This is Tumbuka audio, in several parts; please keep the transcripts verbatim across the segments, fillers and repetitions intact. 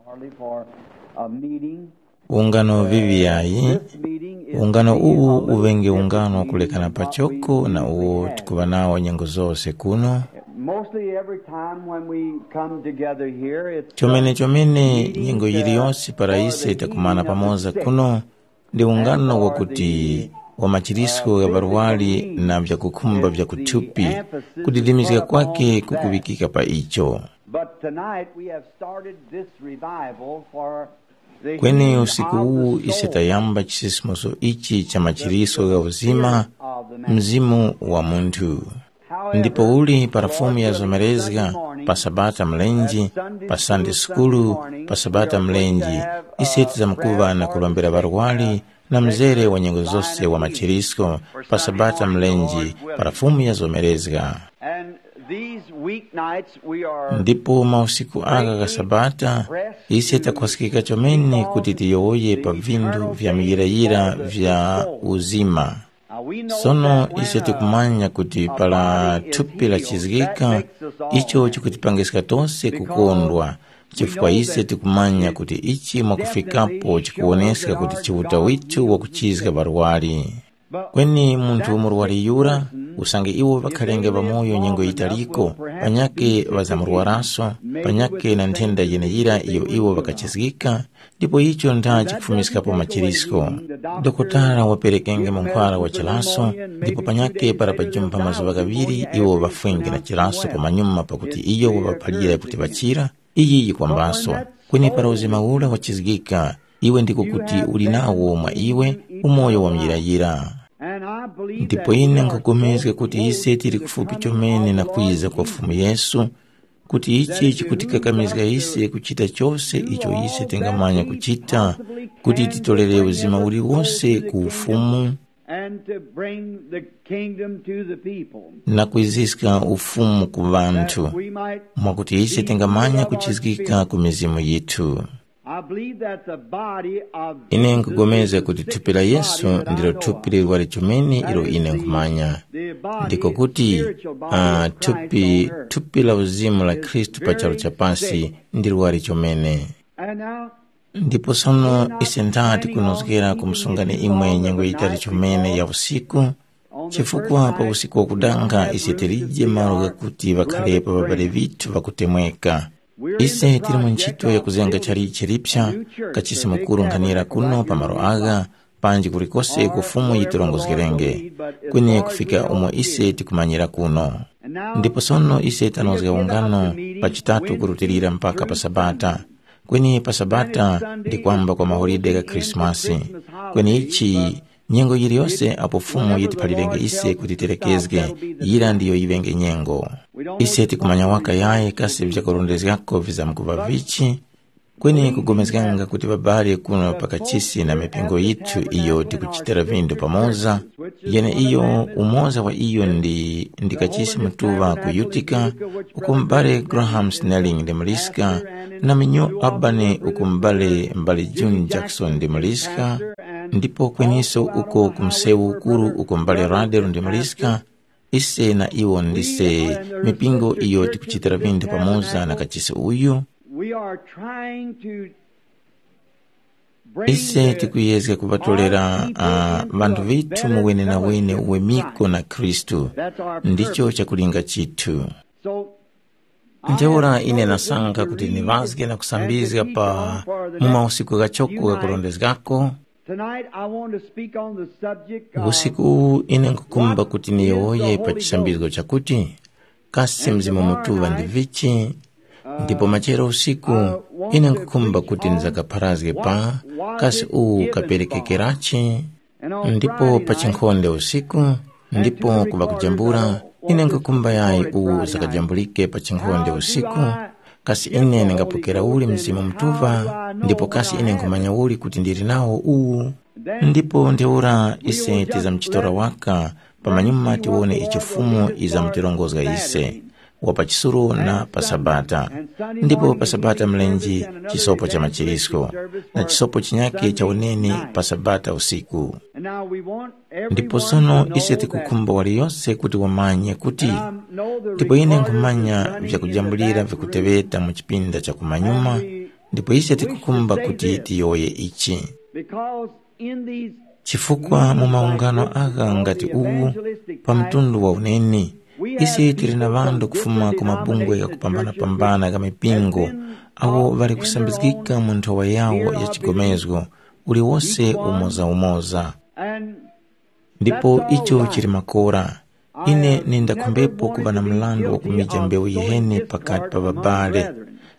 Hardly for a meeting. Ungano vivi yayi. This meeting is ungano uwu uŵenge ungano wakulekana pachoko na uwo tikuŵa nawo nyengo zose kuno. Mostly every time when we come together here, it's chomene chomene nyengo yiliyonse para ise takumana pamoza kuno, ndi ungano wakuti wa machirisko gha ŵarwari na vyakukhumba vya kuthupi, kudidimizga kwake kukuŵikika pa icho. But tonight we have started this revival for the kweni healing usiku of the uwu ise soul. Tayamba chisisimuso ichi cha machiriso gha uzima, mzimu wa munthu. Ndipo uli para fumu yazomerezga, pa sabata mlenji, pa sande sukulu, pa sabata mlenji, ise tizamkuŵa na kulombera ŵarwari, na mzere wa nyengo zose wa machirisko, pa sabata mlenji, para fumu yazomerezga. And these weeknights we are ndipo mausiku aka ka sabata, ise takhwasikika chomene kuti tiyowoye pa vinthu vya muyirayira vya uzima. Sono ise tikumanya kuti para thupi lachizgika, icho chikutipangiska tose kukondwa, chifukwa ise tikumanya kuti ichi mwakufikapo chikuwoneska kuti Chiuta withu wakuchizga ŵarwari. Kweni munthu murwari yura, usange iwo ŵakhalenge ŵamoyo nyengo yitaliko, panyake ŵazamurwaraso, panyake na nthenda yeneyira iyo iwo ŵakachizgika, ndipo icho nda chikufumiskapo machirisko. Dokotala waperekenge mankhwala wa chilaso, ndipo panyake para pajumpha mazuŵa ghaŵiri iwo ŵafwenge na chilaso pamanyuma pakuti iyo waŵaphalira kuti ŵachira, iyi yikwambaso. Kweni para uzima ura wachizgika, iwe ndiko kuti uli nawo mwa iwe umoyo wa muyirayira. Ndipo ine nkhupulikana kuti ise tili kufupi chomene na kwiza kwa Fumu Yesu, kuti ichi chikutikakamizga ise kuchita chose icho ise tingamanya kuchita, kuti titolere uzima uliwose ku ufumu and to bring the kingdom to the people. Na kwiziska ufumu ku vanthu, that we might mwakuti ise tingamanya kuchizgika ku mizimu yithu. I believe that the body of ine Jesus nkugomeza is kuti the thupi la Yesu body, and I ndilo know thupi lirwari chomene ilo ine nkhumanya. The body, ndiko kuti spiritual body ah, of Christ thupi on earth thupi la uzimu la is Khristu pa charu very chapasi sick. Ndi lwari chomene. And now ndipo sono ise nthati kunozgera kumusungani imwe nyengo yitali chomene ya usiku, chifukwa pa usiku wakudanga ise tilije malo ghakuti ŵakhalepo ŵabale vithu ŵakutemweka. Ise tili mu ntchito ya kuzenga chalichi lipsa, kachisi mukuru nkhanira kuno pa malo agha, panji kulikose uko Fumu yitirongozgerenge, kweni kufika umo ise tikumanyira kuno. Ndipo sono ise tanozga ungano pa chitatu kurutilira mpaka pa Sabata, kweni pa Sabata ndi kwamba kwa mahulide gha Khrisimasi. Kweni ichi, nyengo yiliyose apo Fumu yitiphalirenge ise kuti terekezge, yira ndiyo yiŵenge nyengo. Ise tikumanya waka yayi kasi vyakurondezgako vizamkuŵa vichi, kweni kugomezganga kuti ŵabali kuno pa kachisi na mipingo yithu iyo tikuchitira vindu pamoza, yeneiyo umoza wa iyo ndi ndi kachisi mutuŵa ku Utica, uko m'bale Graham Snelling ndi muliska, na mu New Albany uko m'bale m'bale June Jackson ndi muliska, ndipo kweniso uko ku msewu ukuru uko m'bale Radel ndi muliska, ise na iwo ndise mipingo iyo tikuchitira vindu pamoza na kachisi uyu. We are trying to bring ise the tikuyezga kuŵatolera ah, vanthu vithu mu wene na wene uwemiko na Khristu. That's our ndicho purpose. Chakulinga chithu. So ntheura ine nasankha kuti niŵazge na kusambizga pa mu mausiku ghachoko ghakurondezgako. Tonight I want to speak on the subject of usiku uwu ine nkukhumba kuti niyowoye pa chisambizgo chakuti kasi Mzimu Mutuŵa ndi vichi. Ndipo machero usiku ine nkukhumba kuti nizakapharazge pa kasi uwu kaperekekerachi. Ndipo pa chinkhonde usiku ndipo kuŵa kujambula, ine nkukhumba yayi uwu zakajambulike pa chinkhonde usiku. Kasi ine ningapokera uli Mzimu Mutuŵa? Ndipo kasi ine nkhumanya uli kuti ndili nawo uwu? Ndipo ntheura ise tizamuchitora waka, pamanyuma tiwone icho Fumu izamutirongozga ise, wa pa chisulo na pa Sabata. Ndipo pa Sabata mlenje chisopo cha machirisko, na chisopo chinyakhe cha uneni pa Sabata usiku. Ndipo sono ise tikukhumba waliyose kuti wamanye kuti ndipo ine nkhumanya vyakujambulira vyakuteŵeta mu chipinda cha kumanyuma, Ndipo ise tikukhumba kuti tiyowoye ichi. Because in these chifukwa mu maungano agha ngati uwu, pa mtundu wa uneni, ise tili na ŵanthu kufuma ku mabungwe ghakupambana-pambana gha mipingo, awo ŵali kusambizgika mu nthowa yawo ya chigomezgo, uliwose umoza-umoza. And ndipo icho chili makora. Ine nindakhumbepo kuŵa na mrandu wa kumija mbewu yiheni pakati pa ŵabale.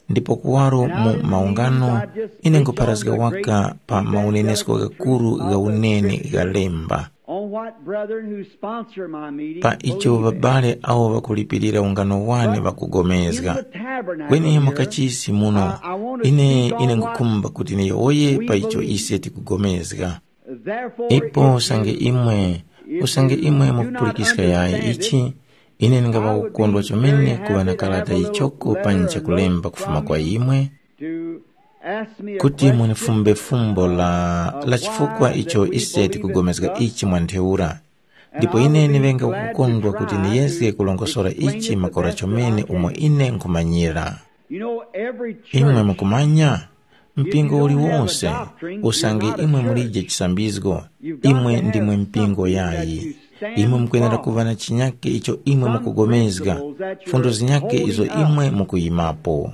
Ndipo kuwaro mu maungano, ine nkupharazga waka pa maunenesko ghakuru gha uneni gha lemba. On what brethren who sponsor my meeting pa icho believe. Ŵabale awo ŵakulipirira ungano wane ŵakugomezga. Kweni mu kachisi muno, ine ine ngukhumba kuti niyowoye pa icho ise tikugomezga. Ipo usange imwe, usange imwe mukupulikiska yayi ichi, ine ndingaŵa kukondwa chomene kuŵa na karata yichoko panji chakulemba kufuma kwa imwe, kuti munifumbe fumbo la, la chifukwa icho ise tikugomezga ichi mwa ntheura. Ndipo ine ndiŵenge kukondwa kuti ndiyezge kulongosora ichi makora chomene umo ine nkhumanyira. Imwe mukumanya, mpingo uliwose, usange imwe mulije chisambizgo, imwe ndimwe mpingo yayi. Imwe mukwenera kuŵa na chinyake icho imwe mukugomezga, fundo zinyake izo imwe mukuyimapo.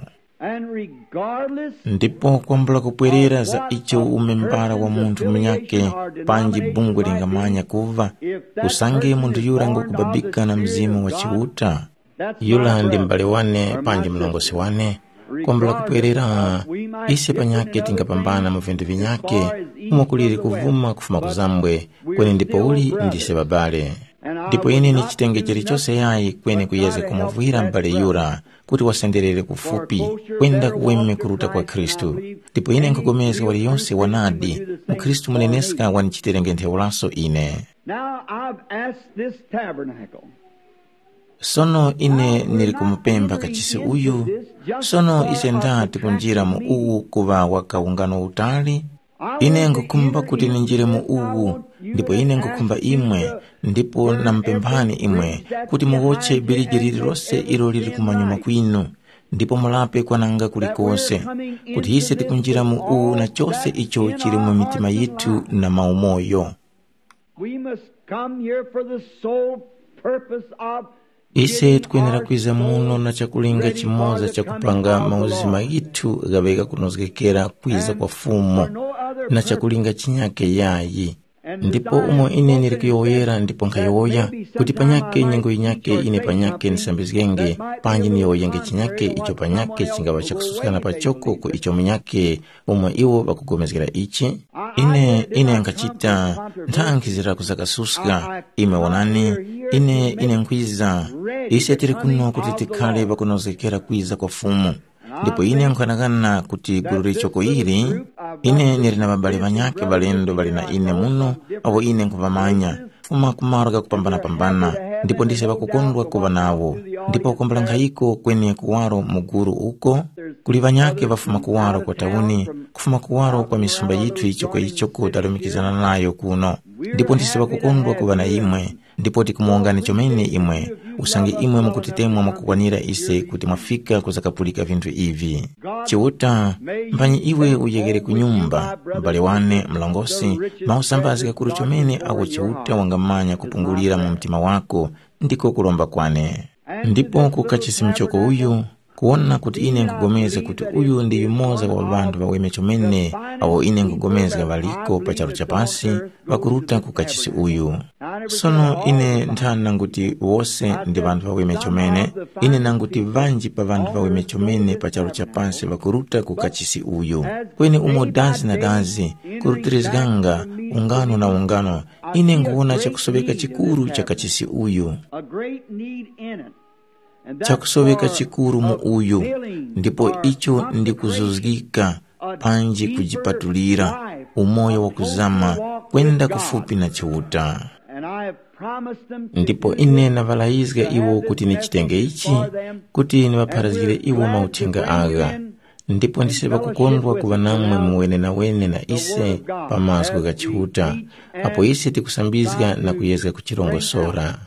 Ndipo kwambula kupwerera za icho umembara wa munthu munyake, panji bungwe lingamanya kuva, usange munthu yura ngukubabika na Mzimu wa Chiuta, yura ndi m'bale wane panji mlongosi wane, kwambula kupwerera, ise panyakhe tingapambana mu vinthu vinyakhe, umo kuliri kuvuma kufuma kuzambwe, kweni ndipouli ndise ŵabale. Ndipo ine ni chitenge chilichose yayi kweni kuyezga kumuvwira m'bale yura, kuti wasenderere kufupi, kwenda kuweme kuruta kwa Khristu. Ndipo ine nkhupulikana waliyose wanadi, mukhristu muneneska wanichitenge ntheuraso ine. Now I've asked this tabernacle. Sono ine nili kumupemba kachisi uyu. Sono ise ndati kunjira mu uwu kuŵa waka ungano utali? Ine nkhukhumba kuti ninjire mu uwu, ndipo ine nkhukhumba imwe, ndipo namupemphani imwe, kuti muwotche biriji lililose ilo lili kumanyuma kwinu, ndipo mulape kwananga kulikose, kuti ise tikunjira mu uwu na chose icho chili mu mitima yithu na maumoyo. We must come here for the sole purpose of ise tikwenera kwiza muno na chakulinga chimoza chakupanga mauzima ghithu ghaŵe ghakunozgekera kwiza kwa Fumu, na chakulinga chinyake yayi. Ndipo umo ine ndili kuyowoyera ndipo nkhayowoya, kuti panyake nyengo yinyake ine panyake ndisambizgenge, panji niyowoyenge chinyake icho panyake chingaŵa chakususkana pachoko ku icho munyake, umo iwo ŵakupulikana ichi. Ine, ine nkhachita nthankhi zira kuzakasuska. Imwe wonani, ine, ine nkhwiza. Ise tili kuno kuti tikhale ŵakunozgekera kwiza kwa Fumu. Ndipo ine nkhanakana kuti gulu lichoko ili, ine ndili na ŵabale ŵanyakhe ŵalendo ŵali na ine muno, awo ine nkhuŵamanya, kufuma ku malo ghakupambanapambana, ndipo ndise ŵakukondwa kuŵa nawo. Ndipo kwambula nkhayiko kweni kuwaro mu gulu uko, kuli ŵanyakhe ŵafuma kuwaro kwa tauni, kufuma kuwaro kwa misumba yithu ichoko ichoko talumikizana nayo kuno. Ndipo ndise ŵakukondwa kuŵa na imwe, ndipo tikumuwongani chomene imwe, usange imwe mukutitemwa mwakukwanira ise kuti mwafika kuzakapulika vinthu ivi. Chiuta, mphanyi iwe uyeghere ku nyumba, m'bale wane mlongosi, mausambazge ghakuru chomene agho Chiuta wangamanya kupungulira mu mtima wako, ndiko kulomba kwane. Ndipo ku kachisi mchoko uyu, kuwona kuti ine nkhupulikana kuti uyu ndi yumoza wa ŵanthu ŵaweme chomene, awo ine nkhupulikana ŵaliko pa charu cha pasi, ŵakuruta ku kachisi uyu. Sono ine nthana kuti wose ndi ŵanthu ŵaweme chomene, ine nanguti ŵanji pa ŵanthu ŵaweme chomene pa charu cha pasi ŵakuruta ku kachisi uyu. Kweni umo dazi na dazi, kurutirizganga ungano na ungano, ine nguwona chakusoŵeka chikuru cha kachisi uyu. A great need in it. Chakusoŵeka chikuru mu uyu, ndipo icho ndi kuzuzgika, panji kujipatulira, umoyo wakuzama, kwenda kufupi na Chiuta. Ndipo ine naŵalayizga iwo kuti nichitenge ichi, kuti niŵapharazgire iwo mauthenga agha. Ndipo ndise ŵakukondwa kuŵa namwe mu wenenawene na ise pa mazgu gha Chiuta, apo ise tikusambizga na kuyezga kuchirongosora.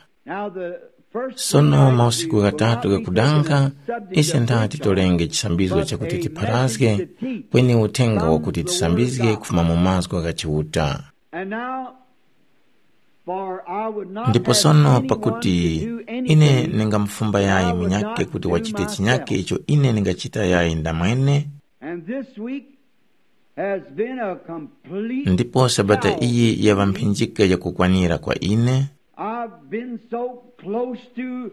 Sono mausiku ghatatu ghakudanga, ise nthati tolenge chisambizgo chakuti tipharazge, Kweni uthenga wakuti tisambizge kufuma mu mazgu gha Chiuta. And now, for I would not Ndipo have sono anyone pakuti to do anything ine ningamufumba that yayi I would munyake not kuti do wachite chinyake myself. Icho ine ningachita yayi ndamwene. And this week has been a complete Ndipo sabata shower iyi yava mphinjika yakukwanira kwa ine. I've been so close to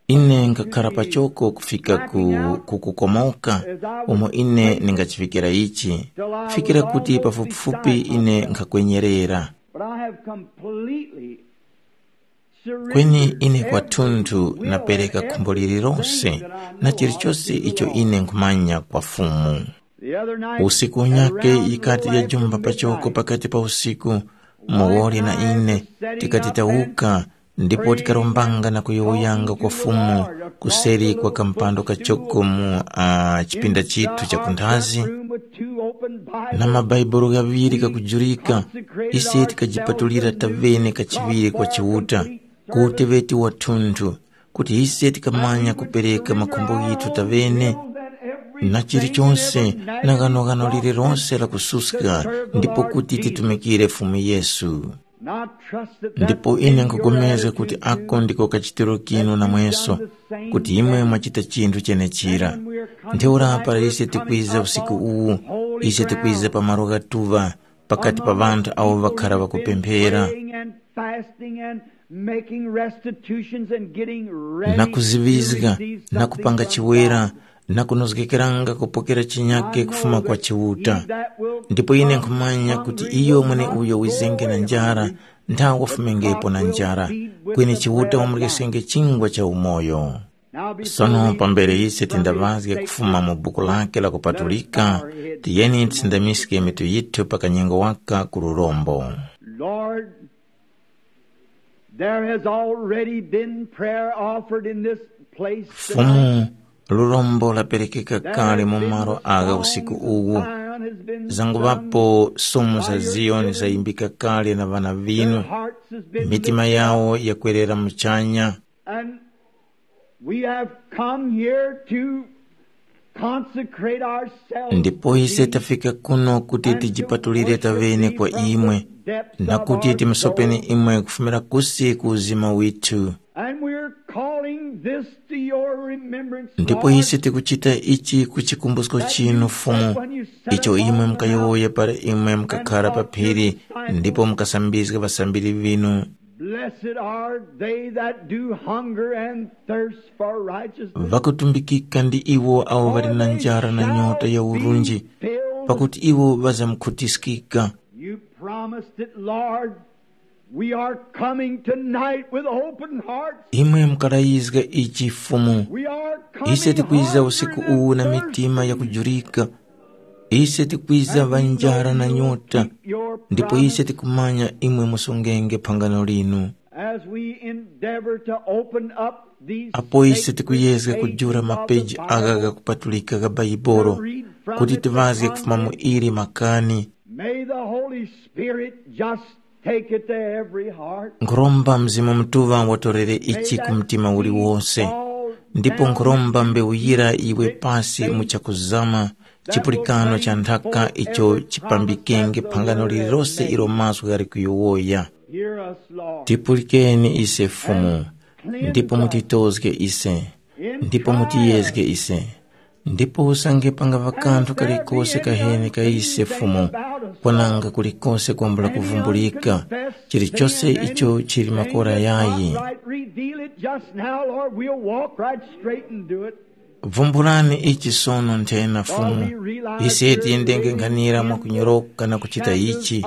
Ine ngakhala pachoko kufika ku, ku kukomoka umo ine ningachifikira ichi, kufikira kuti pafupifupi ine nkhakwenyerera. But I have completely surrendered Kweni ine kwathunthu every will napereka and khumbo everything lililonse that I know na of chilichonse to the icho Lord. Ine nkhumanya kwa Fumu. The other night, Usiku at unyake around yikati little after yajumba pachoko midnight, pakati pa usiku, muwoli na ine tikati tawuka ndipo tikarombanga na kuyowoyanga kwa Fumu kuseri kwa kampando kachoko mu uh, chipinda chithu cha kunthazi, na mabaibulo ghaŵiri kakujurika, ise tikajipatulira tavene kachiŵiri kwa Chiuta, ku uteŵeti wathunthu, kuti ise tikamanya kupereka makhumbo ghithu tavene na chilichonse na ghanoghano lililonse la kususka, ndipo kuti titumikire Fumu Yesu. Ndipo ine nkupulikana kuti ako ndiko kachitiro kinu namweso, kuti imwe mwachita chinthu chenechira. Ntheura para ise tikwiza usiku uwu, ise tikwiza pa malo ghatuŵa, pakati pa ŵanthu awo ŵakhara ŵakupemphera, na kuziŵizga, na kupanga chiwera, na kunozgekeranga kupokera chinyake kufuma kwa Chiuta. Ndipo ine nkhumanya kuti iyo mweneuyo wizenge na njara, nthawe wafumengepo na njara, kweni Chiuta wamurekesenge chingwa cha umoyo. Sono pambere ise tindaŵazge kufuma mu buku lake lakupatulika, tiyeni tisindamiske mitu yithu pa kanyengo waka ku lurombo. Lord, there has already been prayer offered in this place Fumu, tonight. Lurombo laperekeka kale mu malo agha usiku uwu. Zanguŵapo sumu za Ziyoni zayimbika kale na ŵana vinu. Mitima yawo yakwerera muchanya. And we have come here to consecrate ourselves Ndipo ise tafika kuno kuti tijipatulire tavene kwa imwe, na kuti timusopeni imwe kufumira kusi ku uzima withu. And we're calling this to your remembrance, Ndipo Lord, ise tikuchita ichi ku chikumbusko chinu, Fumu, icho imwe mukayowoya para imwe mukakhara pa phiri ndipo mukasambizga ŵasambiri vinu. Blessed are they that do hunger and thirst for righteousness. Ŵakutumbikika ndi iwo awo ŵali na njara na nyota ya urunji, pakuti iwo ŵazamkhutiskika. You promised it, Lord. We are coming tonight with open hearts. Imwe mukalayizga ichi, Fumu. We are coming Ise tikwiza hungering usiku and uwu na thirsting. Mitima yakujurika. Ise tikwiza ŵanjara na nyota, ndipo ise tikumanya imwe musungenge phangano linu. As we endeavor to open up these Apo ise tikuyezga kujula mapeji agha ghakupatulika gha Baibolo, kuti tivazge kufuma mu ili makani. May the Holy Spirit just take it to every heart. Nkhuromba Mzimu Mutuŵa watorere ichi ku mtima uliwonse, ndipo nkhuromba mbewu yira yiwe pasi mu chakuzama, chipulikano cha nthaka icho chipambikenge phangano lililose ilo mazgu ghali kuyowoya. Hear us, Lord. Tipulikeni ise Fumu, ndipo mutitozge ise, ndipo mutiyezge ise. Ndipo usange pangava kanthu kalikose kaheni ka ise Fumu, kwananga kulikose kwambula kuvumbulika, chilichose icho chili makora yayi. Reveal it just now, Lord. We'll walk right straight and do it. Vumbulani ichi sono nthena Fumu. Ise tiyendenge nkhanira mwakunyoroka na kuchita ichi,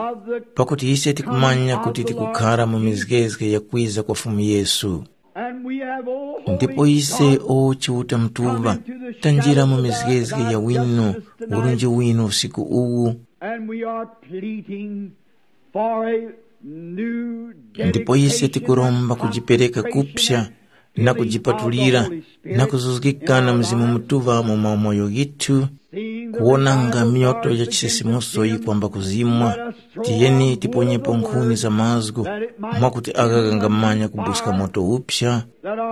pakuti ise tikumanya kuti tikukhara mu mizgezge ya kwiza kwa Fumu Yesu. And we have, O Holy Ndipo ise God, o Chiuta Mutuŵa, tanjira mu mizgezge ya wino, urunji wino usiku uwu. And we are pleading for a new Ndipo ise dedication tikuromba and kujipereka consecration kupsa na kujipatulira na kuzuzgikana Mzimu Mutuŵa mu mamoyo ghithu, kuwonanga myoto ya chisisimuso yikwamba kuzimwa. Tiyeni tiponyepo nkhuni za mazgu, mwakuti agha ghangamanya kubuska moto uphya,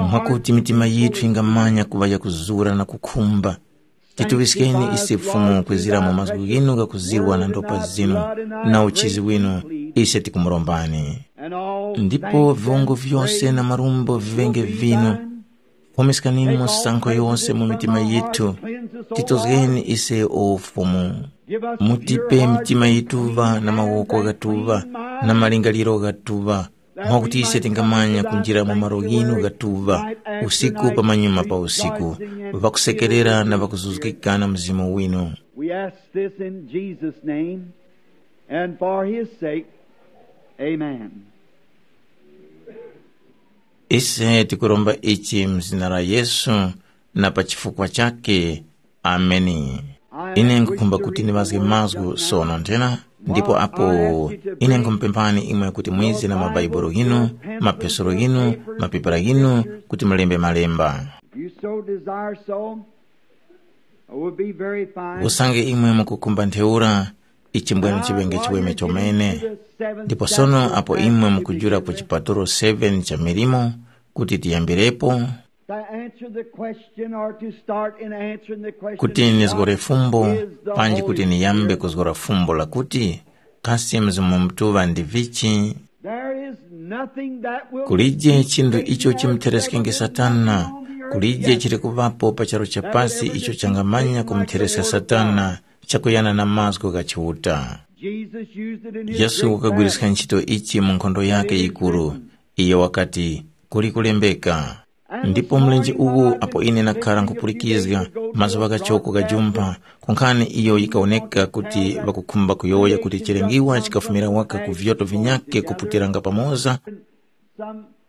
mwakuti mitima yithu yingamanya kuŵa yakuzura na kukhumba. Tituŵiskeni ise Fumu kwezira mu mazgu ghinu ghakuzirwa na ndopa zinu na uchizi winu, ise tikumurombani. Ndipo viwongo vyose na marumbo viŵenge vinu. Pumiskanimo misankho yose mu mitima yithu. Titozgeni ise o Fumu. Mutipe mitima yituŵa na mawoko ghatuŵa na malingaliro ghatuŵa, mwakuti ise tingamanya kunjira mu malo ghinu ghatuŵa usiku pamanyuma pa usiku, ŵakusekerera na ŵakuzuzgika na Mzimu winu. We ask this in Jesus' name and for his sake. Amen. Ise tikuromba ichi mzina la Yesu, na pa chifukwa chake. Ameni. Ine nkukhumba kuti ndiŵazge mazgu sono nthena, ndipo apo ine nkhumupemphani imwe kuti mwize na mabaibulo ghinu, mapesoro ghinu, mapepala ghinu, kuti mulembe malemba. If you so desire so, it would be very fine. Usange imwe mukukhumba ntheura, ichi mbwenu chiŵenge chiweme chomene. Ndipo sono apo imwe mukujula ku chipatulo seven cha milimo, kuti tiyambirepo, To answer the question or to start in answering the question kuti nizgore fumbo, panji kuti niyambe kuzgora fumbo lakuti, kasi Mzimu Mutuŵa ndi vichi? There is nothing that will kulije chinthu icho chimuthereskenge Satana. Kulije chili kuŵapo pa charu cha pasi icho changamanya kumuthereska Satana, chakuyana na mazgu gha Chiuta. Jesus used it in his Yesu great wakagwiriska battle. Ntchito ichi mu nkhondo yake yikuru. Iye wakati, kuli kulembeka. Ndipo mlenje uwu apo ine nakhara nkhupulikizga, mazuŵa ghachoko ghajumpha, kunkhani iyo yikawoneka kuti ŵakukhumba kuyowoya kuti chilengiwa chikafumira waka ku vyoto vinyakhe kuputiranga pamoza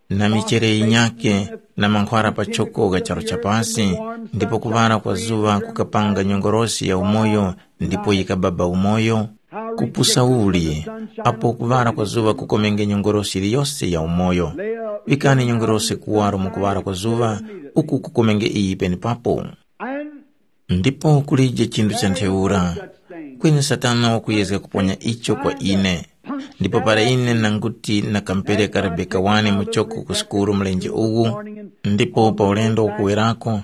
na michele yinyakhe na mankhwara pachoko gha charu cha pasi, ndipo kuŵala kwa zuŵa kukapanga nyongorosi ya umoyo, ndipo yikababa umoyo. Kupusa uli, apo kuŵala kwa zuŵa kukomenge nyongorosi yiliyose ya umoyo. Pikani nyongorosi kuwaro mu kuŵala kwa zuŵa, uku kukomenge iyi penepapo. Ndipo kulije chinthu cha ntheura. Kweni Satana wakuyezga kuponya icho kwa ine. Ndipo para ine nanguti nakampereka Rebeka wane muchoko ku sukulu mlenje uwu, ndipo pa ulendo ukuwerako,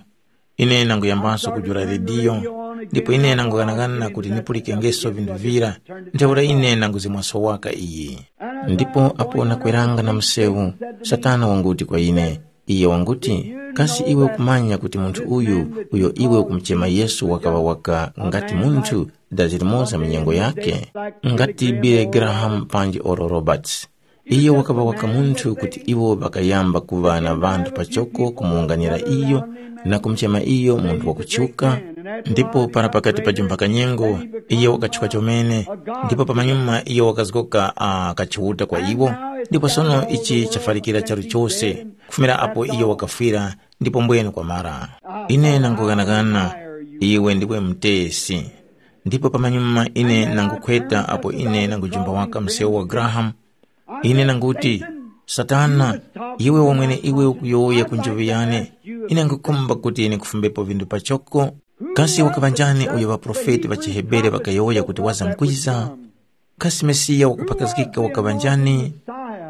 ine nanguyambaso kujula rediyo, ndipo ine nangughanaghana kuti nipulikengeso vinthu vira, ntheura ine nanguzimwaso waka iyi. Ndipo apo nakweranga na msewu, Satana wanguti kwa ine, iyo wanguti, kasi iwe ukumanya kuti munthu uyu, uyo iwe ukumuchema Yesu wakaŵa waka ngati munthu dazi limoza mu nyengo yakhe? Ngati Billy Graham panji oro Roberts. Iyo wakaŵa waka munthu kuti iwo ŵakayamba kuŵa na ŵanthu pachoko kumuwunganira iyo na kumuchema iyo munthu wakutchuka, ndipo para pakati pa jumba kanyengo, iyo wakatchuka chomene, ndipo pamanyuma iyo wakazgoka uh, kachiuta kwa iwo. Ndipo sono ichi chafalikira charu chose, kufumira apo iyo wakafwira, ndipo mbwenu kwamara. Ine nangughanaghana, iwe ndiwe mutesi. Ndipo pamanyuma ine nangukhweta apo ine nangujumba waka msewu wa Graham, ine nanguti, Satana, iwe wamwene iwe ukuyowoya ku njoŵe yane, ine nkukhumba kuti ine kufumbepo vinthu pachoko. Kasi wakaŵa njani uyo ŵaprofeti ŵa chiHebere ŵakayowoya kuti wazamkwiza? Kasi Mesiya wakuphakazgika wakaŵa njani?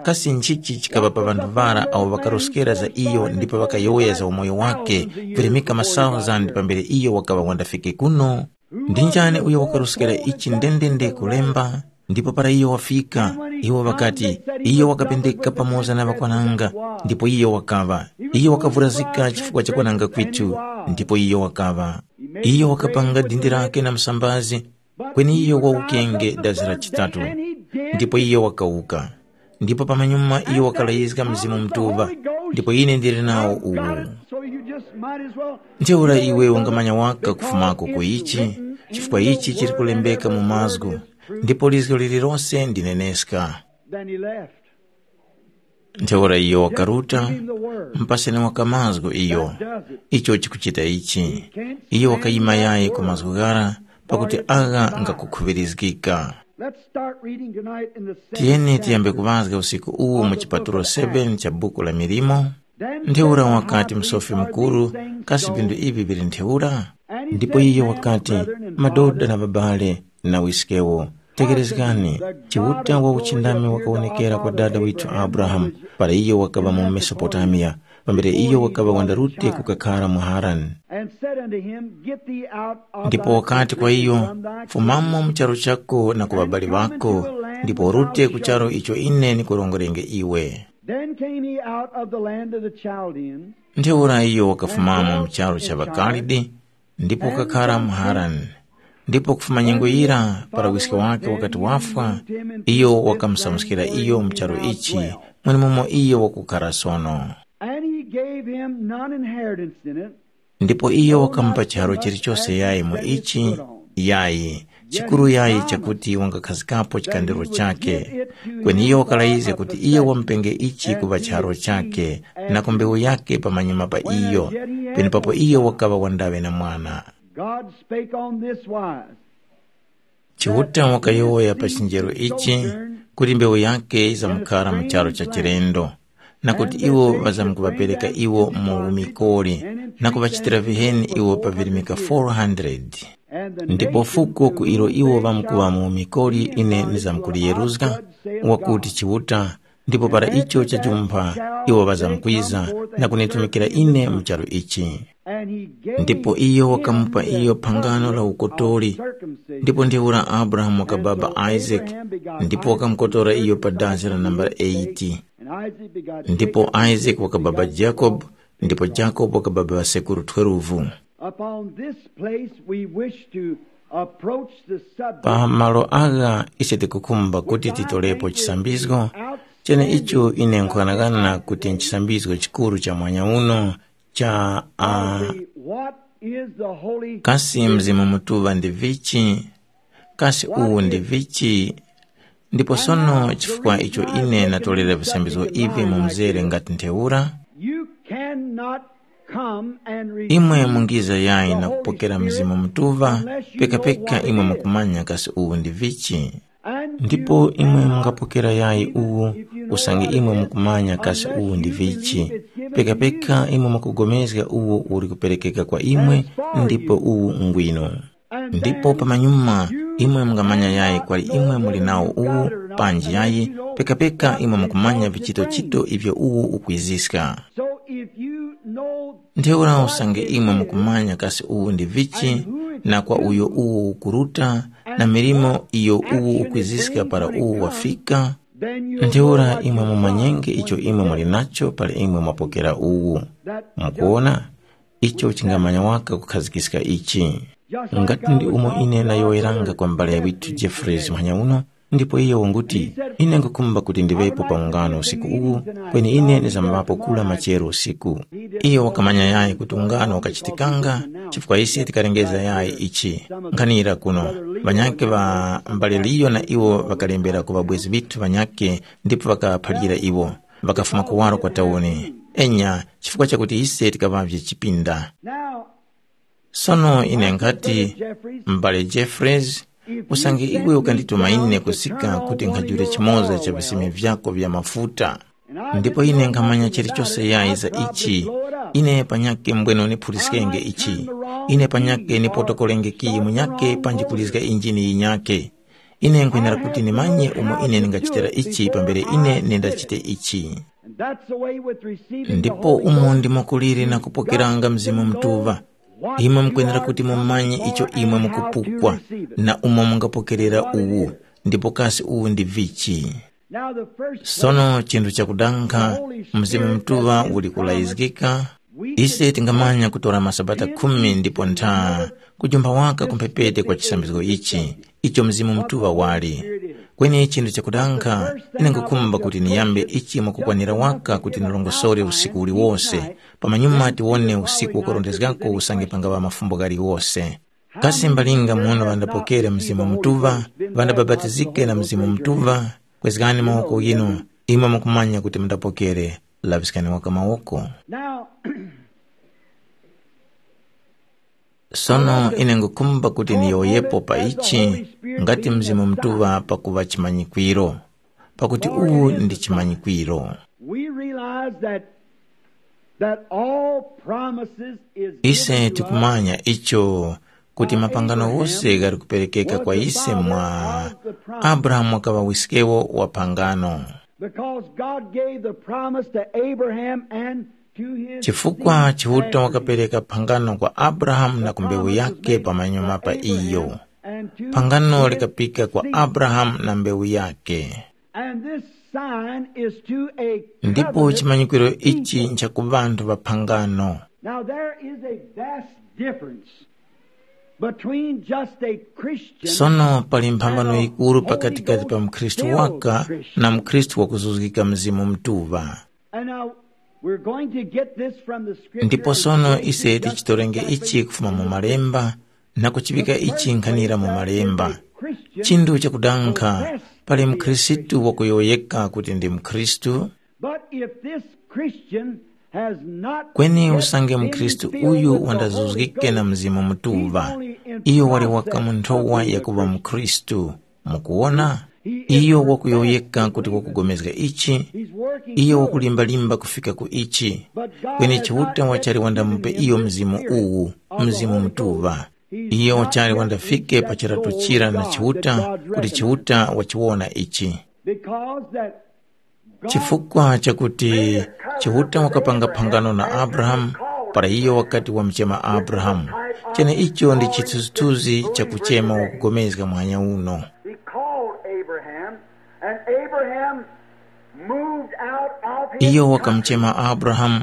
Kasi nchichi chikaŵa pa ŵanthu ŵara awo ŵakaruskera za iyo ndipo ŵakayowoya za umoyo wake, virimika masauzandi pambere iyo wakaŵa wandafike kuno? Ndi njani uyo wakaruskera ichi ndendende kulemba? Ndipo para iyo wafika, iwo ŵakati, iyo wakapendeka pamoza na ŵakwananga, ndipo iyo wakaŵa. Iyo wakavurazika chifukwa cha kwananga kwitu, ndipo iyo wakaŵa. Iyo wakapanga dindi lake na msambazi, kweni iyo wawukenge dazi la chitatu. Ndipo iyo wakawuka. Ndipo pamanyuma iyo wakalayizga Mzimu Mutuŵa, ndipo ine ndili nawo uwu. So you just might as well. Ntheura iwe ungamanya waka kufumako ku ichi, chifukwa ichi chili kulembeka mu mazgu, ndipo lizgo lililose ndi neneska. Then he left. Ntheura iyo wakaruta, mpaseni waka mazgu iyo. Icho chikuchita ichi. Iyo wakayima yayi ku mazgu ghara, pakuti agha ngakukhuŵirizgika. Let's start reading tonight in the seventh Tiyeni tiyambe chapter. Kuŵazga usiku uwu mu chipatulo seven cha buku la milimo. Ntheura wakati msofi mukuru, kasi vindu ivi vili ntheura? Ndipo iyo wakati, madoda na babale na wiskewo, tekerezgani, Chiuta wa uchindami wakawonekera kwa dada withu Abrahamu, para iyo wakaŵa mu Mesopotamiya, pambere iyo wakaŵa wandarute kukakhara mu Harani. And said unto him, Get thee out of Ndipo thy wakati kwa country, and iyo, from thy "Fumamo mu charu chako na ku ŵabali ŵako, ndipo urute ku charu icho ine nikurongorenge iwe." Then came he out of the land of the Chaldeans. Ntheura iyo wakafumamo mu charu cha ŵaKalidi, ndipo wakakhara mu Harani. Ndipo kufuma nyengo yira, para wiske wake wakati wafwa, iyo wakamusamuskira iyo mu charu ichi, mwenemumo iyo wakukhara sono. And he gave him none inheritance in it. Ndipo iyo wakamupa chiharo chilichose yayi mu ichi, yayi, chikuru yayi chakuti wangakhazikapo chikandiro chake. Kweni iyo wakalayizga kuti iyo wamupenge ichi kuŵa chiharo chake, na ku mbewu yake pamanyuma pa iyo, penepapo iyo wakaŵa wandaŵe na mwana. God spake on this wise. Chiuta wakayowoya pa chinjero ichi, kuti mbewu yake yizamkara mu charu cha chilendo, na kuti iwo ŵazamkuŵapereka iwo mu umikoli, na kuŵachitira viheni iwo pa virimika four hundred. Ndipo fuko ku ilo iwo ŵamkuŵa mu umikoli ine nizamkuliyeruzga, wakuti Chiuta, ndipo para icho chajumpha, iwo ŵazamkwiza na kunitumikira ine mu charu ichi. Ndipo iyo wakamupa iyo phangano la ukotori. Ndipo ntheura Abrahamu wakababa Isaac, ndipo wakamukotora iyo pa dazi la nambala eight. Ndipo Isaac wakababa Jacob, ndipo Jacob wakababa ŵasekuru twelve. Upon this place we wish to approach the subject. Pa malo agha ise tikukhumba kuti titolepo chisambizgo, chene icho ine nkughanagana kuti nchisambizgo chikuru cha mwanya uno cha a, What is the Holy kasi Spirit? Mzimu Mutuŵa ndi vichi? Kasi uwu ndi vichi? Ndipo sono chifukwa icho ine natolera visambizgo ivi mu mzere ngati ntheura, You cannot come and receive imwe mungiza yayi the na Holy kupokera Spirit Mzimu Mutuŵa, unless you know pekapeka what it imwe is. Mukumanya kasi uwu ndi vichi. And ndipo you imwe cannot mungapokera yayi receive it uwu, if you know usange what it imwe is, mukumanya kasi unless uwu ndi you vichi, believe it's given to pekapeka you. Imwe mukugomezga uwo uli kuperekeka kwa imwe, ndipo uwu ngwino. Ndipo pamanyuma imwe mungamanya yayi kwali imwe muli nawo uwu, panji yayi, pekapeka imwe mukumanya vichito-chito ivyo uwu ukwiziska. So if you know Ntheura usange imwe mukumanya kasi uwu ndi vichi, na kwa uyo uwu ukuruta, na milimo iyo uwu ukwiziska para uwu wafika, then you ntheura imwe mumanyenge icho imwe muli nacho para imwe mwapokera uwu. Mukuwona? Icho chingamanya waka kukhazikiska ichi. Ngati ndi umo ine nayowoyeranga kwa mbale ya withu Jeffreys muhanya uno, ndipo iyo wanguti, ine nkukhumba kuti ndiŵepo pa ungano usiku uwu, kweni ine ndizambapo kula machero usiku. Iyo wakamanya yayi kuti ungano wakachitikanga, chifukwa ise tikalengeza yayi ichi. Nkhanira kuno, ŵanyakhe ŵa mbale Liyo na iwo ŵakalembera ku ŵabwezi ŵithu ŵanyakhe ndipo ŵakaphalira iwo, ŵakafuma kuwaro kwa tauni. Enya, chifukwa chakuti ise tikaŵavye chipinda. Now, Sono ine nkhati, m'bale Jeffreys, usange iwe ukandituma ine kusika kuti nkhajule chimoza cha visime vyako vya mafuta, ndipo ine nkhamanya chilichose yayi za ichi, ine panyake mbwene niphuliskenge ichi, ine panyake nipotokolenge kiyi munyake panji kulizga injini yinyake. Ine nkhwenera kuti ndimanye umo ine ndingachitira ichi pambere ine nindachite ichi. And that's the way with receiving the Ndipo Holy umo Ghost. Ndimo kuliri na kupokeranga Mzimu Mutuŵa. Imwe mukwenera kuti mumanye icho imwe mukupukwa na umo mungapokerera uwu, ndipo kasi uwu ndi vichi. Now the first Sono chinthu chakudankha, Mzimu Mutuŵa uli kulayizgika. Ise tingamanya kutora masabata khumi ndipo ntha, kujumba waka kumphepete kwa chisambizgo ichi, icho Mzimu Mutuŵa wali. Kweni chinthu chakudankha, ine nkukhumba kuti niyambe ichi mwakukwanira waka kuti nilongosore usiku uliwose, pamanyuma tiwone usiku wakurondezgako usange pangaŵa mafumbo ghaliwose. Kasi mbalinga muno ŵandapokere Mzimu Mutuŵa, ŵandabapatizike na Mzimu Mutuŵa? Kwezgani mawoko ghinu, imwe mukumanya kuti mundapokere, laŵiskani waka mawoko. Now, Sono ine ngukhumba kuti niyowoyepo pa ichi, ngati Mzimu Mutuŵa pakuŵa chimanyikwiro, pakuti uwu ndi chimanyikwiro. We realize that, that all promises is Ise given to us tikumanya icho, kuti mapangano ghose ghali kuperekeka kwa ise mwa Abrahamu wakaŵa wiskewo wa pangano. Because God gave the promise to Abraham and Chifukwa Chiuta wakapereka phangano kwa Abrahamu na ku mbewu yake pamanyuma pa iyo. Phangano likapika kwa Abrahamu na mbewu yake. And this sign is to a Ndipo covenant chimanyikwiro ichi people. Nchaku ŵanthu ŵa phangano. Now there is a vast difference between just a Christian Sono pali mphambano and a yikuru Holy pakatikati pa Ghost mkhristu filled waka Christian. Na mkhristu wakuzuzgika Mzimu Mtuŵa. And now we're going to get this from the scripture. Ndipo And sono begin to ise just tichitorenge ichi kufuma mu malemba na kuchiŵika ichi nkhanira mu malemba. Chinthu chakudankha, pali mkhristu wakuyowoyeka kuti ndi mkhristu. But if this Christian has not kweni yet usange been mkhristu filled uyu with the Holy wandazuzgike na Ghost, Mzimu Mutuŵa, he's only in iyo wali waka process mu nthowa of being a yakuŵa Christian. Mkhristu. Mukuwona, iyo wakuyowoyeka kuti wakupulikana ichi. Iyo wakulimbalimba kufika ku ichi. Kweni Chiuta wachali wandamupe iyo mzimu uwu, Mzimu Mutuŵa. Iyo wachali wandafike pa chiratu chira na Chiuta, kuti Chiuta wachiwona ichi. Chifukwa chakuti Chiuta wakapanga phangano na Abrahamu, para iyo wakati wamuchema Abrahamu. Cheneicho ndi chithunzithunzi cha kuchema wakugomezga muhanya uno. He called Abraham, and Abraham moved out of his Iyo country. Wakamuchema Abrahamu,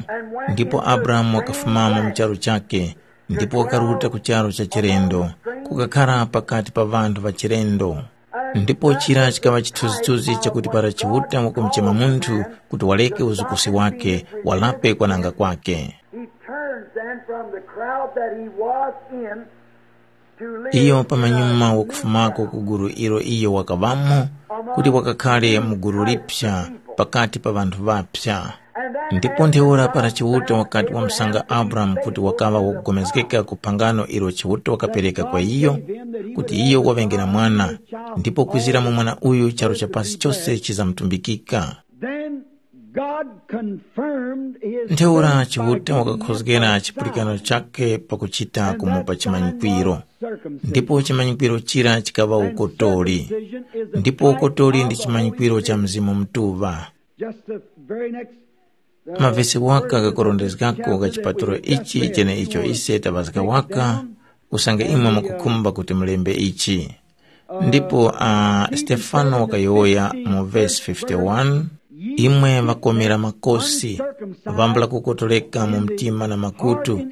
ndipo Abrahamu wakafumamo mu charu chake, ndipo wakaruta ku charu cha chilendo, kukakhara pakati pa ŵanthu ŵa chilendo. Ndipo chira chikaŵa chithunzithunzi chakuti para Chiuta wakumuchema munthu kuti wareke uzukusi wake, walape kwananga kwake. He turns then from the crowd that he was in to live Iyo in a pamanyuma new wakufumako covenant. Ku gulu ilo iyo wakaŵamo, kuti wakakhale mu gulu lipsa pakati pa ŵanthu ŵapsa. Ndipo ntheura para Chiuta wakati wamusanga Abrahamu kuti wakaŵa wakugomezgeka ku phangano ilo Chiuta wakapereka kwa iyo, kuti iyo waŵenge na mwana, ndipo kwizira mu mwana uyu charu cha pasi chose chizamutumbikika. Then God confirmed his Ntheura faith Chiuta by giving wakakhozgera a chipulikano sign chake pakuchita kumupa chimanyikwiro. Ndipo chimanyikwiro chira chikaŵa ukotoli. Ndipo ukotoli ndi chimanyikwiro cha Mzimu Mutuŵa. Just the very next, uh, Mavesi waka kakorondezgako ka chipatulo ichi cheneicho ise taŵazga waka, usange imwe mukukhumba kuti mulembe ichi. Ndipo uh, Stefano wakayowoya mu vesi fifty-one, imwe ŵakomera makosi, vambula kukotoleka mu mtima na makutu,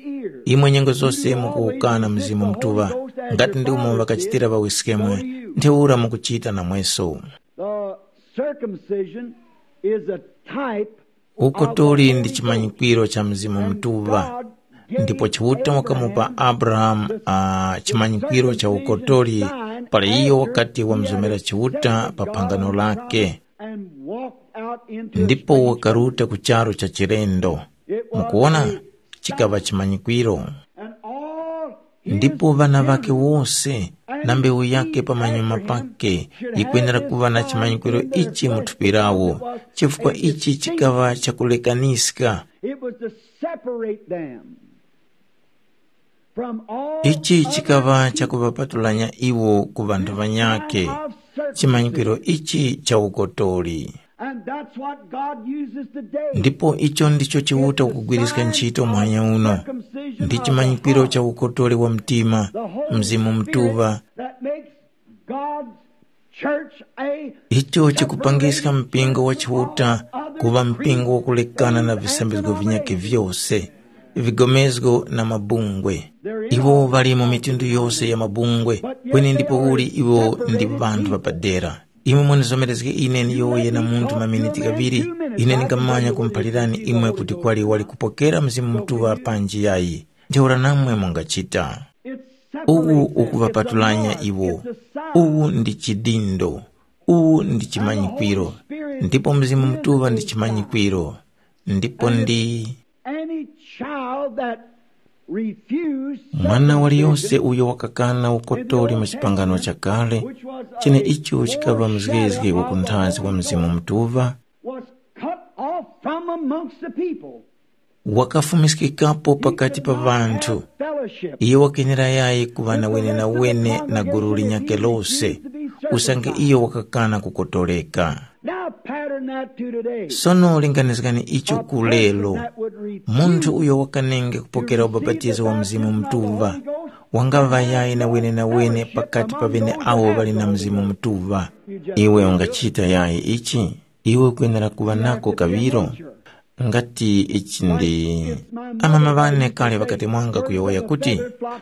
imwe nyengo zose mukuwukana Mzimu Mutuŵa, ngati ndi umo ŵakachitira ŵawiskemwe, ntheura mukuchita namweso. The circumcision is a type Uko tuli ndi chimanyikwiro cha Mzimu Mutuŵa, ndipo Chiuta wakamupa Abrahamu uh, chimanyikwiro cha ukotoli para iyo wakati wamzomera Chiuta pa phangano lake, ndipo wakaruta ku charu cha chilendo. Mukuona, chikaŵa chimanyikwiro. Ndipo ŵana ŵakhe wose na mbewu yake pamanyuma pake yikwenera kuŵa na chimanyikwiro ichi mu thupi lawo, chifukwa ichi chikaŵa chakulekaniska. It was to separate them from all Ichi other chikaŵa people. Chakuŵapatulanya iwo ku ŵanthu ŵanyakhe, chimanyikwiro ichi cha ukotoli. And that's what God uses today. Ndipo icho ndicho Chiuta ukugwiriska ntchito muhanya uno, ndi chimanyikwiro cha ukotoli wa mtima, Mzimu Mutuŵa. That makes God's church a icho chikupangiska mpingo wa Chiuta kuva mpingo wakulekana na visambizgo vinyakhe vyose, vigomezgo na mabungwe. Iwo ŵali mu mitundu yose ya mabungwe, kweni ndipo uli iwo ndi ŵanthu ŵapadera. Imwe munizomerezge ine niyowoye na munthu maminiti ghaŵiri, ine ndingamanya kumuphalirani imwe kuti kwali wali kupokera Mzimu Mutuŵa panji yayi. Ntheura namwe mungachita. Uwu ukuŵapatulanya iwo. Uwu ndi chidindo. Uwu ndi chimanyikwiro. Ndipo Mzimu Mutuŵa ndi chimanyikwiro. Ndipo ndi Any child that refused mwana waliyose circumcision uyo wakakana ukotoli mu chipangano chakale, cheneicho chikaŵa mzgezge wa kunthazi wa Mzimu Mutuŵa, was cut off from amongst the people. Wakafumiskikapo pakati pa ŵanthu. Fellowship. Iye wakenera yayi kuŵa na wenewene na gulu linyakhe lose, usange iyo wakakana kukotoleka. Now, pattern Sono linganizgani icho ku lero. Munthu uyo wakanenge kupokera ubapatizo wa Mzimu Mutuŵa wangaŵa yayi na wenenawene pakati pa ŵeneawo ŵali na Mzimu Mutuŵa. Iwe ungachita yayi ichi? Iwe ukwenera kuŵa nako kaŵiro. Ngati ichi ndi amama ŵane kale ŵakatemwanga kuyowoya kuti,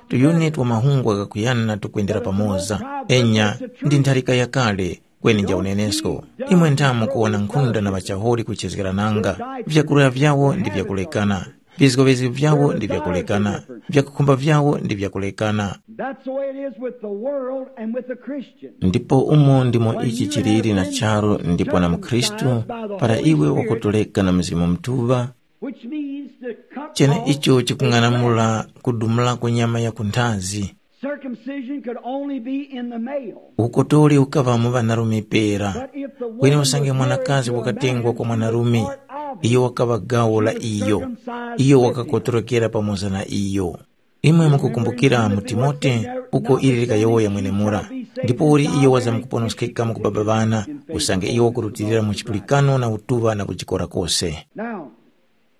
tuyuni twa mahungwa ghakuyana tukwendera pamoza. Enya, ndi ntharika yakale, kweni nja unenesko. Imwe nthamu kuwona nkhunda na ŵachaholi kuchezgerananga. Vyakurya vyawo ndi vyakulekana. Vizgovezgo vyawo ndi vyakulekana. Vyakukhumba vyawo ndi vyakulekana. That's the way it is with the world and with the Christian. Ndipo umo ndimo ichi chiliri na charu ndipo na mukhristu, para iwe wakutoleka na Mzimu Mutuŵa, Which means to cut chene off icho the chikung'anamula kudumulako nyama ya kunthazi. Circumcision could only be in the male. Ukotoli ukaŵa mu ŵanarume pera. But if the kweni woman usange was mwanakazi married to a wakatengwa man, kwa mwanarume, part of iyo wakaŵa gawo la iyo, iyo wakakotorokera pamoza na iyo. Imwe mukukumbukira mu Timote uko ili likayowoya mwenemura, ndipo uli iyo wazamkuponoskeka mu kubaba ŵana, usange iyo wakurutilira mu chipulikano na utuŵa na kujikora kose. Now,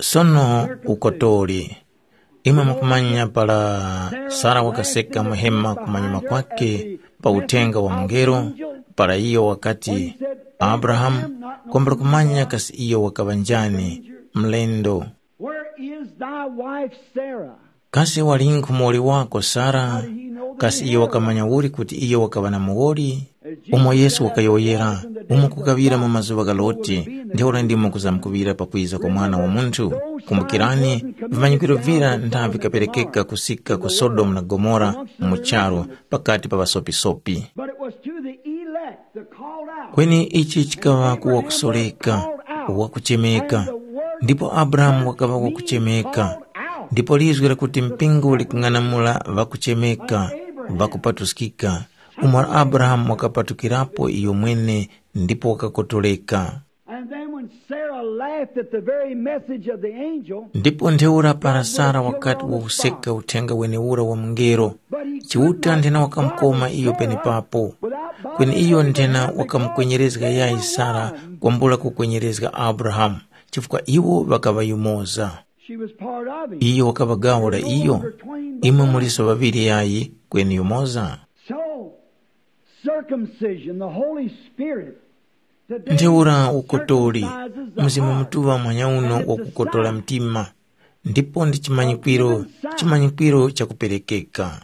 sono ukotoli. Imwe mukumanya para Sara wakaseka muhema kumanyuma kwake pa uthenga wa mungelo, para iyo wakati, Abrahamu, kwambula kumanya kasi iyo wakaŵa njani, mlendo. Where is thy wife Sarah? Kasi walinkhu muwoli wako Sara? Kasi iyo wakamanya uli kuti iyo wakaŵa na muwoli? Umo Yesu wakayowoyera, umo kukaŵira mu mazuŵa gha Loti, ntheura ndimo kuzamkuŵira pakwiza kwa Mwana wa Munthu. Kumbukirani, vimanyikwiro vira ntha vikaperekeka kusika ku Sodomu na Gomora mu charu pakati pa ŵasopisopi. But it was to the elect, the called out. Kweni ichi chikaŵa ku wakusoreka, wakuchemeka, ndipo Abrahamu wakaŵa wakuchemeka, ndipo lizgu lakuti mpingo likung'anamula ŵakuchemeka, ŵakupatuskika, umo Abrahamu wakapatukirapo iyo mwene ndipo wakakotoleka. And then when Sarah laughed at the very message of the angel, ndipo ntheura para Sara wakati wakuseka uthenga wenewura wa mungelo, Chiuta nthena wakamukoma iyo penepapo, kweni iyo nthena wakamukwenyerezga yayi Sara kwambula kukwenyerezga Abrahamu, chifukwa iwo ŵakaŵa yumoza. She was part of him. Iyo wakaŵa gawo la iyo. Imwe muliso ŵaŵiri yayi, kweni yumoza. So, circumcision, the Holy Spirit, today ntheura ukotoli, circumcises the Mzimu heart. Mutuŵa mwanyauno wakukotola mtima, ndipo ndi chimanyikwiro, chimanyikwiro chakuperekeka.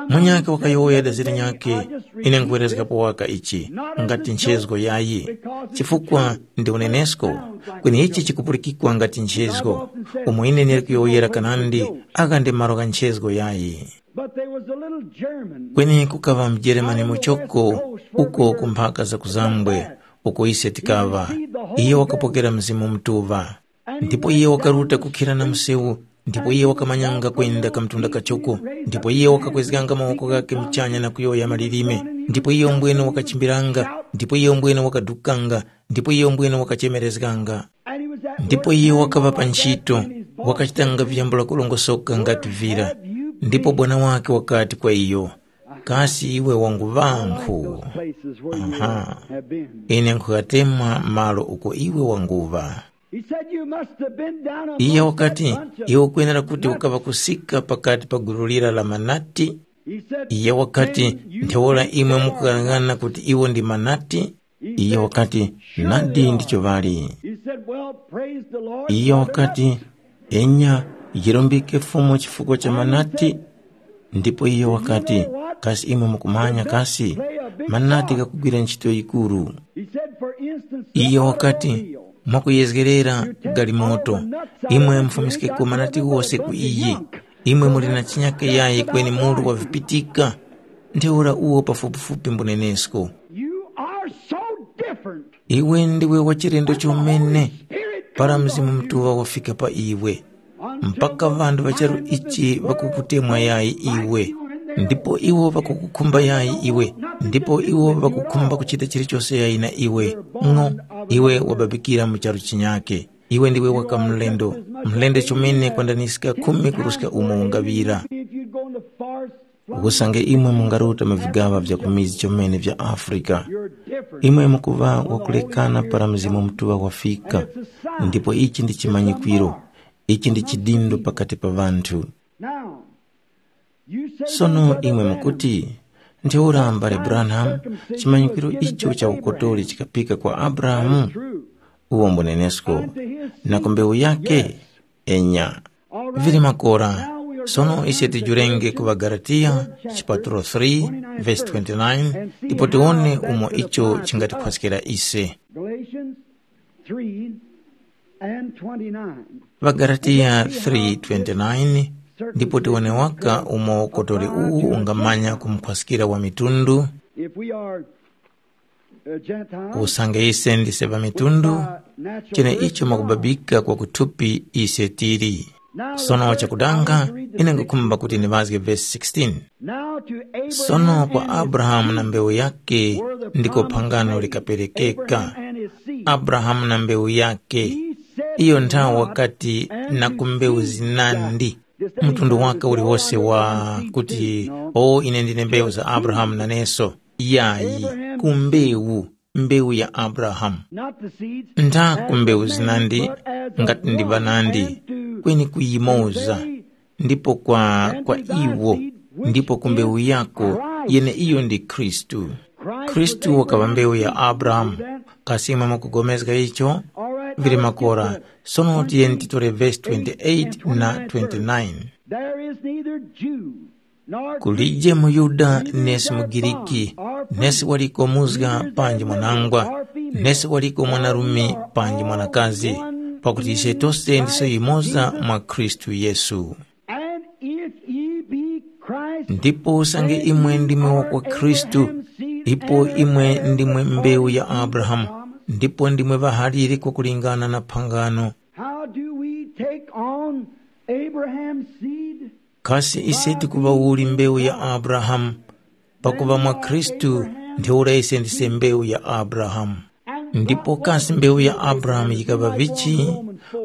Munyakhe wakayowoya dazira nyakhe, ine nkuwerezgapo waka ichi, ngati nchezgo yayi, chifukwa ndi unenesko, kweni ichi chikupulikikwa ngati nchezgo, umo ine ndili kuyowoyera kanandi, aka ndi malo gha nchezgo yayi. But there was a little German. Kweni kukaŵa mjeremani muchoko uko ku mphaka za kuzambwe, uko ise tikaŵa, iye wakapokera Mzimu Mutuŵa. Ndipo iye wakaruta kukhira na msewu, ndipo iye wakamanyanga kwenda kamtunda kachoko, ndipo iye wakakwezganga mawoko ghakhe muchanya na kuyowoya malilime, ndipo iye umbwene wakachimbiranga, ndipo iye umbwene wakadukanga, ndipo iye umbwene wakachemerezganga. Ndipo iye wakaŵa pa ntchito, wakachitanga vyambula kulongosoka ngati vira. Ndipo bwana wake wakati kwa iyo, kasi iwe wanguŵankhu? Aha, ine nkhuyatemwa malo uko iwe wanguŵa. He said, "You must have been down amongst iye wakati that bunch of iwe ukwenera kuti ukava kusika pakati pa gulu lira la manati. He said, iye wakati, "Then you ntheura think imwe they are mukughanaghana kuti iwo ndi manati?" He iye said, wakati, "Surely nadi they ndicho are." Ŵali. He said, "Well, praise the Lord." Iye for the wakati, nut." Enya, yirombike Fumu chifukwa cha manati. Ndipo iye wakati, kasi imwe mukumanya kasi manati gakugwira ntchito yikuru. He said, for instance, iye wakati, mwakuyezgerera galimoto, imwe mufumiskeko manati ghose ku iyi. Imwe muli na chinyake yayi kweni mulu wavipitika. Ntheura uwo pafupifupi mbunenesko. You are so different. Iwe ndiwe wa chilendo chomene. Para Mzimu Mutuŵa wafika pa iwe, mpaka ŵanthu ŵa charu ichi ŵakukutemwa yayi iwe, ndipo iwo ŵakukukhumba yayi iwe, ndipo iwo ŵakukhumba kuchita chilichose yayi na iwe. Ng'o, iwe wababikira mu charu chinyake. Iwe ndiwe waka mlendo, mlendo chomene kwandaniska khumi kuruska umo ungaŵira. Usange imwe mungaruta mu vigaŵa vya kumizi chomene vya Afrika, Imwe mukuŵa wakulekana para Mzimu Mutuŵa wafika, ndipo ichi ndi chimanyikwiro, ichi ndi chidindo pakati pa ŵanthu. Now, you say Sono these other imwe letters mukuti, ntheura mbale Branham, chimanyikwiro icho cha ukotoli chikapika kwa Abrahamu? Uwo mbunenesko, na ku mbewu yake? Enya. Vili makora. Sono ise tijurenge ku ŵaGalatiya, chipatulo three, vesi twenty-nine, ndipo tiwone umo icho chingatikhwaskira ise. Galatians three and twenty-nine. ВaGalatiya three twenty-nine, ndipo tiwone waka umo kotoli uwu ungamanya kumukhwaskira wa mitundu. If we are, uh, Gentiles, usange ise ndise pa mitundu, uh, natural chene icho makubabika kwa kuthupi ise tili. Sono chakudanga, ine ngukhumba kuti ndiŵazge vesi sixteen. Now to Abraham Sono kwa and his Abrahamu na seed mbewu yake were the ndiko promise phangano made. Likaperekeka. Abraham and his seed. Abrahamu na mbewu yake. He said iyo nthawi not wakati unto na ku mbewu seed zinandi. Mtundu wake uliwose wa kuti, o ine ndine mbewu za Abrahamu naneso. Yayi, ku mbewu, mbewu ya Abrahamu. Not the seeds ntha as ku mbewu of man, zinandi but as of ngati ndi one, banandi, and to kweni kuyimoza, convey ndipo kwa, kwa iwo, ndipo ku mbewu yako, yene iyo ndi Khristu. Khristu wakaŵa mbewu ya Abrahamu. Kasi imwe mukugomezga icho? Vili makora. Sono tiyeni titore vesi twenty-eight na twenty-nine. There is neither Jew nor Kulije Greek, muyuda neither nesi slave mugiriki, nor free, nesi waliko muzga neither panji mwanangwa, slave nor female, nesi waliko mwanarume panji mwanakazi, pakuti ise tose ndiso yimoza mwa Khristu Yesu. And if ye be Christ, ndipo usange imwe ndimwe wa kwa Khristu, ndipo imwe ndimwe mbewu ya Abrahamu, ndipo ndimwe ŵahalire kwakulingana na phangano. How do we take on Abraham's seed? Kasi ise tikuŵa uli mbewu ya Abrahamu? Pakuŵa mwa Khristu, ntheura ise ndise mbewu ya Abrahamu. Ndipo kasi mbewu ya Abrahamu yikaŵa vichi?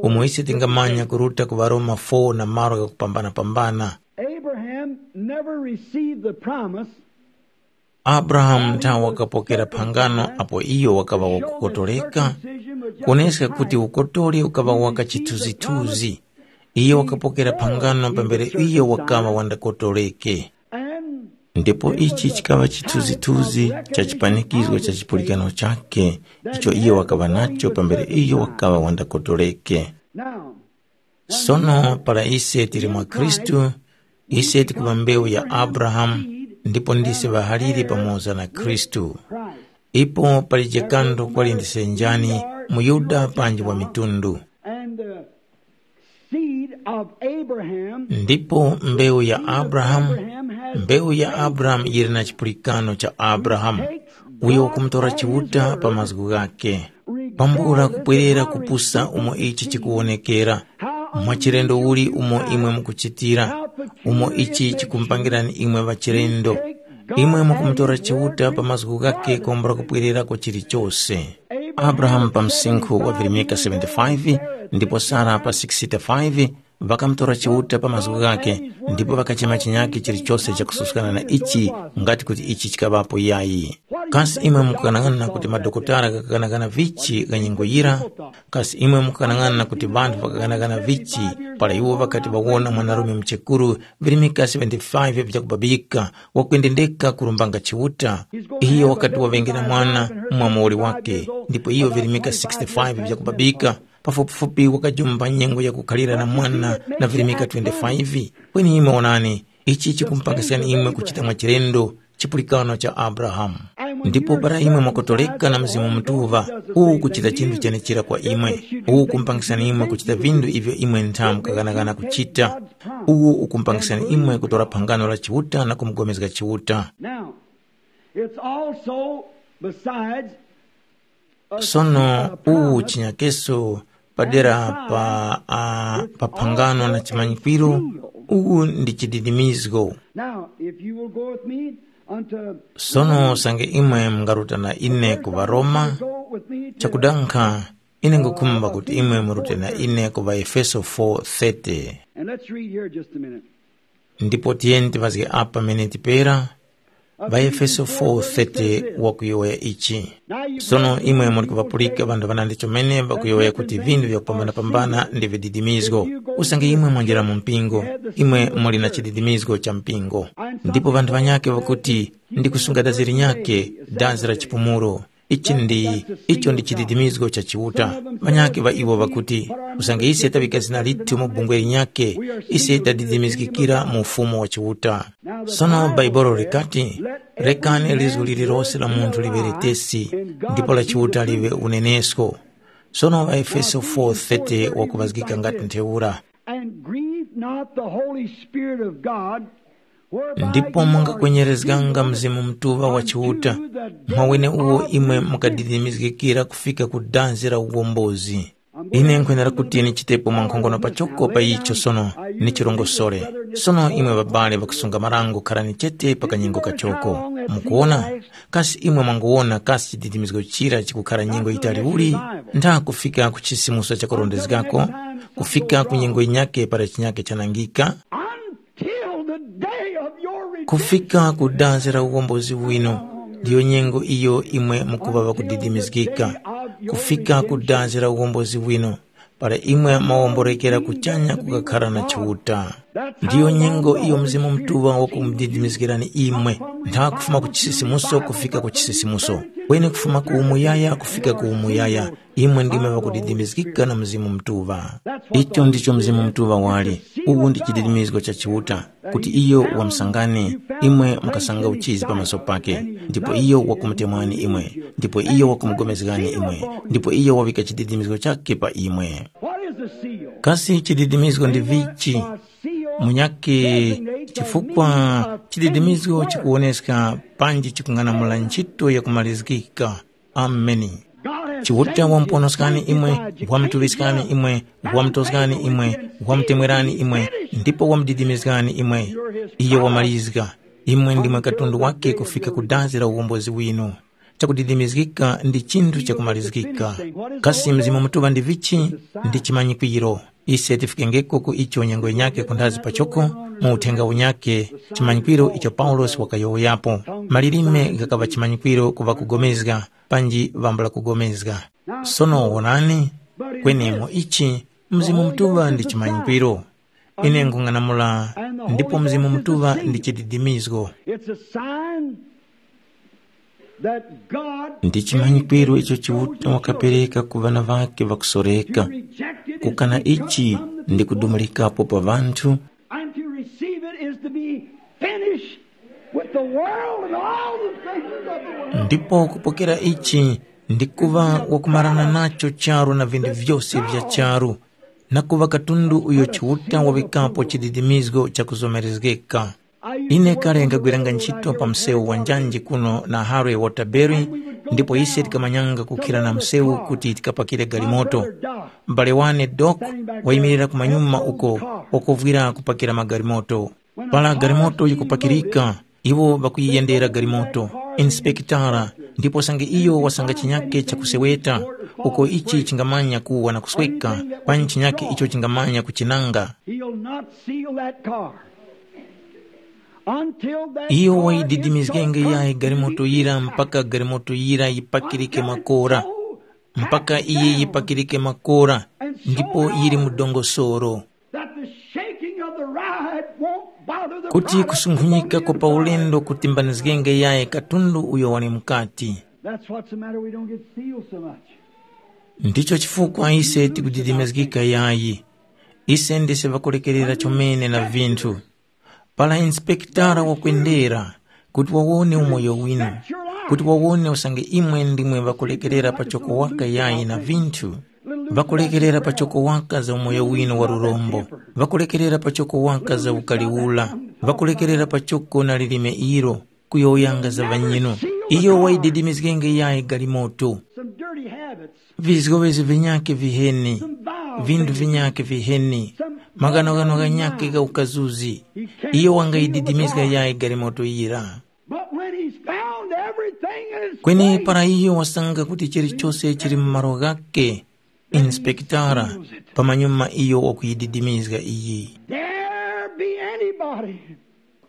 Umo ise tingamanya kuruta ku ŵaRoma four na malo ghakupambana-pambana. Abraham never received the promise. Abrahamu nthawe wakapokera phangano apo iyo wakaŵa wakukotoleka, kuoneska kuti ukotoli ukaŵa waka chithunzithunzi. Iyo wakapokera phangano pambere iyo wakaŵa wandakotoleke. Ndipo ichi chikaŵa chithunzithunzi cha chipanikizgo cha chipulikano chakhe icho iyo wakaŵa nacho pambere iyo wakaŵa wandakotoleke. Sono para ise tili mwa Khristu, ise tikuŵa mbewu ya Abrahamu, ndipo ndise ŵahalire pamoza na Khristu. Ipo palije kanthu kwali ndise njani, muYuda panji wa mitundu. And the seed of Abraham, ndipo mbewu ya Abrahamu, mbewu ya Abrahamu yili na chipulikano cha Abrahamu, uyo wakumutora Chiuta pa mazgu ghakhe. Pambula kupwerera kupusa umo ichi chikuwonekera, mwa chilendo uli umo imwe mukuchitira, umo ichi chikumpangirani imwe ŵachilendo. Imwe mukumutora Chiuta pa mazgu ghakhe kwambula kupwererako chilichose. Abrahamu pa msinkhu wa virimika seventy-five, ndipo Sara pa sixty-five, ŵakamutora Chiuta pa mazgu ghakhe, ndipo ŵakachema chinyakhe chilichose chakususkana na ichi, ngati kuti ichi chikaŵapo yayi. Kasi imwe mukukanang'ana kuti madokotala ghakakanang'ana vichi gha nyengo yira? Kasi imwe mukukanang'ana kuti ŵanthu ŵakakanang'ana vichi para iwo ŵakati ŵawona mwanarume muchekuru virimika seventy-five vyakubabika, wakwendendeka kurumbanga Chiuta? Iyo wakati waŵengera mwana mwa muwoli wakhe, ndipo iyo virimika sixty-five vyakubabika, pafupifupi wakajumba nyengo yakukhalira na mwana na virimika twenty-five. Kweni imwe wonani, ichi chikumupangiskani imwe kuchita mwachilendo chipulikano cha Abrahamu. Ndipo para imwe mwakotoleka na Mzimu Mutuŵa, uwu ukuchita chinthu chenechera kwa imwe. Uwu ukumpangiskani imwe kuchita vinthu ivyo imwe ntha mukaghanaghana kuchita. Uwu ukumpangiskani imwe kutora phangano la Chiuta na kumugomezga Chiuta. Now, it's also besides Sono uwu chinyakeso padera pa, a, pa phangano na chimanyikwiro, uwu ndi chididimizgo. Now, if you will go with me unto Sono usange imwe mungaruta na ine ku Varoma, go with me to chakudankha ine ngukhumba kuti imwe murute na ine ku Vaefeso four thirty. And let's read here just a minute. Ndipo tiyeni tiŵazge apa miniti pera. ŵaEfeso four thirty wakuyowoya ichi. Sono imwe muli kuŵapulika ŵanthu ŵanandi chomene ŵakuyowoya kuti vinthu vyakupambanapambana ndi vididimizgo. Usange imwe mwanjira mu mpingo, imwe muli na chididimizgo cha mpingo. Ndipo ŵanthu ŵanyakhe ŵakuti, ndi kusunga dazi linyakhe, dazi la chipumulo. Ichi ndi icho ndi chididimizgo cha Chiuta. Ŵanyakhe ŵa iwo ŵakuti, usange ise taŵika zina lithu mu bungwe linyakhe, ise tadidimizgikira mu ufumu wa Chiuta. Sono Bhaibuli likati, rekani lizgu lililose la munthu liŵe letesi, ndipo la Chiuta liŵe unenesko. Sono ŵaEfeso four thirty wakuŵazgika ngati ntheura. And grieve not the Holy Spirit of God, whereby ndipo ye mungakwenyerezganga Mzimu Mutuŵa wa Chiuta, mwa weneuwo imwe mukadidimizgikira kufika ku dazi la uwombozi. Ine nkhwenera kuti nichitepo mwankhongono pachoko pa icho sono, nichirongosore. Sono imwe ŵabale ŵakusunga marango, kharani chete pa kanyengo kachoko. Mukuwona? Kasi imwe mwanguwona kasi chididimizgo chira chikukhara nyengo yitali uli? Ntha kufika ku chisimuso chakurondezgako, kufika ku nyengo yinyakhe para chinyakhe chanangika, until the day of your redemption. Kufika ku dazi la uwombozi wino, ndiyo nyengo iyo imwe mukuŵa ŵakudidimizgika. Kufika ku dazi la uwombozi wino, para imwe mwawomborekera kuchanya kukakhara na Chiuta. Ndiyo nyengo iyo Mzimu Mutuŵa wakumudidimizgirani imwe, ntha kufuma ku chisisimuso kufika ku chisisimuso, kweni kufuma ku umuyaya kufika ku umuyaya, imwe ndimwe ŵakudidimizgika na Mzimu Mutuŵa. Icho ndicho Mzimu Mutuŵa wali. Uwu ndi chididimizgo cha Chiuta, kuti iyo wamusangani imwe mukasanga uchizi pamaso pake, ndipo iyo wakumutemwani imwe, ndipo iyo wakumugomezgani imwe, ndipo iyo wawika chididimizgo chake pa imwe. What is the seal? Kasi chididimizgo ndi vichi? Munyakhe, chifukwa chididimizgo chikuwoneska panji chikung'anamula ntchito yakumalizgika. Ameni. Chiuta wamuponoskani imwe, wamutuŵiskani imwe, wamutoskani imwe, wamutemwerani imwe, ndipo wamudidimizgani imwe. Iyo wamalizga. Imwe ndimwe katundu wake kufika ku dazi la uwombozi winu. Chakudidimizgika ndi chinthu chakumalizgika. Kasi Mzimu Mutuŵa ndi vichi? Ndi chimanyikwiro. Ise tifikengeko ku icho nyengo yinyakhe kunthazi pachoko, mu uthenga unyakhe, chimanyikwiro icho Paulosi wakayowoyapo. Malilime ghakaŵa chimanyikwiro ku ŵakugomezga, panji ŵambula kugomezga. Sono wonani, kwenemo ichi, Mzimu Mutuŵa ndi chimanyikwiro. Ine nkung'anamula, ndipo Mzimu Mutuŵa ndi chididimizgo. It's a sign that God ndi chimanyikwiro icho Chiuta wakapereka ku ŵana ŵake ŵakusoreka. Kukana ichi ndi kudumulikapo pa ŵanthu. And to receive it is to be finished with the world and all the things of the world. Ndipo kupokera ichi ndi kuŵa wakumarana nacho charu na vinthu vyose vya charu, na kuŵa katundu uyo Chiuta wawikapo chididimizgo chakuzomerezgeka. Ine kale nkagwiranga ntchito pa msewu wa njanji kuno na Harry Waterbury, ndipo ise tikamanyanga kukhira na msewu kuti tikapakire galimoto. M'bale wane Doc wayimirira kumanyuma uko wakuvwira kupakira magalimoto. Para galimoto yikupakirika, iwo ŵakuyiyendera galimoto, inspekitara, ndipo sange iyo wasanga chinyake chakuseweta, uko ichi chingamanya kuwa na kusweka, panji chinyake icho chingamanya kuchinanga. He'll not seal that car until that Iyo car wayididimizgenge gets yayi galimoto yira mpaka galimoto yira yipakirike makora, mpaka iye yipakirike makora, ndipo yiri mu dongosoro. That the shaking of the ride won't bother the kuti product kusunkhunyika of the kwa paulendo kutimbanizgenge yaye katundu uyo wali mukati. That's what's the matter. We don't get sealed so much. Ndicho chifukwa ise tikudidimizgika yayi. Ise ndise ŵakulekerera chomene na vinthu. Para inspektara wakwendera kuti wawone umoyo winu, kuti wawone usange imwe ndimwe ŵakulekerera pachoko waka yayi na vinthu, ŵakulekerera pachoko waka za umoyo winu wa lurombo, ŵakulekerera pachoko waka za ukaliula, ŵakulekerera pachoko na lilime ilo, kuyowoyanga za ŵanyinu. Iyo wayididimizgenge yayi galimoto. Some dirty habits. Vizgowezi vinyakhe viheni, vindu vinyakhe viheni, maghanoghano ghanyakhe gha ukazuzi. Iyo wangayididimizga yayi galimoto yira. But when he's found everything in its kweni place, para iyo wasanga kuti chilichose chili mu malo ghakhe, inspektara pamanyuma iyo wakuyididimizga iyi. There be anybody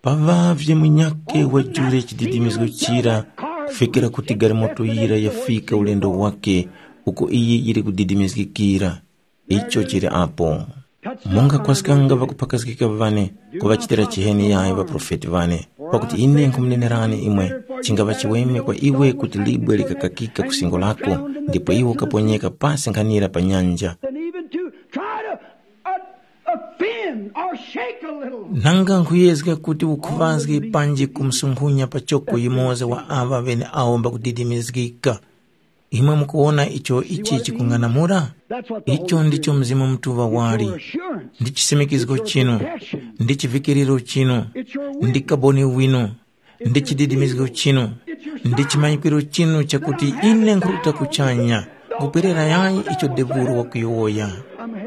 Paŵavye munyakhe wajule chididimizgo chira kufikira kuti galimoto yira yafika ulendo wakhe uko iyi yili kudidimizgikira. Icho chili apo. Mungakwaskanga ŵakuphakazgika ŵane kuŵachitira chiheni yayo ŵaprofeti ŵane, pakuti ine nkhumunenerani imwe, chingaŵa chiweme kwa iwe kuti libwe likakakika ku singo lako, ndipo iwe ukaponyeka pasi nkhanira pa nyanja. And even to try to uh, offend or shake a little. Nanga nkhuyezga kuti ukhuŵazge panji kumsunkhunya pachoko yumoza wa aŵa ŵeneawo mbakudidimizgika. Imwe mukuwona icho ichi chikung'anamula? Icho ndicho Mzimu Mutuŵa wali. Ndi chisimikizgo chinu, ndi chivikiriro chinu, ndi kaboni winu, ndi chididimizgo chinu, ndi chimanyikiro chinu chakuti ine nkhuruta kuchanya, nkupwerera yayi icho devuro wakuyowoya.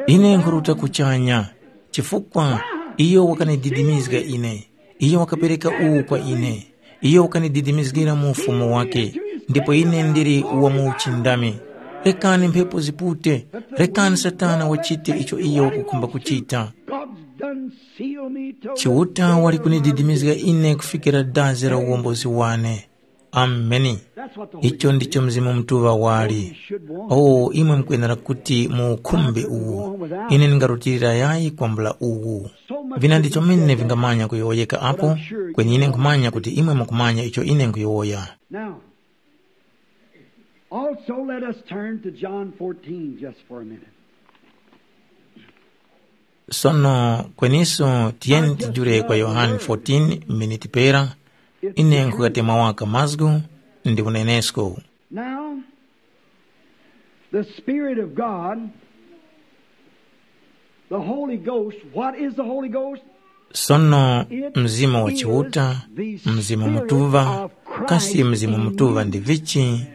Ine nkhuruta kuchanya, chifukwa iyo wakanididimizga ine. Iyo wakapereka uwu kwa ine. Iyo wakanididimizgira mu ufumu wake, ndipo ine ndili wa mu uchindami. Rekani mphepo zipute, rekani Satana wachite icho iyo wakukhumba kuchita. God's done sealed me to Chiuta wali kunididimizga ine kufikira dazi la uwombozi wane. Ameni. That's what the Holy Icho ndicho Mzimu Mutuŵa wali. Should want. Oh, imwe mukwenera kuti muukhumbe uwu. Ine ndingarutilira yayi kwambula uwu. Vina ndi chomene vingamanya kuyowoyeka apo, kweni ine nkhumanya kuti imwe mukumanya icho ine nkhuyowoya. Now, also let us turn to John fourteen just for a minute. Sono kweniso tiyeni tijule kwa Yohane fourteen miniti pera, ine nkhukatemwa waka mazgu ndi unenesko. Now, the Spirit of God, the Holy Ghost, what is the Holy Ghost? Sono Mzimu wa Chiuta, Mzimu Mutuŵa, kasi Mzimu Mutuŵa ndi vichi?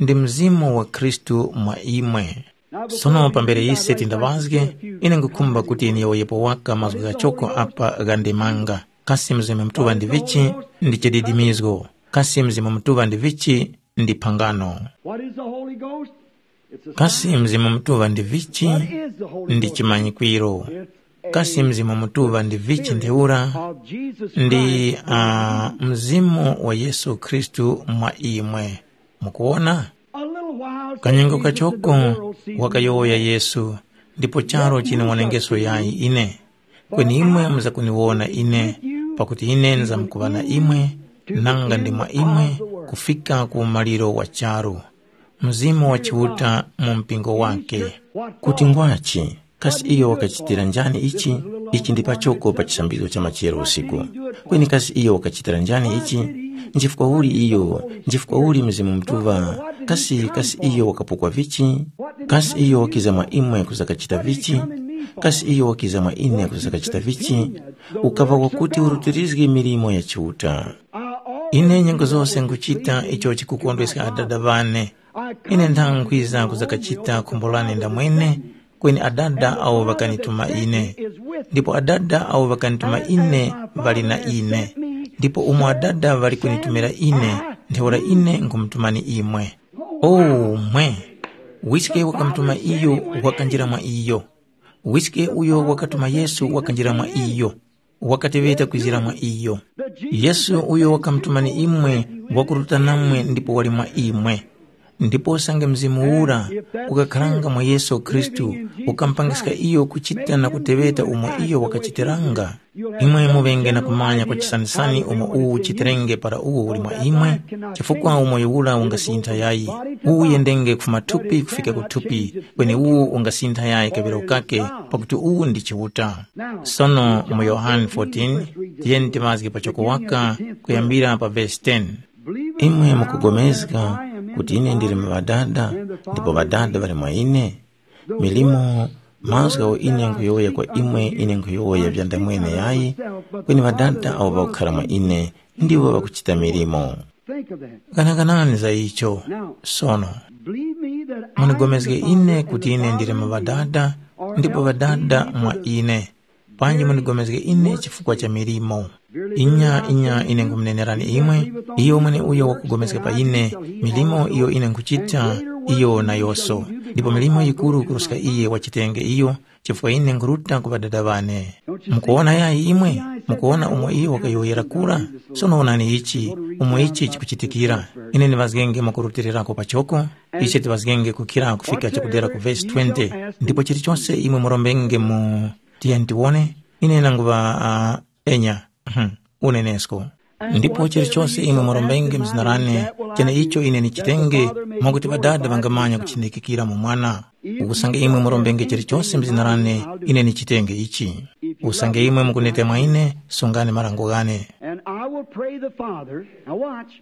Ndi Mzimu wa Khristu mwa imwe. Sono pambere ise tindaŵazge, ine nkhukhumba kuti niyowoyepo waka mazgu ghachoko apa ghandemanga. Kasi Mzimu Mutuŵa ndi vichi? Ndi chididimizgo. Kasi Mzimu Mutuŵa ndi vichi? Ndi phangano. What is the Holy Ghost? It's a Kasi sign. Mzimu Mutuŵa ndi vichi? What is the Holy Ndi Ghost? Chimanyikwiro. Kasi Mzimu Mutuŵa ndi vichi ntheura? Of Jesus Ndi Christ. Uh, Mzimu wa Yesu Khristu mwa imwe. Mukuona? A little while Kanyengo since Jesus kachoko said, "The world sees me." Wakayowoya Yesu, ndipo charo chiniwanengeso yayi ine. Kweni imwe muzakuniwona ine, pakuti ine nizamkuŵa na imwe, nanga ndi mwa imwe kufika ku umaliro wa charu. Mzimu wa Chiuta mu mpingo wake. Kuti ngwachi, kasi iyo wakachitira njani ichi? Ichi ndi pachoko pa chisambizgo cha machero usiku. Kweni kasi iyo wakachitira njani ichi? Nchifukwa uli iyo? Nchifukwa uli Mzimu Mutuŵa? Kasi, kasi iyo wakapukwa vichi? Kasi iyo wakiza mwa imwe kuzakachita vichi? Kasi iyo wakiza mwa ine kuzakachita vichi? Ukaŵa wakuti urutirizge milimo ya Chiuta. Ine nyengo zose nkuchita icho chikukondweska Adada ŵane. Ine nthanga nkwiza kuzakachita khumbo lane ndamwene, kweni Adada awo ŵakanituma ine. Ndipo Adada awo ŵakanituma ine ŵali na ine. Ndipo umo Adada ŵali kunitumira ine, ntheura ine nkumutumani imwe. O mwe! Wiske wakamutuma iyo wakanjira mwa iyo. Wiske uyo wakatuma Yesu wakanjira mwa iyo, wakateŵeta kwizira mwa iyo. Yesu uyo wakamutumani imwe wakuruta namwe ndipo wali mwa imwe. Ndipo usange Mzimu ura ukakharanga mwa Yesu Khristu, ukamupangiska iyo kuchita na kuteŵeta umo iyo wakachitiranga, imwe muŵenge na kumanya kwa chisanisani umo uwu uchitirenge para uwo uli mwa imwe, chifukwa umoyo ura ungasintha yayi. Uwu uyendenge kufuma thupi kufika ku thupi, kweni uwu ungasintha yayi kaŵiro kake, pakuti uwu ndi Chiuta. Sono mu Yohane fourteen, tiyeni timazge pachoko waka kuyambira pa vesi ten. Imwe mukupulikana kuti ine ndili mu Ŵadada, ndipo Ŵadada ŵali mwa ine? Milimo, mazgu agho ine nkhuyowoya kwa imwe, ine nkhuyowoya vyandamwene yayi, kweni Ŵadada awo ŵakukhara mwa ine, ndiwo ŵakuchita milimo. Think of that. Ghanaganani za icho. Sono, Believe me that I am munipulikane the ine Father kuti and the ine ndili Father mu is me. Ŵadada, Or ndipo else Ŵadada believe me mwa for the ine. Panji munipulikane ine chifukwa cha milimo. Inya, inya, ine nkumunenerani imwe, iyo mweneuyo wakupulikana pa ine, milimo iyo ine nkhuchita, iyo nayose. Ndipo milimo yikuru kuruska iye wachitenge iyo, chifukwa ine nkhuruta ku Ŵadada ŵane. Mukuwona yayi imwe? Mukuwona umo iyo wakayowoyera kura? Sono wonani ichi, umo ichi chikuchitikira. Ine ndiŵazgenge mwakurutilirako pachoko, ichi tiŵazgenge kukhira kufika chakudera ku vesi twenty. Ndipo chilichonse imwe murombenge mu, tiyeni tiwone, ine nanguŵa uh, enya, unenesko. Ndipo chilichonse imwe murombenge mzina lane, cheneicho ine nichitenge, mwakuti Ŵadada ŵangamanya kuchindikikira mu Mwana. Usange imwe murombenge chilichonse mzina lane, ine nichitenge ichi. Usange imwe mukuneta mwa ine, sungani marango ghane. And I will pray the Father. Now watch.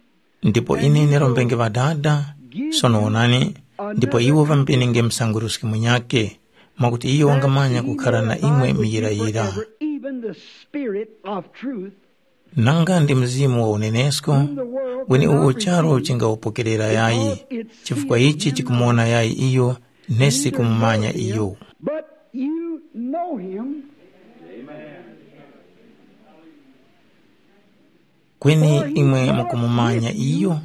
Ndipo ine nirombenge Ŵadada, sono wonani, ndipo iwo ŵampenenge msanguruski munyakhe, mwakuti iyo wangamanya kukhara na imwe miyirayira. Even the Spirit of truth, nanga ndi Mzimu wa unenesko, wene uwo charu chingawupokerera yayi, chifukwa ichi chikumuwona yayi iyo, nesi kumumanya iyo. But you know him. Kweni imwe mukumumanya iyo,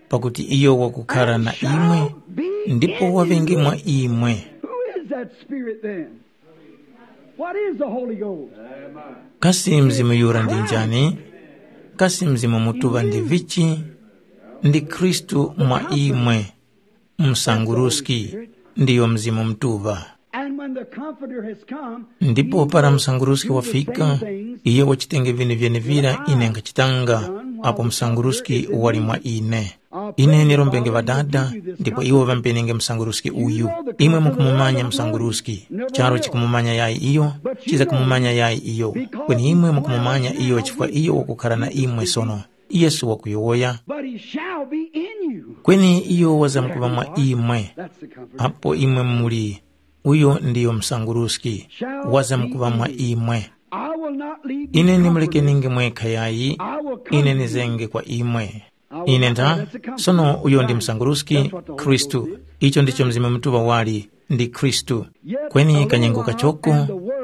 pakuti iyo wakukhara na imwe, ndipo waŵenge mwa imwe. Who is that Spirit then? What is the Holy Ghost? Kasi Mzimu yura ndi njani? Kasi Mzimu Mutuŵa ndi vichi? Ndi Khristu mwa imwe. Msanguruski ndiyo Mzimu Mutuŵa. And when the Comforter has come, ndipo para msanguruski wafika, iye wachitenge vinu vyenevira ine nkhachitanga, apo msanguruski wali mwa ine. Ine nirombenge Ŵadada, ndipo iwo ŵampenenge msanguruski uyu. Imwe mukumumanya msanguruski, charu chikumumanya yayi iyo, chiza kumumanya yayi iyo. Kweni imwe mukumumanya iyo chifukwa iyo wakukhala na imwe sono. Yesu wakuyowoya. But he shall be in you. Kweni iyo wazamkuŵa mwa imwe. That's the comfort. Apo imwe muli, uyo ndiyo msanguruski, wazamkuŵa mwa imwe. I will not leave you. Ine comfortless. Nimulekenenge mwekha yayi, I will come ine to you. Nizenge kwa imwe. Ine ntha, sono uyo ndi msanguruski, Khristu. Icho ndicho Mzimu Mutuŵa wali, ndi Khristu. Kweni kanyengo kachoko,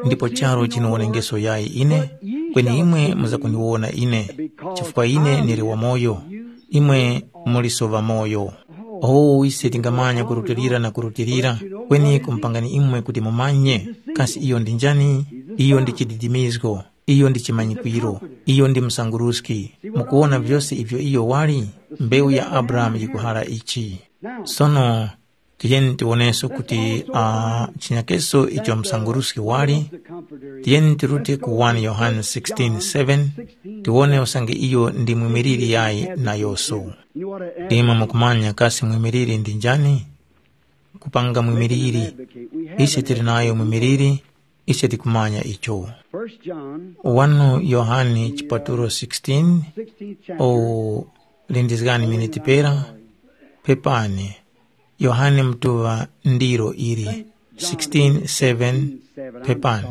ndipo charu chiniwoneneso yayi ine, kweni imwe muzakundiwona ine, chifukwa ine ndili wamoyo, imwe muliso ŵamoyo. O, ise tingamanya kurutilira na kurutilira, kweni kumpangani imwe kuti mumanye, kasi iyo ndi njani? Iyo ndi chididimizgo, iyo ndi chimanyikwiro, iyo ndi msanguruski. Mukuwona vyose ivyo iyo wali? Mbewu ya Abrahamu yikuhara ichi. Sono, tiyeni tiwoneso kuti uh, chinyakeso icho msanguruski wali. Tiyeni tirute ku one Yohane sixteen seven, tiwone usange iyo ndi mwimiliri yayi nayoso. Imwe mukumanya kasi mwimiliri ndi njani? Kupanga mwimiliri. Ise tili nayo mwimiliri, ise tikumanya icho. First John, one Yohane chipatulo sixteen, sixteenth chapter. O, lindizgani miniti pera, pepani. Yohane Mutuŵa ndilo ili, sixteen seven, pepani.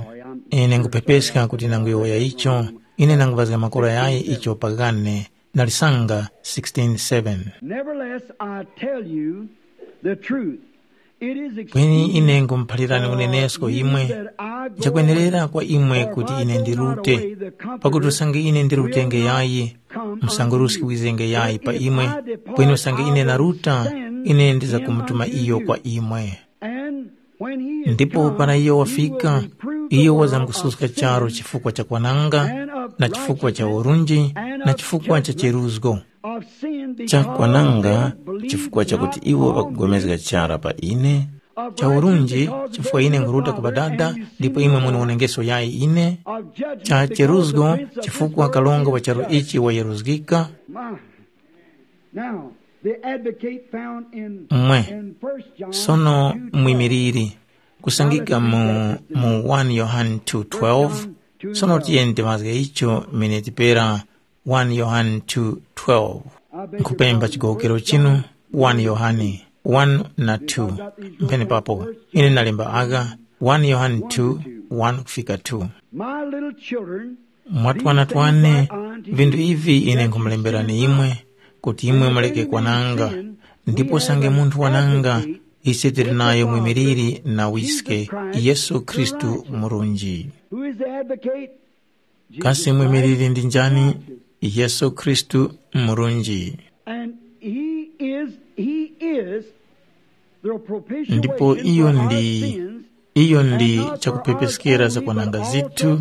Ine nkuphepeska kuti nanguyowoya icho, ine nanguvazga makora yayi icho pagane, nalisanga sixteen seven. Nevertheless, I tell you the truth. It is kweni ine nkumuphalirani unenesko imwe, nchakwenerera kwa imwe kuti ine ndirute, pakuti usange ine ndirutenge yayi, msanguruski wizenge yayi pa imwe, kweni usange ine naruta, ine ndizakumutuma iyo kwa imwe. Ndipo para iyo wafika, iyo wazamkususka charu chifukwa cha kwananga, na chifukwa cha urunji, na chifukwa cha cheruzgo. Chakwananga, chifukwa chakuti iwo ŵakupulikana chara pa ine, cha urunji, chifukwa ine nkhuruta ku Ŵadada, ndipo imwe muniwonengeso yayi ine, cha cheruzgo, chifukwa kalonga wa charu ichi wayeruzgika. Now, the advocate found in, mwe, in First John sono two twelve. Mwimiliri kusangika mu, mu one Yohane two twelve. Sono tiyeni timazge icho mene tipera one Yohane two twelve. Nkhupemba chigowokero chinu, one Yohane one na two. Mphenepapo ine nalemba aka, one Yohane two, one kufika two. My little children, mwatwana twane, vinthu ivi ine nkhumulemberani imwe, kuti imwe muleke kwananga. Ndipo usange munthu wananga, ise tili nayo mwimiliri na wiske, Yesu Khristu murunji. Who is the advocate? Kasi mwimiliri ndi njani? Yesu Khristu murunji. And he is, he is the propitiation. Ndipo iyo ndi Iyo ndi chakuphepeskera zakwananga zithu,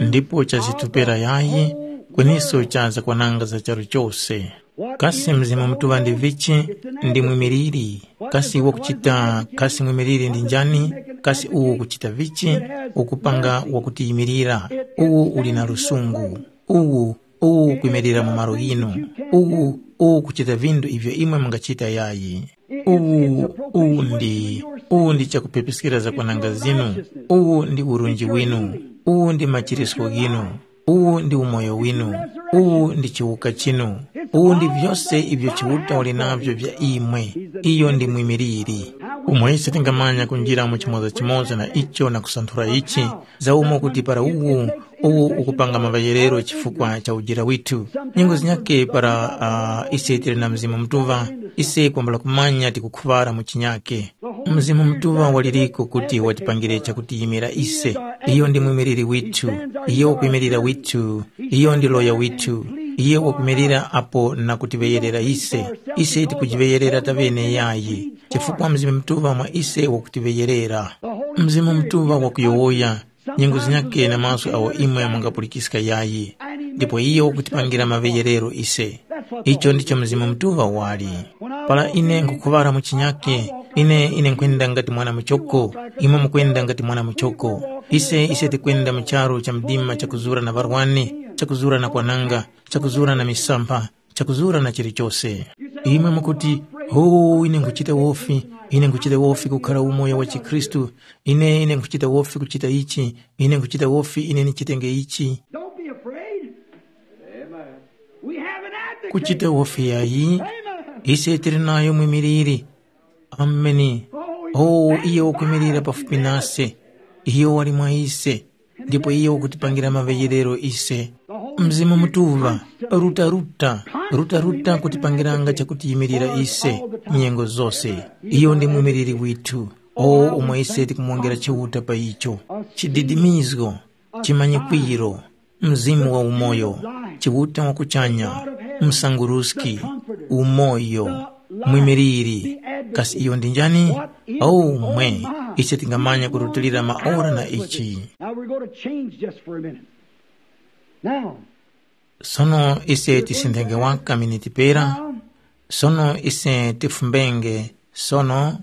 ndipo chazitupera yayi, kweniso cha zakwananga za charu chose. Kasi Mzimu Mutuŵa ndi vichi? Ndi mwimiliri. Kasi wakuchita kasi mwimiliri ndi njani? Kasi uwo ukuchita vichi? Ukupanga wakutiyimirira. Uwu uli na lusungu. Uwu, uwu ukwimirira mu malo ghinu. Uwu, uwu ukuchita vinthu ivyo imwe mungachita yayi. Uwu, uwu ndi, uwu ndi chakuphepeskera zakwananga zinu. Uwu ndi urunji winu. Uwu ndi machirisko ghinu. Uwu ndi umoyo winu. Uwu ndi chiwuka chinu. Uwu ndi vyose ivyo Chiuta wali navyo vya imwe. Iyo ndi mwimiliri. Umo ise tingamanya kunjira mu chimoza chimoza na icho na kusanthula ichi, za umo kuti para uwu, uwu ukupanga maŵayerero chifukwa cha ujira withu. Nyengo zinyakhe para uh, ise tili na Mzimu Mutuŵa, ise kwambula kumanya tikukhuŵara mu chinyakhe. Mzimu Mutuŵa waliriko kuti watipangire chakutiyimira ise. Iyo ndi mwimiliri withu. Iyo wakwimirira withu. Iyo ndi loya withu. Iyo wakwimirira apo na kutiŵeyerera ise. Ise tikujiŵeyerera taŵene yayi, chifukwa Mzimu Mutuŵa mwa ise wakutiŵeyerera. Mzimu Mutuŵa wakuyowoya, nyengo zinyakhe na mazgu awo imwe mungapulikiska yayi, ndipo iyo wakutipangira maŵeyerero ise. Icho ndicho Mzimu Mutuŵa wali. Para ine nkhukuŵara mu chinyakhe, ine ine nkhwenda ngati mwana muchoko, imwe mukwenda ngati mwana muchoko. Ise ise tikwenda mu charu cha mdima chakuzura na ŵarwani, chakuzura na kwananga, chakuzura na misampha, chakuzura na chilichose. Imwe mukuti, “Ho, ine nkhuchita wofi, ine nkhuchita wofi kukhara umoyo wa chikhristu, ine ine nkhuchita wofi kuchita ichi, ine nkhuchita wofi ine ndichitenge ichi.” Don't be afraid. We have an advocate. Kuchita wofi yayi. Amen. Ise tili nayo mwimiliri. Ameni. Oh, iye wakwimirira pafupi nase. Iyo wali mwa ise. Ndipo iyo wakutipangira maŵeyerero ise. Mzimu Mutuŵa, ruta ruta, ruta ruta kutipangiranga chakutiyimirira ise nyengo zose. Iyo ndi mumiriri withu. O umo ise tikumwongera Chiuta pa icho. Chididimizgo, chimanyikwiro, Mzimu wa umoyo, Chiuta wa kuchanya, Msanguruski, umoyo, Mwimiliri. Kasi iyo ndi njani? Oh, mwe, ise tingamanya kurutilira maora na ichi. Now we're going to change just for a minute. Now, Sono ise tisindenge waka miniti pera. Sono ise tifumbenge. Sono,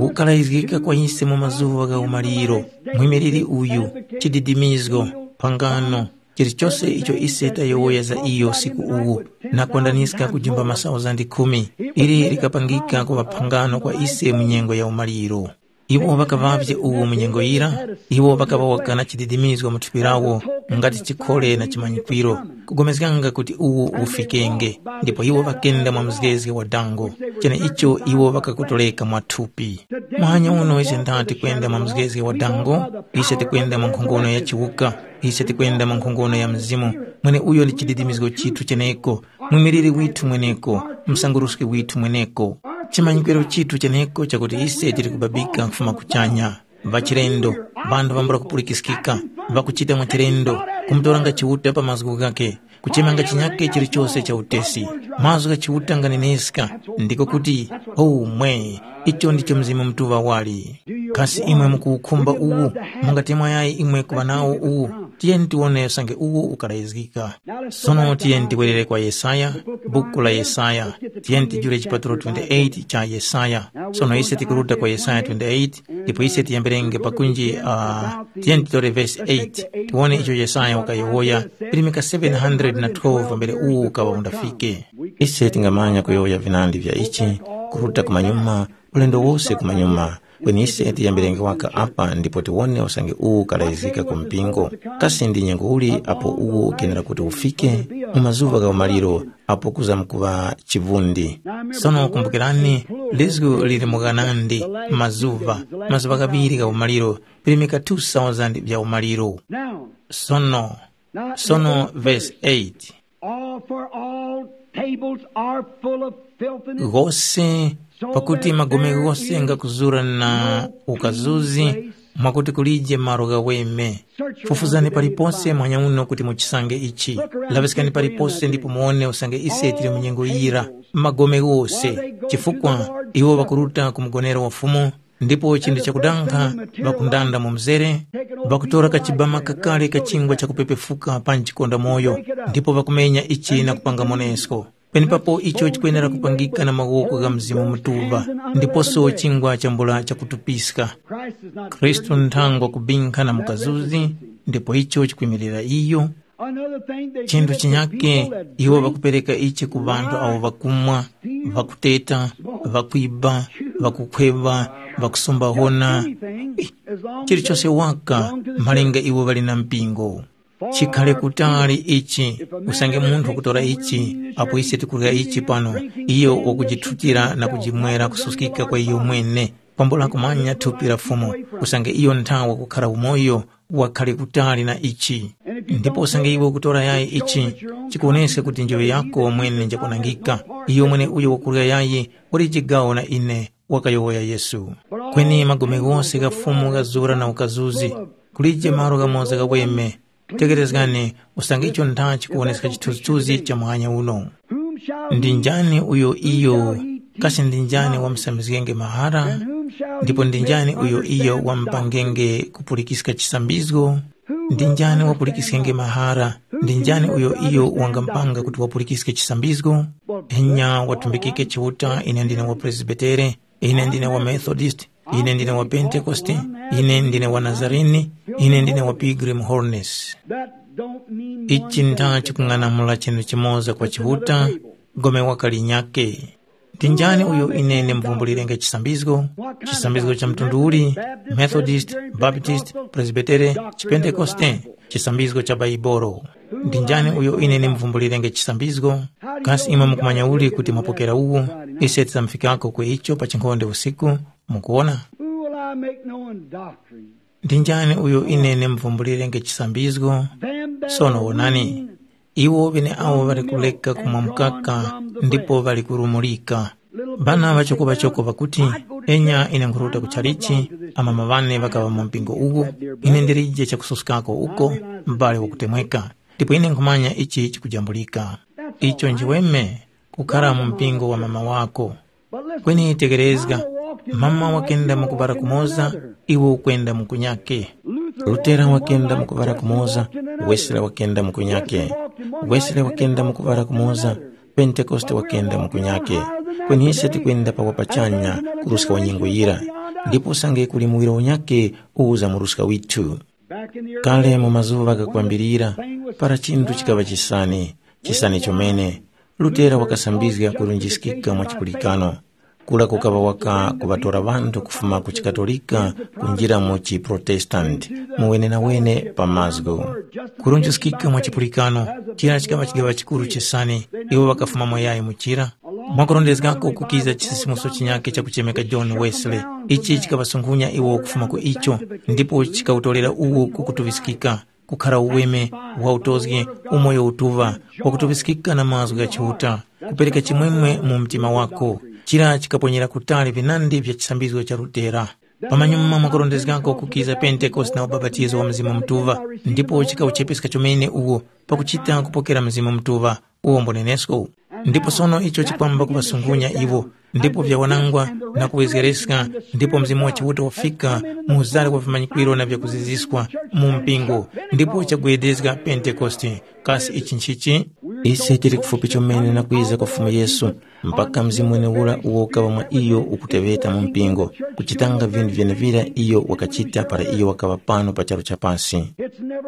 ukalayizgika kwa ise mu mazuŵa gha umaliro, mwimiliri uyu, chididimizgo, phangano, chilichose icho ise tayowoya za iyo usiku uwu, na kwandaniska kujimba masauzandi khumi, ili likapangika kuŵa phangano kwa ise mu nyengo ya umaliro. Iwo ŵakaŵavye uwu mu nyengo yira, iwo ŵakaŵawaka na chididimizgo mu thupi lawo, ngati chikhole na chimanyikwiro, kugomezganga kuti uwu ufikenge, ndipo iwo ŵakenda mwa mzgezge wa dango, cheneicho iwo ŵakakotoleka mwa thupi. Muhanya uno ise ndati kwenda mwa mzgezge wa dango, ise tikwenda mwa nkhongono ya chiwuka, ise tikwenda mwa nkhongono ya Mzimu, mweneuyo ndi chididimizgo chithu cheneko, mwimiliri withu mweneko, msanguruski withu mweneko. Chimanyikwiro chithu cheneko chakuti ise tili kubabika kufuma kuchanya. Ŵachilendo, ŵanthu ŵambula kupulikiskika, ŵakuchita mwachilendo, kumutoranga Chiuta pa mazgu ghakhe, kuchemanga chinyakhe chilichose cha utesi. Mazgu gha Chiuta nganeneska, ndiko kuti, oh mwe, icho ndicho Mzimu Mutuŵa wali. Kasi imwe mukuwukhumba uwu? Mungati mwayayi imwe kuŵa nawo uwu? Tiyeni tiwone usange uwu ukalayizgika. Sono tiyeni tiwerere kwa Yesaya, buku la Yesaya. Tiyeni tijule chipatulo twenty-eight cha Yesaya. Sono ise tikuruta kwa Yesaya twenty-eight, ndipo ise tiyambirenge pakunji, uh, tiyeni titore vesi eight, tiwone icho Yesaya wakayowoya, pirimika seven hundred na twelve pambere uwu ukaŵa undafike. Ise tingamanya kuyowoya vinandi vya ichi, kuruta kumanyuma, ulendo wose kumanyuma. Kweni ise tiyambirenge waka apa ndipo tiwone usange uwu ukalayizgika ku mpingo. Kasi ndi nyengo uli apo uwu ukenera kuti ufike? Mu mazuŵa gha umaliro apo kuzamkuŵa chivundi. Sono kumbukirani, lizgu lili mu ghanandi, mazuŵa, mazuŵa ghaŵiri gha umaliro, pirimika two thousand vya umaliro. Now, Sono, now, sono, verse eight. All, for all tables are full of filthiness. Ghose, pakuti magome ghose ngakuzura na ukazuzi, mwakuti kulije malo ghaweme. Fufuzani palipose mwanya uno kuti muchisange ichi. Laŵiskani palipose ndipo muwone usange ise tili mu nyengo yira. Magome ghose, chifukwa iwo ŵakuruta ku mgonero wa Fumu, Ndipo chinthu chakudankha, ŵakundanda mu mzere, ŵakutora kachibama kakale ka chingwa chakupepefuka panji konda moyo, ndipo ŵakumenya ichi na kupanga monesko. Penepapo icho chikwenera kupangika na mawoko gha Mzimu Mutuŵa, ndiposo chingwa chambula chakutupiska. Khristu nthangwa kubinkha na mukazuzi, ndipo icho chikwimirira iyo. Chinthu chinyake, iwo ŵakupereka ichi ku ŵanthu awo ŵakumwa, ŵakuteta, ŵakwiba, ŵakukhweva, ŵakusumbahona, chilichose waka, malinga iwo ŵali na mpingo. Chikhale kutali ichi, usange munthu wakutora ichi, apo ise tikurya ichi pano, iyo wakujithutira na kujimwera kususkika kwa iyo mwene, kwambula kumanya thupi la Fumu, usange iyo nthawe wakukhara umoyo, wakhale kutali na ichi. Ndipo usange iwe ukutora yayi ichi, chikuwoneska kuti njoŵe yako mwene njakwanangika. Iyo mwene uyo wakurya yayi wali chigawo na ine, wakayowoya Yesu. Kweni magome ghose gha Fumu ghazura na ukazuzi, kulije malo ghamoza ghaweme. Tekerezgani, usange icho ntha chikuwoneska chithunzithunzi cha muhanya uno. Ndi njani uyo iyo? Kasi ndi njani wamusambizgenge mahara? Ndipo ndi njani uyo iyo wamupangenge kupulikiska chisambizgo? Ndi njani wapulikiskenge mahara? Ndi njani uyo iyo wangamupanga kuti wapulikiske chisambizgo? Enya watumbikike Chiuta, ine ndine wa Presbitere, ine ndine wa Methodist, ine ndine wa Pentekoste, ine ndine wa Nazarene, ine ndine wa Pilgrim Holiness. Ichi ntha chikung'anamula chinthu chimoza kwa Chiuta, gome wakalinyake. Ndi njani uyo ine ndimuvumbulirenga chisambizgo? Chisambizgo cha mtundu uli? Methodist, Baptist, Presbytere, Chipentekoste? Chisambizgo cha Baibolo. Ndi njani uyo ine ndimuvumbulirenga chisambizgo? Kasi imwe mukumanya uli kuti mwapokera uwo? Ise tidzamufikako ku icho pa chinkhonde usiku. Mukuona? Who will I make known doctrine? Ndi njani uyo ine ndimuvumbulirenga chisambizgo? Sono wonani, iwo ŵeneawo ŵali kuleka kumwa mukaka ndipo ŵali kurumulika. Ŵana ŵachokoŵachoko ŵakuti, enya ine nkhuruta ku chalichi, amama ŵane ŵakaŵa mu mpingo uwu, ine ndilije chakususkako uko, m'bale wakutemweka, ndipo ine nkhumanya ichi chikujambulika. Icho nchiweme, kukhara mu mpingo wa mama wako. Kweni tekerezga, mama wakenda mu kubara kumoza, iwe ukwenda mu kunyake. Lutera wakenda mu kubara kumoza, Wesile wakenda mu kunyake. Wesile wakenda mu kubara kumoza, Pentekoste wakenda mu kunyake. Kweni ise tikwenda pa wapachanya kuruska wa nyengo yira. Ndipo usange kuli muwiro unyake uwuza muruska withu. Kale mu mazuŵa ghakwambirira, para chinthu chikaŵa chisani, chisani chomene, Lutera wakasambizga kurunjiskika mwa chipulikano. Kura kukaŵa waka kuŵatora ŵanthu kufuma ku chiKatolika kunjira mu chiProtestanti, mu wenenawene pa mazgu. Kurunjiskika mwa chipulikano, chira chikaŵa chigaŵa chikuru chisani, iwo ŵakafumamo yayi mu chira. Mwakurondezgako kukiza chisisimuso chinyakhe chakuchemeka John Wesley. Ichi chikaŵasunghunya iwo kufuma ku icho, ndipo chikawutorera uwo kukutuŵiskika, kukhara uweme, wautozgi, umoyo utuŵa, wakutuŵiskika na mazgu gha Chiuta, kupereka chimwemwe mu mtima wako. Chira chikaponyera kutali vinandi vya chisambizgo cha Lutera. Pamanyuma mwakurondezgako kukiza Pentekoste na ubapatizo wa Mzimu Mutuŵa, ndipo chikawuchepeska chomene uwo pakuchita kupokera Mzimu Mutuŵa. Uwo mbonenesko. Ndipo sono icho chikwamba kuŵasungunya iwo, ndipo vyawanangwa na kuwezgereska, ndipo Mzimu wa Chiuta wafika mu uzale wa vimanyikwiro na vyakuziziskwa mu mpingo, ndipo chagwedezga Pentekoste. Kasi ichi nchichi? Ise tili kufupi chomene na kwiza kwa Fumu Yesu, mpaka Mzimu mwenewura uwo ukaŵa mwa iyo ukuteŵeta mu mpingo, kuchitanga vinthu vyenevira iyo wakachita para iyo wakaŵa pano pa charu cha pasi.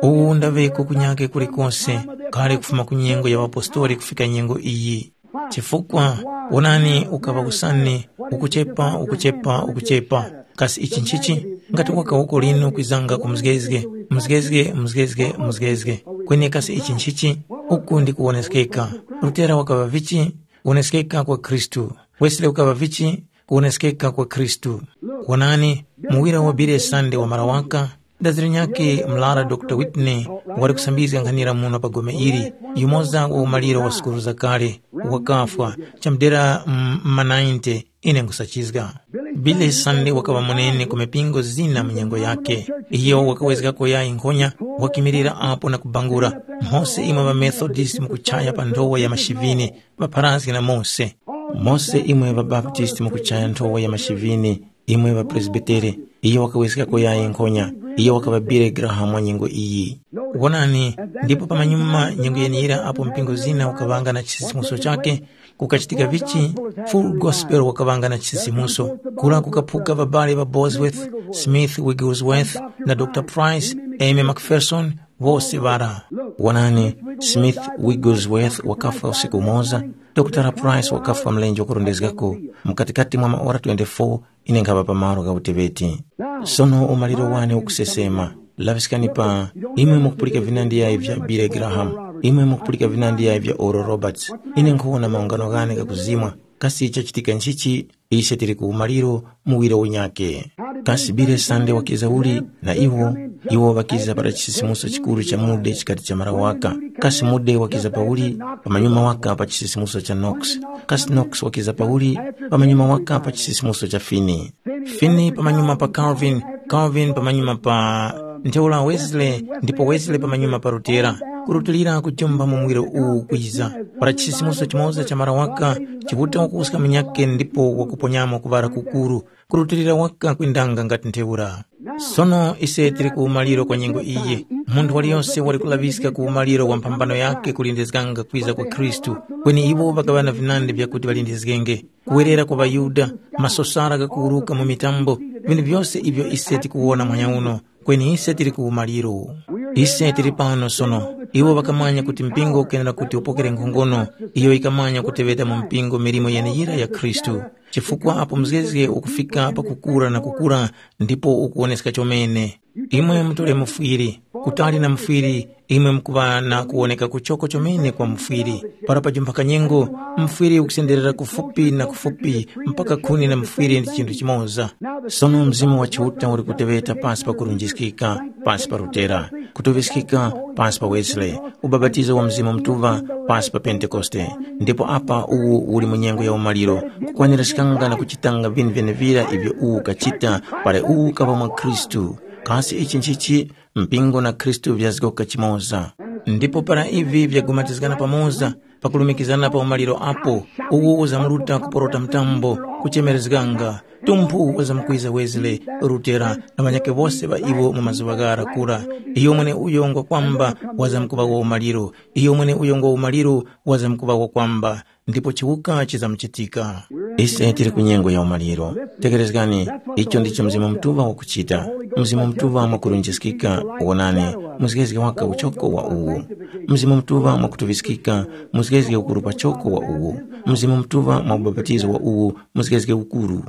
Uwu ndaŵeko kunyake kulikose, kale kufuma ku nyengo ya ŵapostoli kufika nyengo iyi. Chifukwa, wonani, ukaŵa usani, ukuchepa, ukuchepa, ukuchepa. Kasi ichi nchichi? Ngati waka uko lino kwizanga ku mzgezge, mzgezge, mzgezge, mzgezge. Kweni kasi ichi nchichi? Uku ndi kuwoneskeka. Lutera wakaŵa vichi? Kuwoneskeka kwa Khristu. Wesley ukaŵa vichi? Kuwoneskeka kwa Khristu. Wonani, muwira wa Billy Sunday wamara waka, daziro nyakhe mlara Doctor Whitney wali kusambizga nkhanira muno pa gome ili, yumoza wa umaliro wa sukulu zakale, wakafwa, chamudera m-, ma ninety, ine nkhusachizga. Billy Sunday wakaŵa munene ku mipingo zina mu nyengo yakhe. Iyo wakawezgako yayi nkhonya, wakimilira apo na kubangula, mphose imwe ŵaMethodist mukuchaya pa nthowa ya mashivini, ŵapharazge na mose. Mose imwe ŵaBaptist mukuchaya nthowa ya mashivini, Imwe ŵapresbitere, iyo wakaweskako yayi nkhonya, iyo wakaŵa Billy Graham wa nyengo iyi. Wonani, ndipo pamanyuma nyengo yeneyira apo mpingo zina ukaŵanga na chisisimuso chakhe, kukachitika vichi? Full Gospel wakaŵanga na chisisimuso. Kura kukaphuka ŵabale ŵa Bosworth, Smith Wigglesworth, na Dr Price, Amy Macpherson, wose ŵara. Wonani, Smith Wigglesworth wakafwa usiku umoza, Dr Price wakafwa mlenje wakurondezgako, mukatikati mwa maora twenty-four ine nkhaŵa pa malo gha uteŵeti. Sono umaliro wane ukusesema. Laŵiskani pa, imwe mukupulika vinandi yayi vya Billy Graham, imwe mukupulika vinandi yayi vya Oral Roberts, ine nkhuwona maungano ghane ghakuzimwa. Kasi chachitika nchichi? Ise tili ku umaliro muwiro unyakhe. Kasi Billy Sunday wakiza uli na iwo? Iwo ŵakiza para chisisimuso chikuru cha Mude chikati chamara waka. Kasi Mude wakiza pauli? Pamanyuma waka pa chisisimuso cha Knox. Kasi Knox wakiza pauli? Pamanyuma waka pa chisisimuso cha Finney. Finney pamanyuma pa Calvin, Calvin pamanyuma pa ntheura Wesley, ndipo Wesley pamanyuma pa Lutera. Kurutilira kujomba mu muwiro uwu kwiza, para chisisimuso chimoza cha mara waka, Chiuta wakuwuska munyakhe ndipo wakuponyamo kuŵala kukuru, kurutilira waka kwindanga ngati ntheura. Sono ise tili ku umaliro kwa nyengo iyi. Munthu waliyose wali kulaŵiska ku umaliro wa mphambano yakhe kulindizganga kwiza kwa Khristu, kweni iwo ŵakaŵa na vinandi vyakuti ŵalindizgenge. Kuwerera kwa ŵaYuda, masosara ghakuwuruka mu mitambo, vinthu vyose ivyo ise tikuwona muhanya uno, kweni ise tili ku umaliro. Ise tili pano sono. Iwo ŵakamanya kuti mpingo ukenera kuti upokere nkhongono iyo yikamanya kuteŵeta mu mpingo milimo yeneyira ya Khristu, chifukwa apo mzgezge ukufika pakukura na kukura ndipo ukuwoneska chomene. Imwe mutole mufwiri, kutali na mufwiri, imwe mukuŵa na kuwoneka kuchoko chomene kwa mufwiri. Para pajumphaka nyengo, mufwiri ukusenderera kufupi na kufupi mpaka khuni na mufwiri ndi chinthu chimoza. Sono Mzimu wa Chiuta uli kuteŵeta pasi pa kurunjiskika, pasi pa Lutera, kutuŵiskika pasi pa Wesley, ubapatizo wa Mzimu Mutuŵa pasi pa Pentekoste. Ndipo apa uwu uli mu nyengo ya umaliro, kukwaniraskanga na kuchitanga vinthu vyenevira ivyo uwu ukachita para uwu ukaŵa mwa Khristu. Kasi ichi nchichi? Mpingo na Khristu vyazgoka chimoza. Ndipo para ivi vyagumatizgana pamoza, pakulumikizana pa umaliro apo, uwo uzamuruta kuporota mtambo, kuchemerezganga, tumphu wazamkwiza Wesley, Lutera na ŵanyakhe wose ŵa iwo mu mazuŵa ghara kura. Iyo mweneuyo ngwa kwamba wazamkuŵa wa umaliro, iyo mweneuyo ngwa umaliro wazamkuŵa wa kwamba. Ndipo chiwuka chizamuchitika. Ise tili ku nyengo ya umaliro. Tekerezgani, icho ndicho Mzimu Mutuŵa wakuchita. Mzimu Mutuŵa mwakurunjiskika, wonani, muzgezge waka uchoko wa uwu. Mzimu Mutuŵa mwakutuŵiskika, muzgezge ukuru pachoko wa uwu. Mzimu Mutuŵa mwa ubapatizo wa uwu, muzgezge ukuru.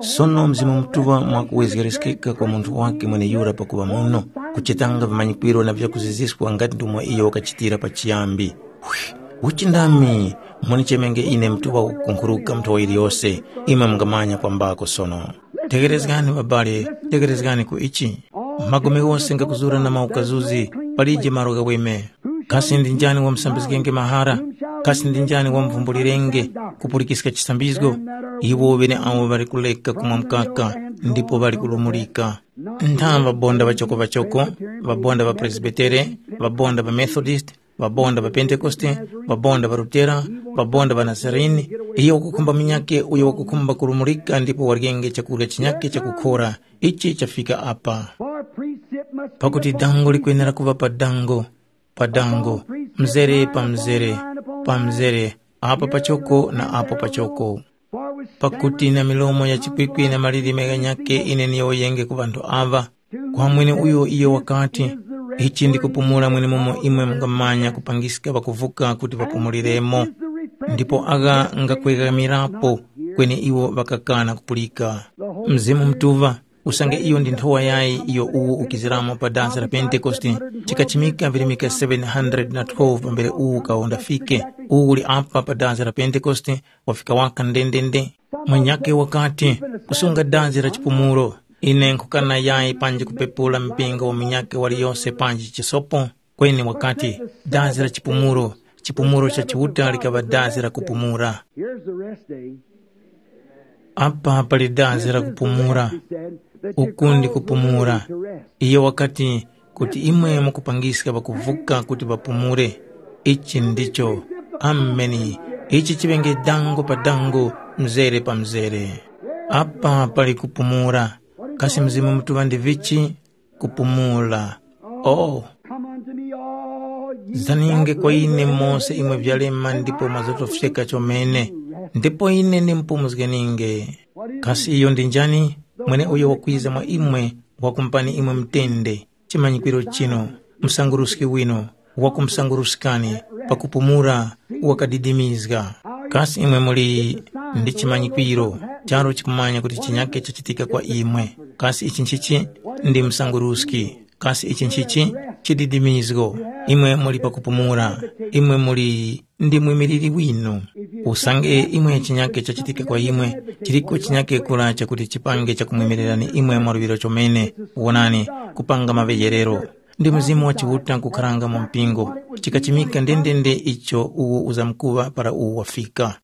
Sono Mzimu Mutuŵa mwakuwezgereskeka kwa munthu wake mweneyura pakuŵa muno, kuchitanga vimanyikwiro na vyakuziziswa ngati ndomwe iyo wakachitira pachiyambi. Uchi ndami, munichemenge ine mtuŵa wakukunkhuruka nthowa yiliyose, imwe mungamanya kwambako sono. Tegherezgani ŵabale, tegherezgani ku ichi. Magome ghose ngakuzura na maukazuzi, palije malo ghaweme. Kasi ndi njani wamusambizgenge mahara? Kasi ndi njani wamuvumbulirenga kupulikiska chisambizgo? Iwo ŵeneawo ŵali kuleka kumwa mkaka ndipo ŵali kulumulika. Ntha ŵabonda ŵachoko-ŵachoko, ŵabonda ŵaPresbitere, ŵabonda ŵaMethodist, ŵabonda ŵa Pentekoste, ŵabonda ŵa Lutera, ŵabonda ŵa Nazarene, iyo wakukhumba munyakhe uyo wakukhumba kulumulika ndipo waryenge chakurya chinyakhe chakukhora, ichi chafika apa. Pakuti dango likwenera kuŵa pa dango, pa dango, mzere pa mzere, pa mzere, apa pachoko na apo pachoko. Pakuti na milomo ya chikwikwi na malilime ghanyakhe ine ndiyowoyenge ku ŵanthu aŵa. Kwa mweneuyo iyo wakati, “Ichi ndi kupumula mwenemumo imwe mungamanya kupangiska ŵakuvuka kuti ŵapumuliremo.” Ndipo agha ngakwegamirapo, kweni iwo ŵakakana kupulika. Mzimu Mutuŵa, usange iyo ndi nthowa yayi iyo uwu ukiziramo pa dasi la Pentekoste, chikachimika virimika seven hundred na twelve pambere uwu ukawondafike. Uwu uli apa pa dasi la Pentekoste, wafika waka ndendende. Mwenyakhe wakati, kusunga dazi la chipumulo. Ine nkhukana yayi panji kupepula mpingo wa munyakhe waliyose panji chisopo. Kweni wakati, dazi la chipumulo, chipumulo cha Chiuta likaŵa dazi la kupumula. Here's the rest day. Apa pali dazi la kupumula. Uku ndi kupumula. Iye wakati, kuti imwe mukupangiska ŵakuvuka kuti ŵapumule. Ichi ndicho. Ameni. Ichi chiŵenge dango pa dango, mzere pa mzere. Apa pali kupumula. Kasi Mzimu Mutuŵa ndi vichi? Kupumula. Oh, come unto me, all ye zaninge that kwa ine labor and mose imwe vyalema ndipo mwazotofyeka chomene, ndipo ine ndimpumuzgeninge. Kasi iyo ndi njani? Mwene uyo wakwiza mwa imwe, wakumupani imwe mtende, chimanyikwiro chino, msanguruski wino, wakumusanguruskani, pakupumula, wakadidimizga. Kasi imwe muli ndi chimanyikwiro, charu chikumanya kuti chinyake chachitika kwa imwe? Kasi ichi nchichi? Ndi msanguruski. Kasi ichi nchichi? Chididimizgo. Imwe muli pakupumula, imwe muli ndi mwimiliri winu. Usange imwe chinyake chachitika kwa imwe, chiliko chinyake kura chakuti chipange chakumwimirani imwe mwaluŵiro chomene. Wonani, kupanga maŵeyerero. Ndi Mzimu wa Chiuta nkukharanga mu mpingo, chikachimika ndendende icho uwo uzamkuŵa para uwo wafika.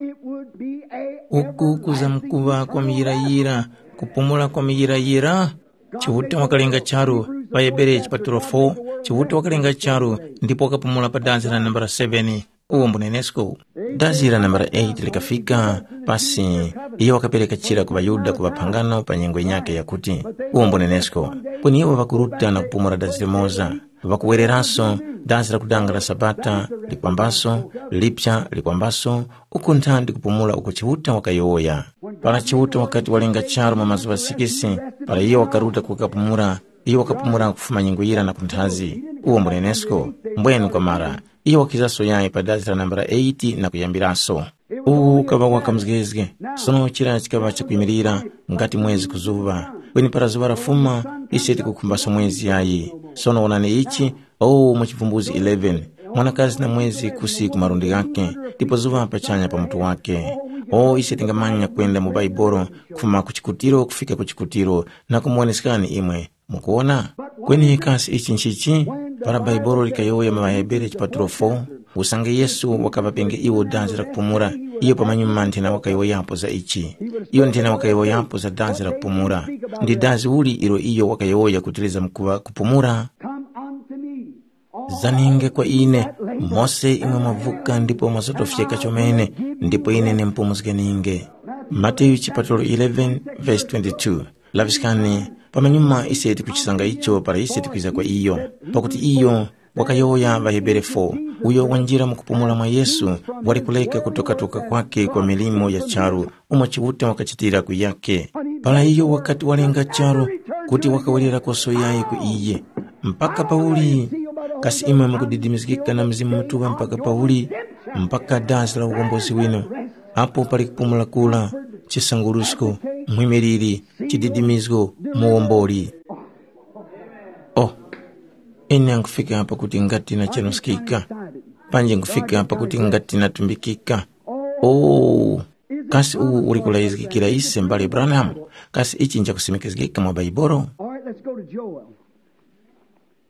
Uku kuzamkuŵa kwa muyirayira, kupumula kwa muyirayira. Chiuta wakalenga charu, pa Hebere chipatulo four, Chiuta wakalenga charu, ndipo wakapumula pa danzi la nambala seven. Uwo mbunenesko. Dazi la nambala eight likafika, pasi iyo wakapereka chira ku ŵaYuda ku ŵaphangano pa nyengo yinyakhe yakuti, uwo mbunenesko, kweni iwo ŵakuruta na kupumula dazi limoza, ŵakuwereranso dazi la kudanga la Sabata likwambaso, lipya likwambaso, uku nthandi kupumula uko Chiuta wakayowoya. Para Chiuta wakati walenga charu mu mazuŵa sikisi, para iyo wakaruta kukapumula, iyo wakapumula kufuma nyengo yira na kunthazi. Uwo mbunenesko, mbwenu kwamara, iyo wakizaso yayi pa dazi la nambala eight na kuyambiraso. Uwu ukaŵa waka mzgezge, sono chira chikaŵa chakwimirira ngati mwezi ku zuŵa. Kweni para zuŵa lafuma, ise tikukhumbaso mwezi yayi. Sono wonani ichi, o mu chivumbuzi eleven, mwanakazi na mwezi kusi ku malundi ghakhe, ndipo zuŵa pachanya pa mutu wakhe. O ise tingamanya kwenda mu Baibolo kufuma ku chikutiro kufika ku chikutiro na kumuwoneskani imwe. Mukuwona? Kweni kasi ichi nchichi? Para Baibolo likayowoya mu ŵaHebere chipatulo four, usange Yesu wakaŵapenge iwo dazi la kupumula, iyo pamanyuma nthena wakayowoyapo za ichi. Iyo nthena wakayowoyapo za dazi la kupumula. Ndi dazi uli ilo iyo wakayowoya kuti lizamkuŵa kupumula? Come unto me, all Zaninge kwa ine, mose imwe mwavuka ndipo mwazotofyeka chomene, ndipo ine nimpumuzgeninge. Mateyu chipatulo eleven verse twenty-two. Laŵiskani, pamanyuma ise tikuchisanga icho para ise tikwiza kwa iyo, pakuti iyo wakayowoya ŵaHebere four, uyo wanjira mu kupumula mwa Yesu wali kuleka kutokatoka kwake kwa milimo ya charu umo Chiuta wakachitira ku yake. Para iyo wakati walenga charu kuti wakawerera koso yayi ku iye, mpaka pauli? Kasi imwe mukudidimizgika na Mzimu Mutuŵa mpaka pauli? Mpaka dazi la ukombozi winu, apo pali kupumula kura, chisangurusko, mwimiliri, chididimizgo, muwomboli. Oh, ine nkufika apa kuti ngati nachenuskika, panji nkufika apa kuti ngati natumbikika. Oh, kasi uwu uli kulayizgikira ise mbale Branham? Kasi ichi nchakusimikizgika mwa Baibolo? All right, let's go to Joel.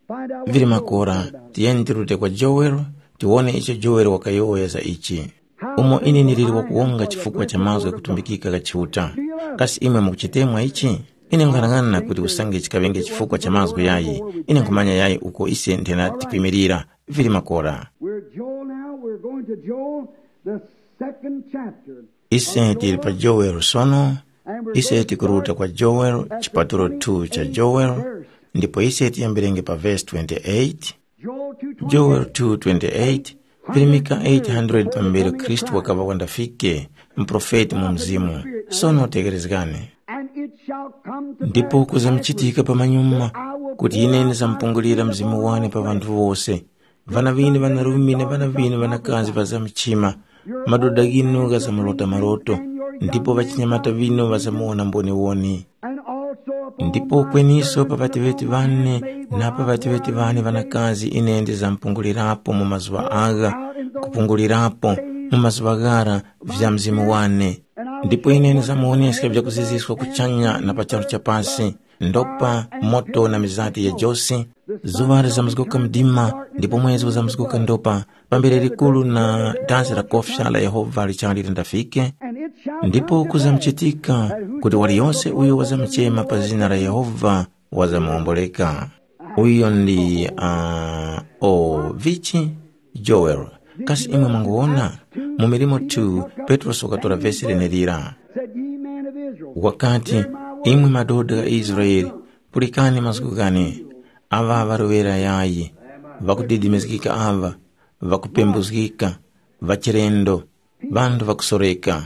Find out what Vili Joel makora, said about it. Tiyeni tirute kwa Joel, tiwone icho Joel wakayowoya za ichi. Umo ine ndiliri wakuwonga chifukwa cha mazgu ghakutumbikika gha Chiuta. Kasi imwe mukuchitemwa ichi? Ine nkhanang'ana kuti usange chikaŵenge chifukwa cha mazgu yayi, ine nkhumanya yayi uko ise nthena tikwimirira. Vili makora. We're at Joel now. We're going to Joel, the second chapter. Ise tili pa Joel sono. Ise tikuruta kwa Joel, chipatulo two cha Joel, ndipo ise tiyambirenge pa vesi twenty-eight. Joel two twenty-eight, virimika eight hundred pambere Khristu wakaŵa wandafike, muprofeti mu Mzimu. Sono tekerezgani. Ndipo kuzamuchitika pamanyuma kuti ine ndizamupungulira Mzimu wane pa ŵanthu wose. Ŵana ŵinu ŵanarume na ŵana ŵinu ŵanakazi ŵazamchima, madoda ghinu ghazamulota maloto, ndipo ŵachinyamata ŵinu ŵazamuwona mboniwoni. Ndipo kweniso pa ŵateŵeti ŵane na pa ŵateŵeti ŵane ŵanakazi ine ndizamupungulirapo mu mazuŵa agha, kupungulirapo mu mazuŵa ghara vya Mzimu wane. Ndipo ine ndizamuwoneska vyakuziziswa kuchanya na pa charu cha pasi, ndopa, moto na mizati ya josi. Zuŵa lizamuzguka mdima, ndipo mwezi uzamuzguka ndopa, pambere likuru na danzi la kofya la Yehova lichali lindafike. Ndipo kuzamuchitika kuti waliyose uyo wazamuchema pa zina la Yehova wazamuwomboleka. Uyo ndi uh, o vichi Joel. Kasi imwe mwanguwona? Mu milimo two, Petrosi wakatora vesi lenelira. Said, ye men of Israel, Wakati, “Imwe madoda gha Israele, pulikani mazgu ghane. Aŵa ŵaroŵera yayi, ŵakudedemezgika aŵa, ŵakupembuzgika, ŵachilendo, ŵanthu ŵakusoreka.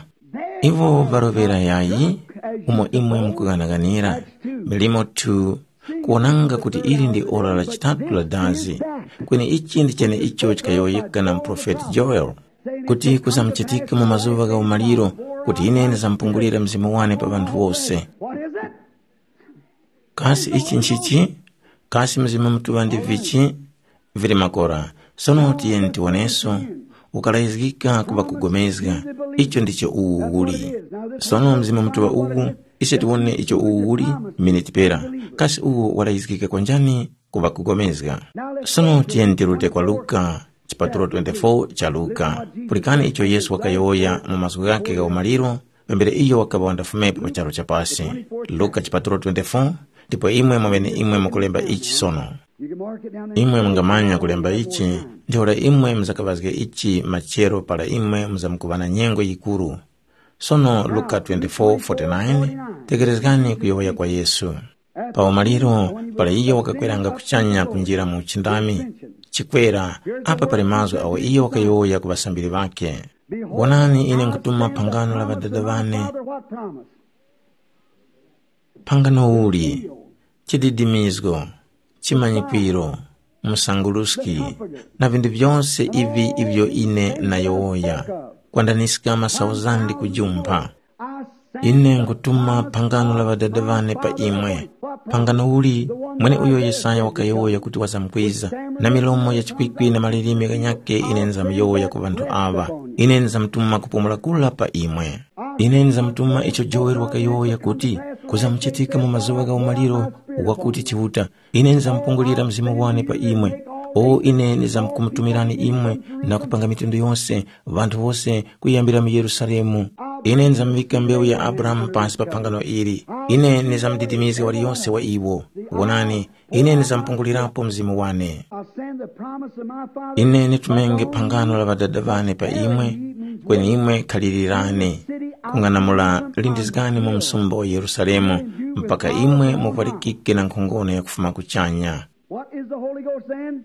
Iwo ŵaroŵera yayi umo imwe mukughanaganira milimo tu kuwonanga kuti ili ndi ora la chitatu la dazi, kweni ichi ndi cheneicho chikayowoyeka na muprofeti Joel, kuti kuzamuchitika mu mazuŵa gha umaliro kuti ine ndizamupungulira mzimu wane pa ŵanthu wose. What is it? Kasi ichi nchichi? Kasi Mzimu Mutuŵa ndi vichi? Vili makora. Sono tiyeni tiwoneso. Ukalayizgika kuŵa kugomezga. Icho ndicho uwu uli. Sono Mzimu Mutuŵa uwu, ise tiwone icho uwu uli, miniti pera. Kasi uwu walayizgika kwanjani? Kuŵa kugomezga. Sono tiyeni tirute kwa Luka, chipatulo twenty-four cha Luka. Pulikani icho Yesu wakayowoya mu mazgu ghakhe gha umaliro, pambere iyo wakaŵa wandafumepo pa charu cha pasi. Luka chipatulo twenty-four, ndipo imwe mwaŵeneimwe mukulemba ichi sono. Imwe mungamanya kulemba ichi, ntheura imwe muzakaŵazge ichi machero para imwe muzamkuŵa na nyengo yikuru. Sono Luka twenty-four forty-nine, tekerezgani kuyowoya kwa Yesu. Pa umaliro, para iyo wakakweranga kuchanya kunjira mu uchindami, chikwera, apa pali mazgu agho iyo wakayowoya ku ŵasambiri ŵakhe. Wonani, ine nkutuma phangano la ŵadada ŵane. Phangano uli, chididimizgo, chimanyikwiro, msanguluski, na vinthu vyose ivi ivyo ine nayowoya, kwandaniska masauzandi kujumpha. Ine nkutuma phangano la ŵadada ŵane pa imwe. Phangano uli, mweneuyo Yesaya wakayowoya kuti wazamkwiza, na milomo ya chikwikwi na malilime ghanyakhe ine nizamyowoya ku ŵanthu aŵa. Ine nizamtuma kupumula kura pa imwe. Ine nizamtuma icho Joeli wakayowoya kuti, kuzamuchitika mu mazuŵa gha umaliro wakuti Chiuta, ine nizamupungulira Mzimu wane pa imwe. O ine nizamkumutumirani imwe na kupanga mitundu yose, ŵanthu wose kuyambira mu Yerusalemu. Ine nizamuvika mbewu ya Abrahamu pasi pa phangano ili. Ine nizamudidimizga waliyose wa iwo. Wonani, ine nizamupungulirapo Mzimu wane. I'll send the promise of my Father. Ine nitumenge phangano la ŵadada ŵane pa imwe, kweni imwe khalilirani. Kung'anamula lindizgani mu msumba wa Yerusalemu, mpaka imwe mupalikike na nkhongono ya kufuma kuchanya. What is the Holy Ghost then?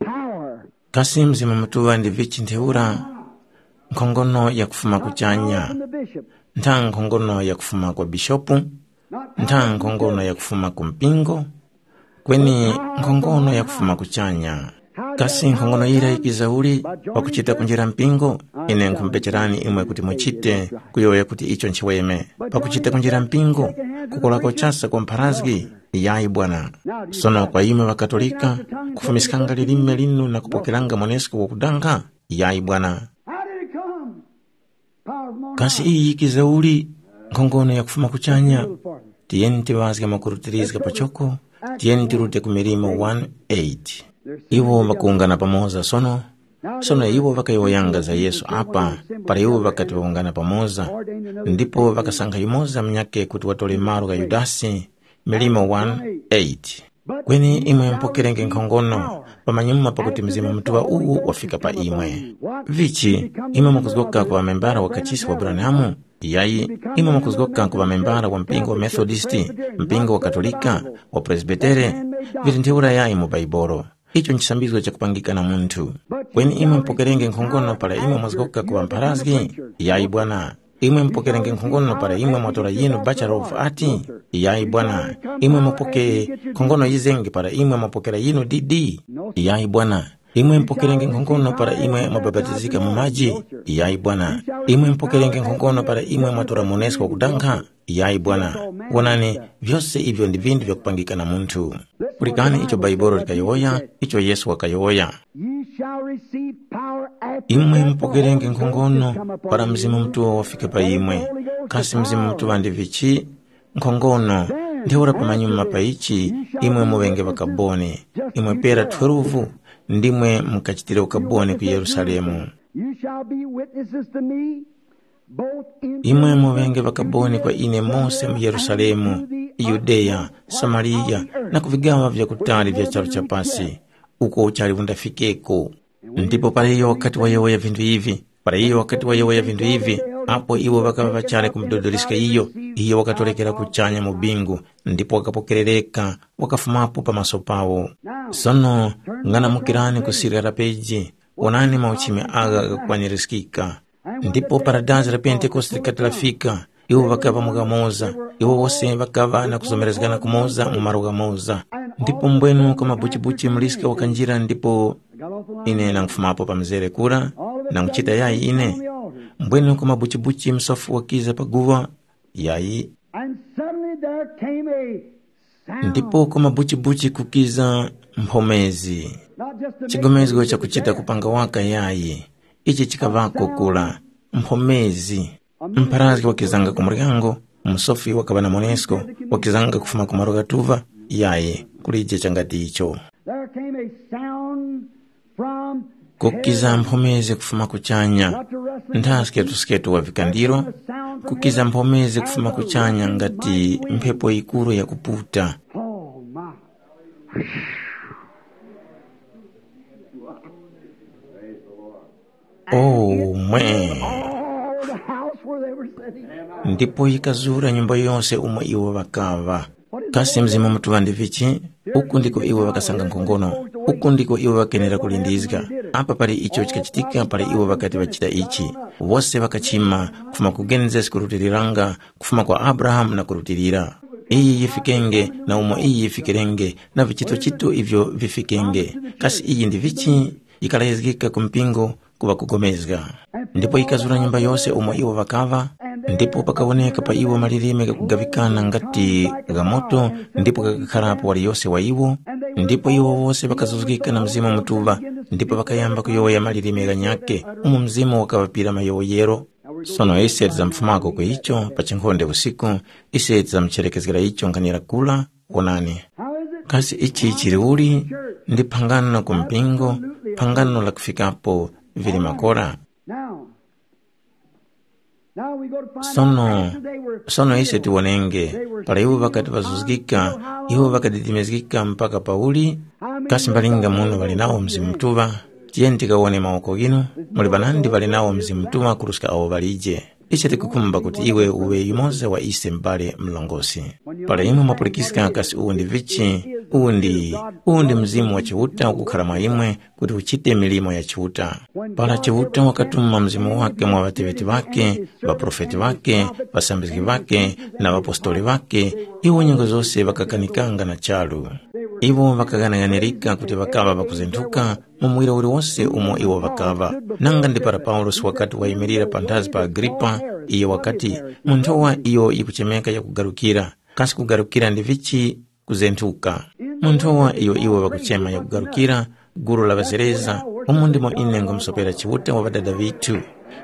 Power. Kasi Mzimu Mutuŵa ndi vichi ntheura? Nkhongono ya kufuma kuchanya. From the bishop. Ntha nkhongono ya kufuma kwa bishopu, ntha nkhongono ya kufuma ku mpingo, kweni nkhongono ya kufuma kuchanya. Kasi nkhongono yira yikiza uli? Pakuchita kunjira mpingo? Ine nkhumupecherani imwe kuti muchite, kuyowoya kuti icho nchiweme. Pakuchita kunjira mpingo, kukolako chasa kwa mpharazgi? Yayi bwana. Sono kwa imwe ŵaKatolika, kufumiskanga lilime linu na kupokeranga mwanesko wakudanga? Yayi bwana. How did it come? Power from on Kasi high. Iyi yikiza uli? Nkhongono ya kufuma kuchanya. Tiyeni tiŵazge makurutirizga pachoko, tiyeni tirute ku Milimo one eight. Iwo ŵakuwungana pamoza sono. Sono iwo ŵakayowoyanga za Yesu apa, para iwo ŵakati ŵawungana pamoza, ndipo ŵakasankha yumoza munyakhe kuti watore malo gha Yudasi. Milimo one eight. Kweni imwe mupokerenge nkhongono, pamanyuma pakuti Mzimu Mutuŵa uwu wafika pa imwe. Vichi, imwe mukuzgoka ku ŵamembara wa kachisi wa Branham? Iyayi, imwe mukuzgoka ku ŵamembara wa mpingo wa Methodist, mpingo wa Katolika, wa Presbitere? Vili ntheura yayi mu Baibolo. Icho nchisambizgo chakupangika na munthu. Kweni imwe mupokerenge nkhongono para imwe mwazgoka ku ŵampharazgi? Iyayi bwana. Imwe mupokerenge nkhongono para imwe mwatora yinu Bachelor of Art? Iyayi bwana. Imwe mupoke nkhongono yizenge para imwe mwapokera yinu D D? Iyayi bwana. Imwe mupokerenge nkhongono para imwe mwabapatizika mu maji? Iyayi bwana. Imwe mupokerenge nkhongono para imwe mwatora monesko wakudankha? Iyayi bwana. Wonani, vyose ivyo ndi vinthu vyakupangika na munthu. Pulikani icho Baibolo likayowoya, icho Yesu wakayowoya. Ye shall receive power after Imwe that the mupokerenge Holy Ghost nkhongono has come upon para you. Mzimu Mutuŵa wafika pa imwe. Kasi Mzimu Mutuŵa ndi vichi? Nkhongono. Ntheura pamanyuma pa ichi, imwe muŵenge ŵakaboni. Imwe pera twelve, ndimwe mukachitire ukaboni ku Yerusalemu. You shall be witnesses to me, both in Imwe muŵenge ŵakaboni kwa ine mose mu Yerusalemu, Yudeya, Samariya, na ku vigaŵa vyakutali vya charu cha pasi, uko uchali undafikeko. Ndipo para iyo wakati wayowoya vinthu ivi, para iyo wakati wayowoya vinthu ivi, Apo iwo ŵakaŵa ŵachali kumudodoliska iyo, iyo wakatorekera kuchanya mu bingu, ndipo wakapokerereka, wakafumapo pamaso pawo. Sono ng'anamukirani ku sirya la peji, wonani mauchimi agha ghakukwanirizgika. Ndipo para dazi la Pentekoste likati lafika, iwo ŵakaŵa mu ghamoza, iwo wose ŵakaŵa na kuzomerezgana kumoza mu malo ghamoza. Ndipo mbwenu kwa mabuchibuchi muliska wakanjira ndipo ine nang'fumapo pa mzere kura, nang'chita yayi ine. Mbwenu kwa mabuchibuchi msofu wakiza pa guŵa, yayi. And suddenly there came a sound. Ndipo kwa mabuchibuchi kukiza mphomezi. Not just a big Chigomezgo chakuchita kupanga waka yayi. Ichi chikaŵako kula. Mphomezi. Mpharazgi wakizanga ku muryango, musofi wakaŵa na monesko, wakizanga kufuma ku malo ghatuŵa, yayi, kulije changati icho. There came a sound from Kukiza heaven. Mphomezi kufuma kuchanya. Not to rest the Nthaske tusketu wa vikandiro, kukiza mphomezi kufuma kuchanya ngati mphepo yikuru yakuputa. Oh my. Oh mwe. All the house where they were sitting. Ndipo yikazura nyumba yose umo iwo ŵakaŵa. Kasi Mzimu Mutuŵa ndi vichi? Uku ndiko iwo ŵakasanga nkhongono. Uku ndiko iwo ŵakenera kulindizga. Apa pali icho chikachitika pali iwo ŵakati ŵachita ichi. Wose ŵakachima, kufuma ku Genesis kurutiliranga, kufuma kwa Abrahamu na kurutilira. Iyi yifikenge, na umo iyi yifikirenge, na vichitochito ivyo vifikenge. Kasi iyi ndi vichi? Yikalayizgika ku mpingo, kuŵa kugomezga. Ndipo yikazura nyumba yose umo iwo ŵakaŵa, ndipo pakawoneka pa iwo malilime ghakugaŵikana ngati gha moto, ndipo ghakakharapo waliyose wa iwo, ndipo iwo wose ŵakazuzgika na Mzimu Mutuŵa, ndipo ŵakayamba kuyowoya malilime ghanyakhe, umo Mzimu wakaŵapira mayowoyero. Sono ise tizamufumako ku icho pa chinkhonde usiku, ise tizamucherekezgera icho nkhanira kula, wonani. Kasi ichi chili uli? Ndi phangano ku mpingo, phangano la kufikapo vili makora. Now, now we go to find Sono, out after they were sono ise filled, tiwonenge, they were para iwo ŵakati sealed ŵazuzgika, unto how iwo long? Ŵakadidimizgika mpaka pauli? How many Kasi mbalinga muno ŵali nawo Mzimu Mutuŵa? Tiyeni tikawone mawoko ghinu, muli ŵanandi ŵali nawo Mzimu Mutuŵa kuruska awo ŵalije. Ise tikukhumba kuti iwe uŵe yumoza wa ise m'bale mlongosi. Para imwe mwapulikiska kasi uwu ndi vichi, uwu ndi, uwu ndi Mzimu wa Chiuta ukukhara mwa imwe kuti uchite milimo ya Chiuta. Para Chiuta wakatuma Mzimu wake mwa ŵateŵeti ŵake, ŵaprofeti ŵake, ŵasambizgi ŵake, na ŵapostoli ŵake, iwo nyengo zose ŵakakanikanga na charu. Iwo ŵakaghanaganirika kuti ŵakaŵa ŵakuzenthuka, mu muwiro uliwose umo iwo ŵakaŵa. Nanga ndi para Paulosi wakati wayimirira panthazi pa Agripa, iyo wakati, mu nthowa iyo yikuchemeka yakugarukira, kasi kugarukira ndi vichi? Kuzenthuka. Mu nthowa iyo iwo ŵakuchema yakugarukira, gulu la ŵazereza, umo ndimo ine ngwamusopera Chiuta wa ŵadada ŵithu.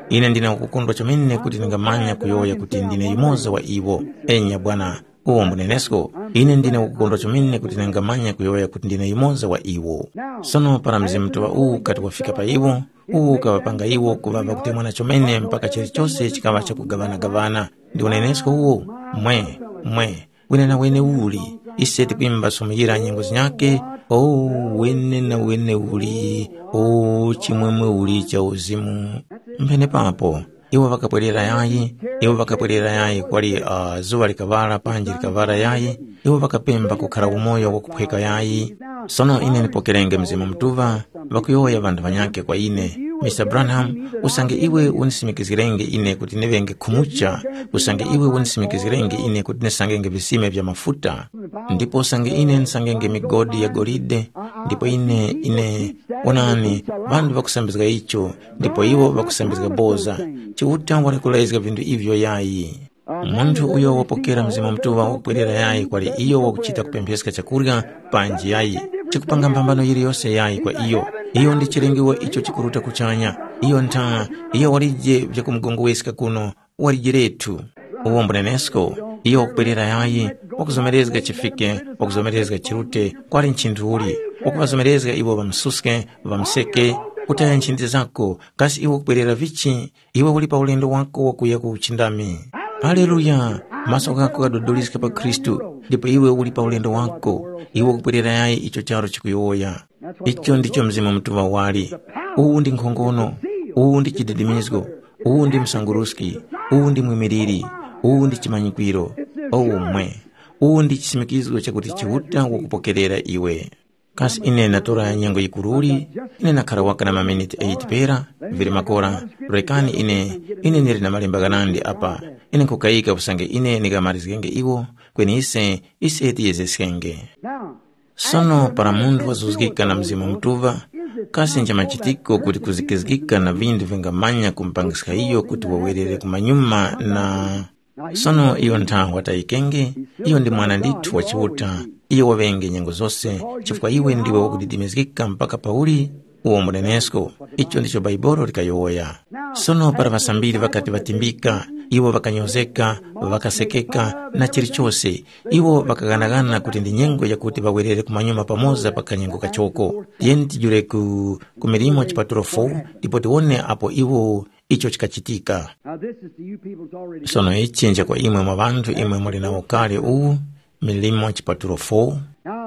Ine ndine wakukondwa chomene kuti ndingamanya kuyowoya kuti ndine yumoza wa iwo. Enya bwana, uwo mbunenesko, ine ndine wakukondwa chomene kuti ndingamanya kuyowoya kuti ndine yumoza wa iwo. Sono para Mzimu Mutuŵa uwu ukati wafika pa iwo, uwu ukaŵapanga iwo kuŵa ŵakutemwana chomene mpaka chilichose chikaŵa chakugaŵana-gaŵana. Ndi unenesko uwo, mwe, mwe, wene na wene uli, ise tikwimba sumuyira nyengo zinyakhe, o, wene na wene uli, o, chimwemwe uli cha uzimu. Mpenepapo, iwo ŵakapwerera yayi, iwo ŵakapwerera yayi kwali uh, zuŵa likaŵala panji likaŵala yayi, iwo ŵakapemba kukhara umoyo wakuphweka yayi. Sono ine ndipokerenge Mzimu Mutuŵa, ŵakuyowoya ŵanthu ŵanyakhe kwa ine, Mister Branham, usange iwe unisimikizgirenge ine kuti ndiŵenge khumucha, usange iwe unisimikizgirenge ine kuti ndisangenge visime vya mafuta, ndipo usange ine ndisangenge migodi ya golide, ndipo ine, ine, onani, ŵanthu ŵakusambizga icho, ndipo iwo ŵakusambizga boza. Chiuta wali kulayizga vinthu ivyo yayi. Munthu uyo wapokera Mzimu Mutuŵa wakupwerera yayi kwali iyo wakuchita kupempheska chakurya, panji yayi, chikupanga mphambano yiliyose yayi kwa iyo. Iyo ndi chilengewa icho chikuruta kuchanya. Iyo ntha, iyo walije vyakumugongweska kuno, walijiretu. Uwo mbunenesko, iyo wakupwerera yayi, wakuzomerezga chifike, wakuzomerezga chirute, kwali nchinthu uli, wakuŵazomerezga iwo ŵamsuske, ŵamseke, kutaya nchindi zako, kasi iwe wakupwerera vichi? Iwe uli pa ulendo wako wakuya ku uchindami. Haleluya! Maso ghako ghadodoliska pa Khristu, ndipo iwe uli pa ulendo wako. Iwe ukupwerera yayi icho charo chikuyowoya. Icho ndicho Mzimu Mutuŵa wali. Uwu ndi nkhongono, uwu ndi chididimizgo, uwu ndi msanguruski, Uwu ndi mwimiliri, uwu ndi chimanyikwiro, o umwe. Uwu ndi chisimikizgo chakuti Chiuta wakupokerera iwe. Kasi ine ndatora nyengo yikuruli? Ine ndakhara waka na maminiti eight pera, vili makora. Rekani ine, ine ndili na malemba ghanandi apa. Ine nkhukayika usange ine ndingamarizgenge iwo, kweni ise, ise tiyezeskenge. Sono para munthu wazuzgika na Mzimu Mutuŵa, kasi nchamachitiko kuti kuzikizgika na vinthu vingamanya kumupangiska iyo kuti wawerere kumanyuma na Sono iyo nthawe watayikenge, iyo ndi mwana ndithu wa Chiuta, iyo waŵenge nyengo zose, chifukwa iwe ndiwe wakudidimizgika mpaka pauli uwo mbunenesko. Icho ndicho Baibolo likayowoya. Sono para ŵasambiri ŵakati ŵatimbika, iwo ŵakanyozeka, ŵakasekeka na chilichose, iwo ŵakaghanaghana kuti ndi nyengo yakuti ŵawerere kumanyuma pamoza pa kanyengo kachoko. Tiyeni tijule ku, ku milimo chipatulo four ndipo tiwone apo iwo icho chikachitika. Now, this is to you people that's already Sono ichi nja kwa imwe mwa ŵanthu imwe muli nawo kale uwu, milimo chipatulo four.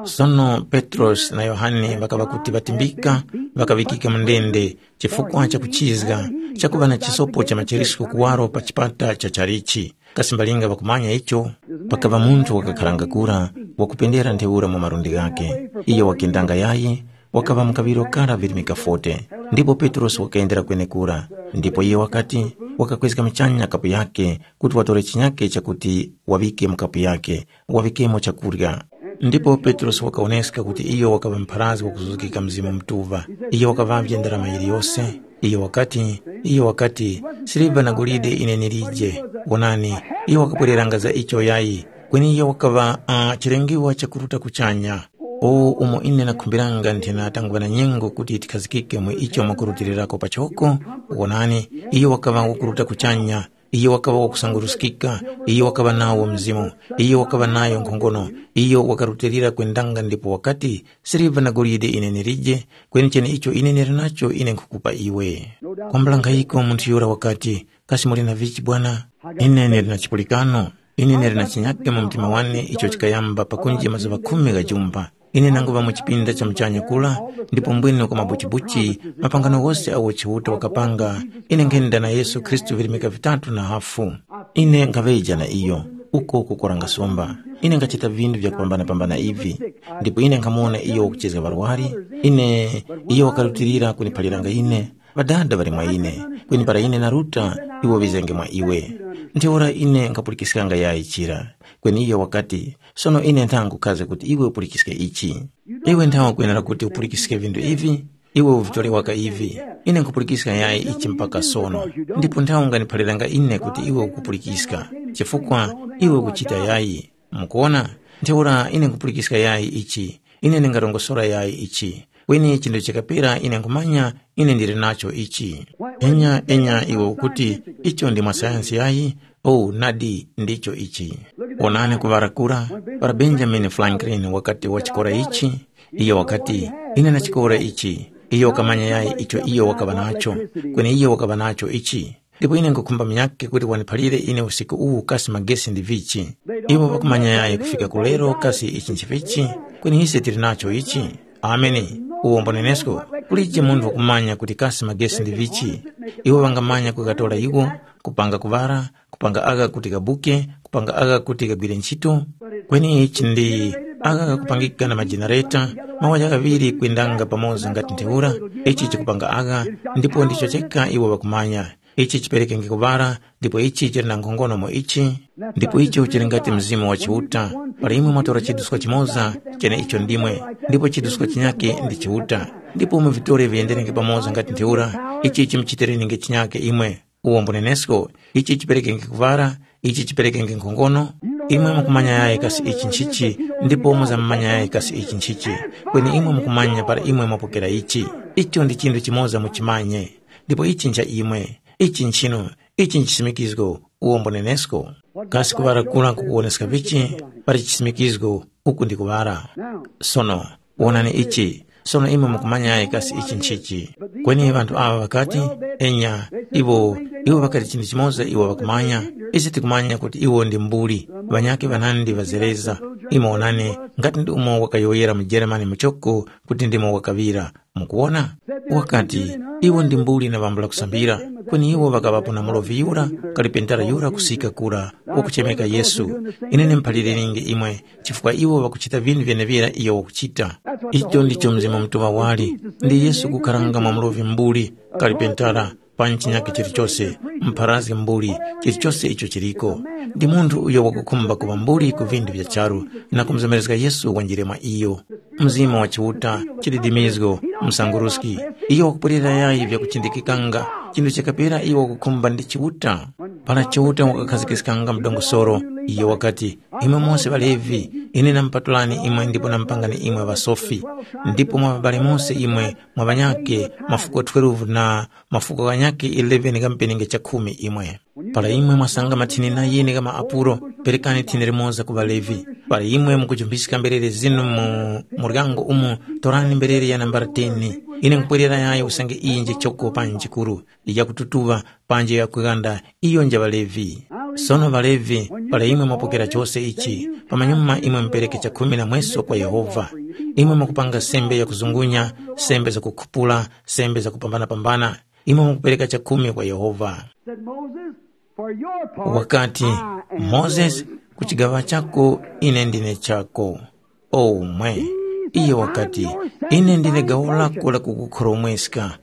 Sono Petrosi na Yohane ŵakaŵa kuti ŵatimbika, ŵakaŵikika mu ndende chifukwa cha kuchizga, chakuŵa na chisopo cha macheresko kuwaro pa chipata cha chalichi. Kasi mbalinga ŵakumanya icho? Pakaŵa munthu wakakharanga kura, wakupendera ntheura mu malundi ghakhe. Iyo wakendanga yayi, wakaŵa mu kaŵiro kara virimika forty. Ndipo Petrosi wakayendera kwenekura, ndipo iyo wakati, wakakwezga muchanya kapu yakhe kuti watore chinyake chakuti waŵike mu kapu yakhe, waŵikemo chakurya. Ndipo Petrosi wakawoneska kuti iyo wakaŵa mpharazgi wakuzuzgika Mzimu Mutuŵa. Iyo wakaŵavye ndarama yiliyose. Iyo wakati, iyo wakati, siliva na golide ine ndilije. Wonani, iyo wakapwereranga za icho yayi, kweni iyo wakaŵa uh, chilengiwa chakuruta kuchanya. O umo ine nakhumbiranga nthena tangwa na nyengo kuti tikhazikike mu icho mwakurutilirako pachoko. Wonani, iyo wakaŵa wakuruta kuchanya, iyo wakaŵa wakusanguruskika, iyo wakaŵa nawo mzimu, iyo wakaŵa nayo nkhongono, iyo wakarutilira kwendanga ndipo wakati, siliva na golide ine nilije, kweni cheneicho ine nili nacho ine nkhukupa iwe. Kwambula nkhayiko munthu yura wakati, kasi muli na vichi bwana? Ine nili na chipulikano. Ine nili na chinyake mu mtima wane icho chikayamba pakunji mazuŵa khumi gha jumpa. Ine nanguŵa mu chipinda cha muchanya kula, ndipo mbwene kwa mabuchibuchi, mapangano ghose agho Chiuta wakapanga, ine nkhenda na Yesu Khristu virimika vitatu na hafu. Ine nkhaŵeja na iyo, uko kukoranga somba. Ine nkhachita vinthu vyakupambana-pambana ivi, ndipo ine nkhamuwona iyo wakuchezga ŵarwari. Ine, iyo wakarutilira kuniphaliranga ine, Ŵadada ŵali mwa ine, kweni para ine naruta, iwo ŵizenge mwa iwe. Ntheura ine nkhapulikiskanga yayi chira. Kweni iyo wakati, sono ine nthangukhaze kuti iwe upulikiske ichi. Iwe nthawe kwenera kuti upulikiske vinthu ivi, iwe uvitore waka ivi. Ine nkhupulikiska yayi ichi mpaka sono, ndipo nthawe unganiphaliranga ine kuti iwe ukupulikiska, chifukwa iwe ukuchita yayi. Mukuwona, ntheura ine nkhupulikiska yayi ichi, ine ndingarongosora yayi ichi. Kweni chinthu chakapera ine nkhumanya ine ndili nacho ichi. Enya, enya iwe ukuti icho ndi mwa sayansi yayi? Oh, nadi ndicho ichi. Wonani kuŵara kura, para Benjamin Franklin wakati wachikora ichi, iyo wakati, ine nachikora ichi. Iyo wakamanya yayi icho iyo wakaŵa nacho, kweni iyo wakaŵa nacho ichi. Ndipo ine nkhukhumba munyakhe kuti waniphalire ine usiku uwu kasi magesi ndi vichi. Iwo ŵakumanya yayi kufika ku lero kasi ichi nchivichi, kweni ise tili nacho ichi. Ameni. Uwombo nenesko, kulije munthu wakumanya kuti kasi magesi ndi vichi. Iwo ŵangamanya kukatora iwo, kupanga kuŵara, kupanga agha kuti gabuke, kupanga agha kuti gagwire ntchito. Kweni ichi ndi agha ghakupangika na majenareta, mawaja ghaŵiri kwendanga pamoza ngati ntheura, ichi chikupanga agha, ndipo ndicho cheka iwo ŵakumanya. Ichi chiperekenge kuŵala, ndipo ichi chili na nkhongono mu ichi, ndipo icho chili ngati Mzimu wa Chiuta. Para imwe mwatora chiduska chimoza, cheneicho ndimwe, ndipo chiduska chinyakhe ndi Chiuta, ndipo muvitore viyenderenge pamoza ngati ntheura, ichi chimuchitireninge chinyakhe imwe. Uwo mbunenesko, ichi chiperekenge kuŵala, ichi chiperekenge nkhongono. Imwe mukumanya yayi kasi ichi nchichi, ndipo muzamumanya yayi kasi ichi nchichi, kweni imwe mukumanya para imwe mwapokera ichi. Icho ndi chinthu chimoza muchimanye. Ndipo ichi ncha imwe, ichi nchinu, ichi nchisimikizgo, uwo mbunenesko. Kasi kuŵala kura nkukuwoneska vichi? Pali chisimikizgo, uku ndi kuŵala. Sono, wonani ichi, sono imwe mukumanyayi kasi ichi nchichi? Kweni ŵanthu aŵa ŵakati, enya, iwo, iwo ŵakati chinthu chimoza iwo ŵakumanya, ise tikumanya kuti iwo ndi mbuli, ŵanyakhe ŵanandi ŵazereza. Imwe wonani, ngati ndi umo wakayowoyera mu Jeremani muchoko kuti ndimo wakaŵira. Mukuwona? Wakati, iwo ndi mbuli na ŵambula kusambira. Kweni iwo ŵakaŵapo na mulovi yura, kalipentara yura kusika kura, wakuchemeka Yesu. Ine ndimuphalirenge imwe, chifukwa iwo ŵakuchita vinthu vyenevira iyo wakuchita. Icho ndicho Mzimu Mutuŵa wali, ndi Yesu kukharanga mwa mulovi mbuli, kalipentara, pa chinyakhe chilichose, mpharazgi mbuli, chilichose icho chiliko. Ndi munthu uyo wakukhumba kuŵa mbuli ku vinthu vya charu na kumuzomerezga Yesu wanjire mwa iyo. Mzimu wa Chiuta, chididimizgo, msanguruski, iyo wakupwerera yayi vyakuchindikikanga, chinthu chakapera iyo wakukhumba ndi Chiuta. Para Chiuta wakakhazgiskanga mdongosoro, iyo wakati, imwe mose ŵaLevi, ine namupatulani imwe ndipo namupangani imwe ŵasofi, ndipo mwa ŵabale mose imwe mwa ŵanyakhe mafuko twelve na mafuko ghanyakhe eleven gha mpenenge chakhumi imwe. Para imwe mwasanga mathini na yini gha maapuro, perekani thini limoza ku ŵaLevi. Para imwe mukujumbiska mberere zinu mu muryango umu, torani mberere ya nambala ten. Ine nkhupwerera yayo usange iyi nje choko panji chikuru, yakututuŵa, panji yakughanda, iyo nja ŵaLevi. Sono ŵaLevi, para imwe mwapokera chose ichi, pamanyuma imwe mupereke chakhumi na mweso kwa Yehova. Imwe mwakupanga sembe yakuzungunya, sembe zakukhupula, sembe zakupambana-pambana. Imwe mukupereka chakhumi kwa Yehova. Said Moses, for your part, wakati, I am Moses, yours. Ku chigaŵa chako ine ndine chako. Omwe. Iye wakati, ine ndine gawo lako la kukukhoromweska.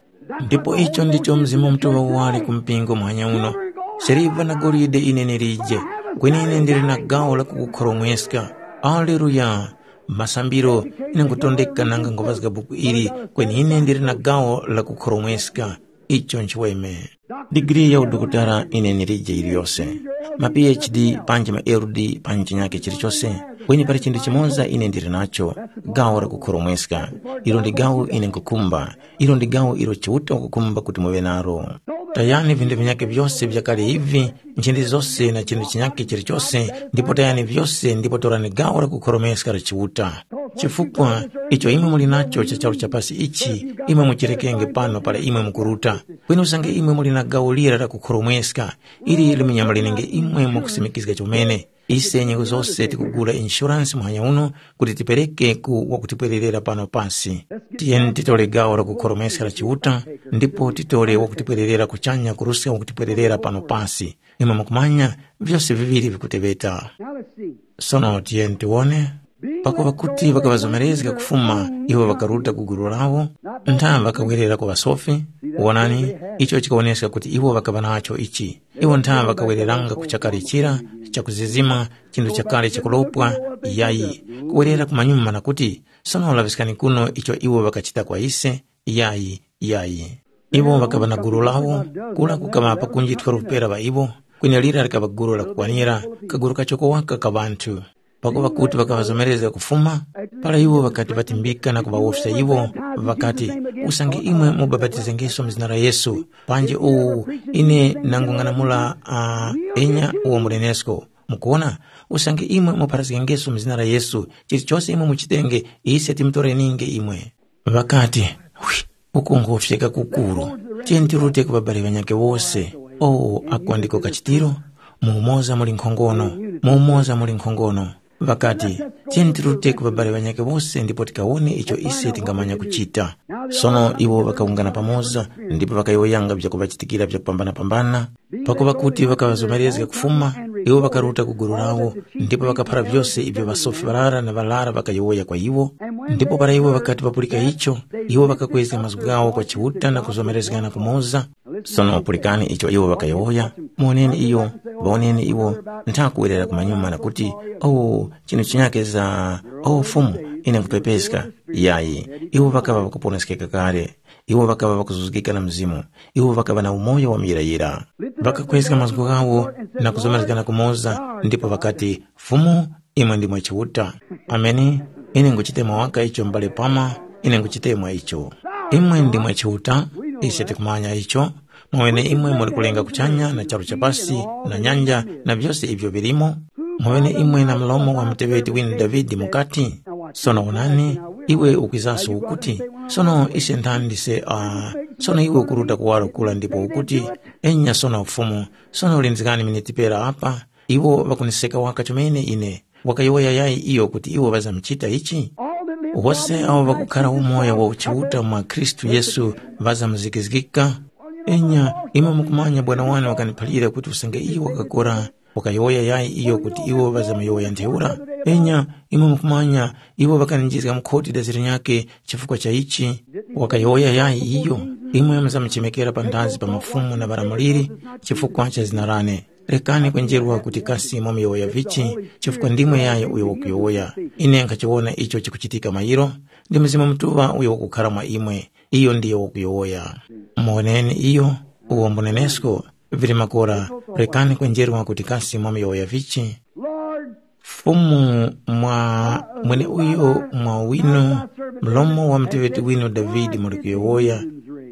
Ndipo icho ndicho Mzimu Mutuŵa wali ku mpingo muhanya uno. Siliva na golide ine ndilije, kweni ine ndili na gawo la kukukhoromweska. Aleluya. Masambiro, ine nkutondeka nanga nkuvazga buku ili, kweni ine ndili na gawo la kukhoromweska. Icho nchiweme. Digiri ya udokotala ine nilije yiliyose. Ma P H D panji ma L D panji chinyake chilichose, kweni pali chinthu chimoza ine ndili nacho, gawo la kukhoromweska. Ilo ndi gawo ine nkukhumba. Ilo ndi gawo ilo Chiuta wakukhumba kuti muŵe nalo. Tayani vinthu vinyake vyose vyakale ivi, nchindi zose na chinthu chinyake chilichose, ndipo tayani vyose ndipo torani gawo la kukhoromweska la Chiuta. Chifukwa icho imwe muli nacho cha charu cha pasi ichi, imwe muchirekenge pano para imwe mukuruta. Kweni usange imwe muli na gawo lira la kukhoromweska, ili limunyamulenenge imwe mwakusimikizga chomene. Ise nyengo zose tikugula insurance muhanya uno kuti tipereke ku wakutipwererera pano pasi. Tiyeni titole gawo la kukhoromweska la Chiuta, ndipo titole wakutipwererera kuchanya kuruska wakutipwererera pano pasi. Imwe mukumanya, vyose viŵiri vikuteŵeta. Now let's see. Sono tiyeni tiwone. Pakuŵa kuti ŵakaŵazomerezga kufuma, iwo ŵakaruta ku gulu lawo, ntha ŵakawerera ku ŵasofi. Wonani, icho chikawoneska kuti iwo ŵakaŵa nacho ichi. Iwo ntha ŵakawereranga ku chakali chira chakuzizima, chinthu chakale chakulopwa, yayi, kuwerera kumanyuma na kuti, sono laŵiskani kuno icho iwo ŵakachita kwa ise, yayi, yayi. Iwo ŵakaŵa na gulu lawo, kura kukaŵa pakunji twelve pera ŵa iwo, kweni lira likaŵa gulu lakukwanira, kagulu kachoko waka ka ŵanthu. Pakuŵa kuti ŵakaŵazomerezga kufuma, para iwo ŵakati ŵatimbika na kuŵawofya iwo, ŵakati, usange imwe mubapatizengeso mu zina la Yesu, panji uwu ine nangung'anamula uh, enya uwo mulenesko. Mukuona, usange imwe mupharazgengeso mu zina la Yesu, chilichose imwe muchitenge, ise timutoreninge imwe. Ŵakati, hwi, uku ngufyeka kukuru. Tiyeni tirute ku ŵabali ŵanyakhe wose. O, ako ndiko kachitiro, mu umoza muli nkhongono, mu umoza muli nkhongono. Ŵakati, tiyeni tirute ku ŵabali ŵanyakhe wose ndipo tikawone icho ise tingamanya kuchita. Sono iwo ŵakawungana pamoza ndipo ŵakayowoyanga vyakuŵachitikira vyakupambana-pambana. Pakuŵa kuti ŵakaŵazomerezga kufuma, iwo ŵakaruta ku gulu lawo, ndipo ŵakaphara vyose ivyo ŵasofi ŵarara na ŵarara ŵakayowoya kwa iwo. Ndipo para iwo ŵakati ŵapulika icho, iwo ŵakakwezga mazgu ghawo kwa Chiuta na kuzomerezgana kumoza. Sono pulikani icho iwo ŵakayowoya, muwoneni iyo, ŵawoneni iwo, ntha kuwerera kumanyuma na kuti, “Oh, chinu chinyake za, oh Fumu, ine nkhupepeska.” Yayi, iwo ŵakaŵa ŵakuponeskeka kale. Iwo ŵakaŵa ŵakuzuzgika na Mzimu. Iwo ŵakaŵa na umoyo wa muyirayira. Ŵakakhweska mazgu ghawo na kuzomerezgana kumoza, ndipo ŵakati, “Fumu, imwe ndimwe Chiuta.” Ameni. Ine nguchitemwa waka icho m'bale Palmer, ine nguchitemwa icho. Imwe ndimwe Chiuta, ise tikumanya icho. Mwaŵene imwe muli kulenga kuchanya na charu cha pasi na nyanja na vyose ivyo vilimo. Mwaŵene imwe na mlomo wa muteŵeti winu Davide mukati, “Sono wonani, iwe ukwizaso ukuti, sono ise nthandi se, uh, sono iwe ukuruta kuwaro kura ndipo ukuti, enya sono Fumu, sono lindiskani miniti pera apa, iwo ŵakuniseka waka chomene ine.” Wakayowoya yayi iyo kuti iwo ŵazamuchita ichi? Wose awo ŵakukhara umoyo wa uchiuta mwa Khristu Yesu ŵazamuzikizgika. Enya, imwe mukumanya bwana wane wakaniphalira kuti usange iyo wakakora, wakayowoya yayi iyo kuti iwo ŵazamuyowoya ntheura? Enya, imwe mukumanya iwo ŵakaninjizga mu khoti daziro nyakhe chifukwa cha ichi? Wakayowoya yayi iyo? Imwe muzamuchemekera panthazi pa mafumu na ŵalamuliri chifukwa cha zina lane. Rekani kwenjerwa kuti kasi mwamuyowoya vichi, chifukwa ndimwe yayi uyo wakuyowoya. Ine nkhachiwona icho chikuchitika mairo, ndi Mzimu Mutuŵa uyo wakukhara mwa imwe, iyo ndiyo wakuyowoya. Muwoneni iyo, uwo mbunenesko, vili makora, rekani kwenjerwa kuti kasi mwamuyowoya vichi. Fumu mwa mweneuyo mwa winu, mlomo wa muteŵeti winu Davide muli kuyowoya,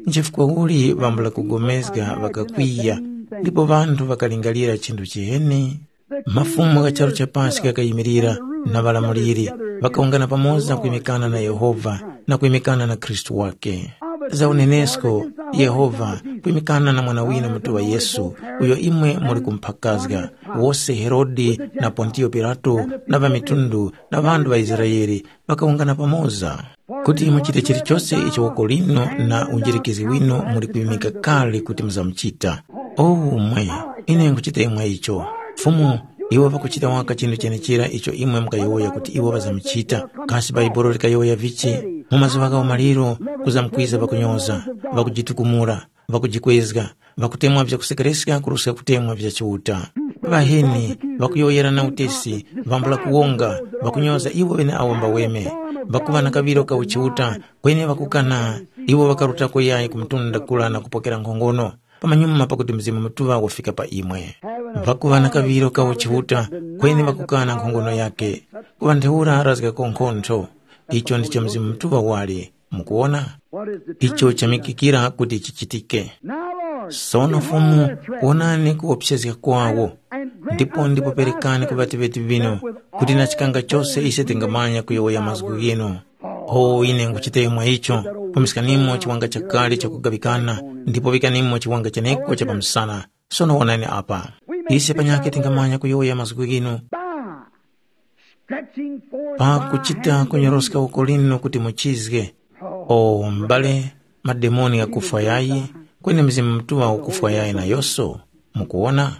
nchifukwa uli ŵambula kugomezga ŵakakwiya, ndipo ŵanthu ŵakalingalira chinthu chiheni? Mafumu gha charu cha pasi ghakayimirira na ŵalamuliri, ŵakawungana pamoza kwimikana na Yehova na kwimikana na Khristu wake. Za unenesko, Yehova kwimikana na mwana winu mutuŵa Yesu, uyo imwe muli kumphakazga, wose Herode na Pontiyo Pilato na ŵamitundu na ŵanthu ŵa Israele ŵakawungana pamoza, kuti muchite chilichose icho woko linu na unjirikizgi winu muli kwimika kale kuti muzamuchita. Omwe, ine nkuchita imwe icho. Fumu, iwo ŵakuchita waka chinthu chenechera icho imwe mukayowoya kuti iwo ŵazamuchita. Kasi Bhaibuli likayowoya vichi? Mu mazuŵa gha umaliro kuzamkwiza ŵakunyoza, ŵakujitukumula, ŵakujikwezga, ŵakutemwa vyakusekereska kuruska kutemwa vya Chiuta. Ŵaheni, ŵakuyowoyerana utesi, ŵambula kuwonga, ŵakunyoza iwo ŵeneawo mbaweme, ŵakuŵa na kaŵiro ka uchiuta, kweni ŵakukana, iwo ŵakarutako yayi ku mtunda kura na kupokera nkhongono. Pamanyuma pakuti Mzimu Mutuŵa wafika pa imwe. Ŵakuŵa na kaŵiro ka uchiuta, kweni ŵakukana nkhongono yakhe. Kuŵa ntheura razgako nkhontho. Icho ndicho Mzimu Mutuŵa wali. Mukuwona? Icho chamikikira kuti chichitike. Sono Fumu, wonani kuwopsezga kwawo, ndipo ndipo perekani ku ŵateŵeti ŵinu, kuti na chikanga chose ise tingamanya kuyowoya mazgu ghinu. O ine nkuchita mwa icho, pumiskanimo chiwanga chakale chakugaŵikana, ndipo ŵikanimo chiwanga cheneko cha pamsana. Sono wonani apa. Ise panyakhe tingamanya kuyowoya mazgu ghinu. Pakuchita kunyoroska uko linu kuti muchizge. O m'bale, mademoni ghakufwa yayi, kweni Mzimu Mutuŵa ukufwa yayi nayose. Mukuwona?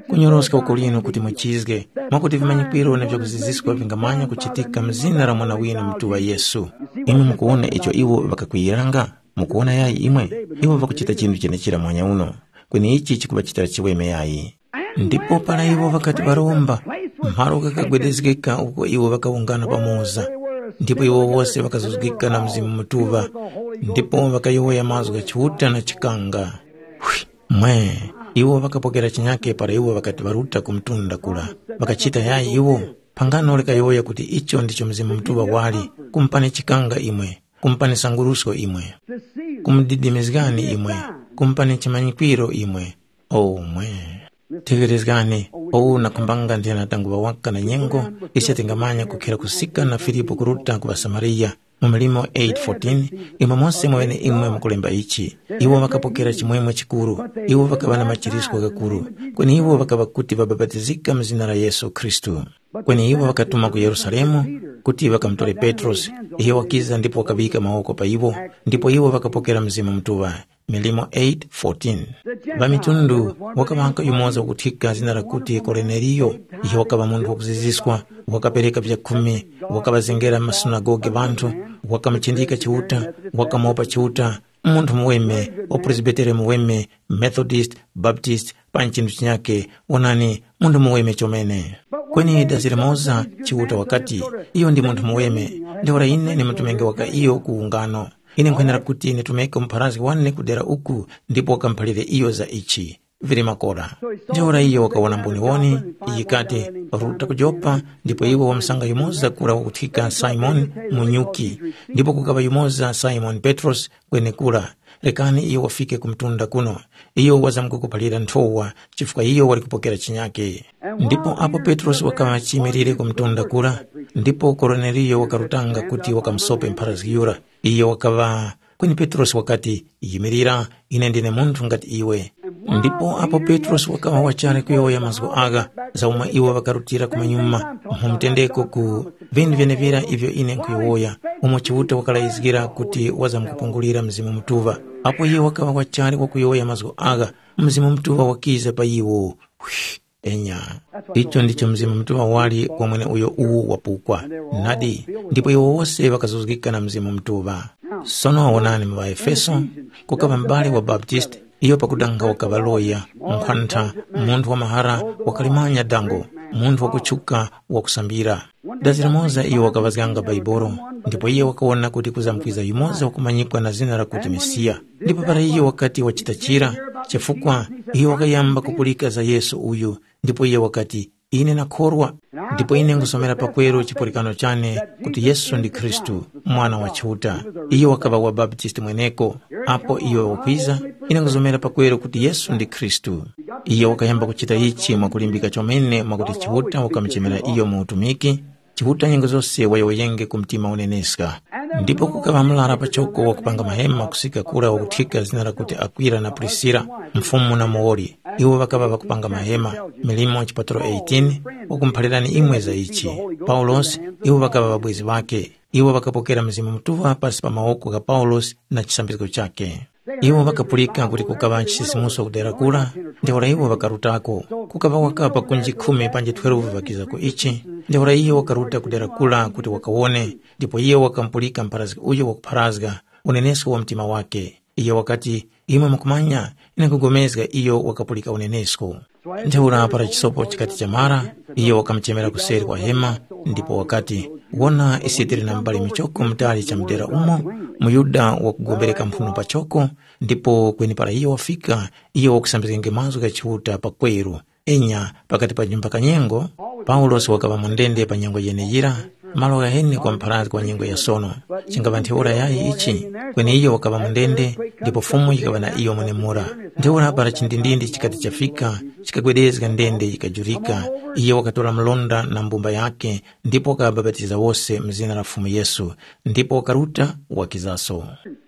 Kunyoroska uko linu kuti muchizge, mwakuti vimanyikwiro na vyakuziziska vingamanya kuchitika mu zina la Mwana winu Mutuŵa Yesu. Imwe mukuwona icho iwo ŵakakwiyiranga? Mukuwona yayi imwe? Iwo ŵakuchita chinthu chenechira mwanya uno. Kweni ichi chikuŵachitira chiweme yayi. Ndipo para iwo ŵakati ŵaromba, mpharo ghakagwedezgeka uko iwo ŵakawungana pamoza, ndipo iwo wose ŵakazuzgika na Mzimu Mutuŵa, ndipo ŵakayowoya mazgu gha Chiuta na chikanga. Hwi! Mwe! Iwo ŵakapokera chinyake para iwo ŵakati ŵaruta ku mtunda kura. Ŵakachita yayi iwo? Phangano likayowoya kuti icho ndicho Mzimu Mutuŵa wali, kumupani chikanga imwe, kumupani sangurusko imwe, kumudidimizgani imwe, kumupani chimanyikwiro imwe. Omwe. Tegherezgani, uwu nakhumbanga nthena tanguŵa waka na nyengo, ise tingamanya kukhera kusika na Filipu kuruta ku ŵaSamariya, mu Milimo eight fourteen, imwe mose mweneimwe mukulemba ichi. Iwo ŵakapokera chimwemwe chikuru, iwo ŵakaŵa na machirisco ghakuru, kweni iwo ŵakaŵa kuti ŵabapatizika mu zina la Yesu Khristu. Kweni iwo ŵakatuma ku Yerusalemu kuti ŵakamutore Petrosi, iyo wakiza ndipo wakaŵika mawoko pa iwo, ndipo iwo ŵakapokera Mzimu Mutuŵa. Milimo eight fourteen. Ŵamitundu wakaŵanga yumoza wakuthika zina lakuti Koroneliyo, iyo wakaŵa munthu wakuziziswa, wakapereka vyakhumi, wakaŵazengera m'masunagoge ŵanthu, wakamuchindika Chiuta, wakamopa Chiuta, munthu muweme, wapresbitere muweme, Methodist, Baptist, panji chinthu chinyakhe, wonani, munthu muweme chomene. Kweni dazi limoza Chiuta wakati, iyo ndi munthu muweme, ntheura ine ndi mutumenge waka iyo ku ungano. Ine nkhwenera kuti nditumike mupharazgi wane kudera uku ndipo wakamuphalire iyo za ichi. Vili makora. Ntheura iyo wakawona mboniwoni, yikati, ruta ku Jopa, ndipo iwe wamusanga yumoza kura wakuthika Simoni munyuki, ndipo kukaŵa yumoza Simoni Petrosi kwenekura. Rekani iyo wafike ku mtunda kuno. Iyo wazamkukuphalira nthowa, chifukwa iyo wali kupokera chinyake. Ndipo apo Petrosi wakaŵa chiyimirire ku mtunda kura, ndipo Koroneliyo wakarutanga kuti wakamusope mpharazgi yura. Iyo wakaŵa, kweni Petrosi wakati, yimirira, ine ndine munthu ngati iwe. Ndipo apo Petrosi wakaŵa wachali kuyowoya mazgu agha, za umwe iwo ŵakarutira kumanyuma, mu mtendeko ku vinthu vyenevira ivyo ine nkhuyowoya, umo Chiuta wakalayizgira kuti wazamkupungulira Mzimu Mutuŵa. Apo iyo wakaŵa wachali wakuyowoya mazgu agha, Mzimu Mutuŵa wakiza pa iwo. Hwi! Enya. Icho ndicho Mzimu Mutuŵa wali kwa mweneuyo uwu wapukwa. Nadi, ndipo iwo wose ŵakazuzgika na Mzimu Mutuŵa. Sono wonani mu ŵaEfeso, kukaŵa m'bale wa Baptist, iyo pakuti nga wakaŵa loya, nkhwantha, munthu wa mahara, wakalimanya dango, munthu wakutchuka, wakusambira. Dazi limoza iyo wakaŵazganga Baibolo, ndipo iyo wakawona kuti kuzamkwiza yumoza wakumanyikwa na zina lakuti Mesiya. Ndipo para iyo wakati wachita chira, chifukwa iyo wakayamba kupulika za Yesu uyu, ndipo iyo wakati, ine nakhorwa, ndipo ine nkhusomera pakweru chipulikano chane kuti Yesu ndi Khristu, Mwana wa Chiuta. Iyo wakaŵa wabaptisti mweneko. Apo iyo wakwiza, ine nkhusomera pakweru kuti Yesu ndi Khristu. Iyo wakayamba kuchita ichi mwakulimbika chomene mwakuti Chiuta wakamuchemera iyo mu utumiki, Chiuta nyengo zose wayowoyenge ku mtima uneneska. Ndipo kukaŵa murara pachoko wakupanga mahema kusika kura wakuthika zina lakuti Akwila na Prisila, Mfumu na muwoli. Iwo ŵakaŵa ŵakupanga mahema, milimo chipatalo eighteen, wakumuphalirani imwe za ichi. Paulosi, iwo ŵakaŵa ŵabwezi ŵakhe. Iwo ŵakapokera Mzimu Mutuŵa pasi pa mawoko gha Paulosi na chisambizgo chakhe. Iwo ŵakapulika kuti kukaŵa chisisimuso ku dera kura, ntheura iwo ŵakarutako. Kukaŵa wakapa kunji khumi panji twelve ŵakiza ku ichi, ntheura iyo wakaruta ku dera kura kuti wakawone, ndipo iyo wakamupulika mpharazgi uyo wakupharazga unenesko wa mtima wakhe. Iyo wakati, imwe mukumanya, ine nkhugomezga iyo wakapulika unenesko. Ntheura para chisopo chikati chamara, iyo wakamuchemera kuseri kwa hema, ndipo wakati, wona ise tili na mubali michoko mutali cha mudera umo, muYuda wakugombereka mphuno pachoko, ndipo kweni para iyo wafika, iyo wakusambizgenge mazgu gha Chiuta pakweru. Enya, pakati pa nyumba kanyengo, Paulosi wakaŵa mu ndende pa nyengo yeneyira, malo ghaheni kwa mpharazgi wa nyengo ya sono. Chingaŵa ntheura yayi ichi, kweni iyo wakaŵa mu ndende, ndipo Fumu yikaŵa na iyo mwenemura. Ntheura para chindindindi chikati chafika, chikagwedezga ndende yikajurika, iyo wakatora mlonda na mbumba yakhe, ndipo wakabapatiza wose mu zina la Fumu Yesu, ndipo wakaruta wakizaso.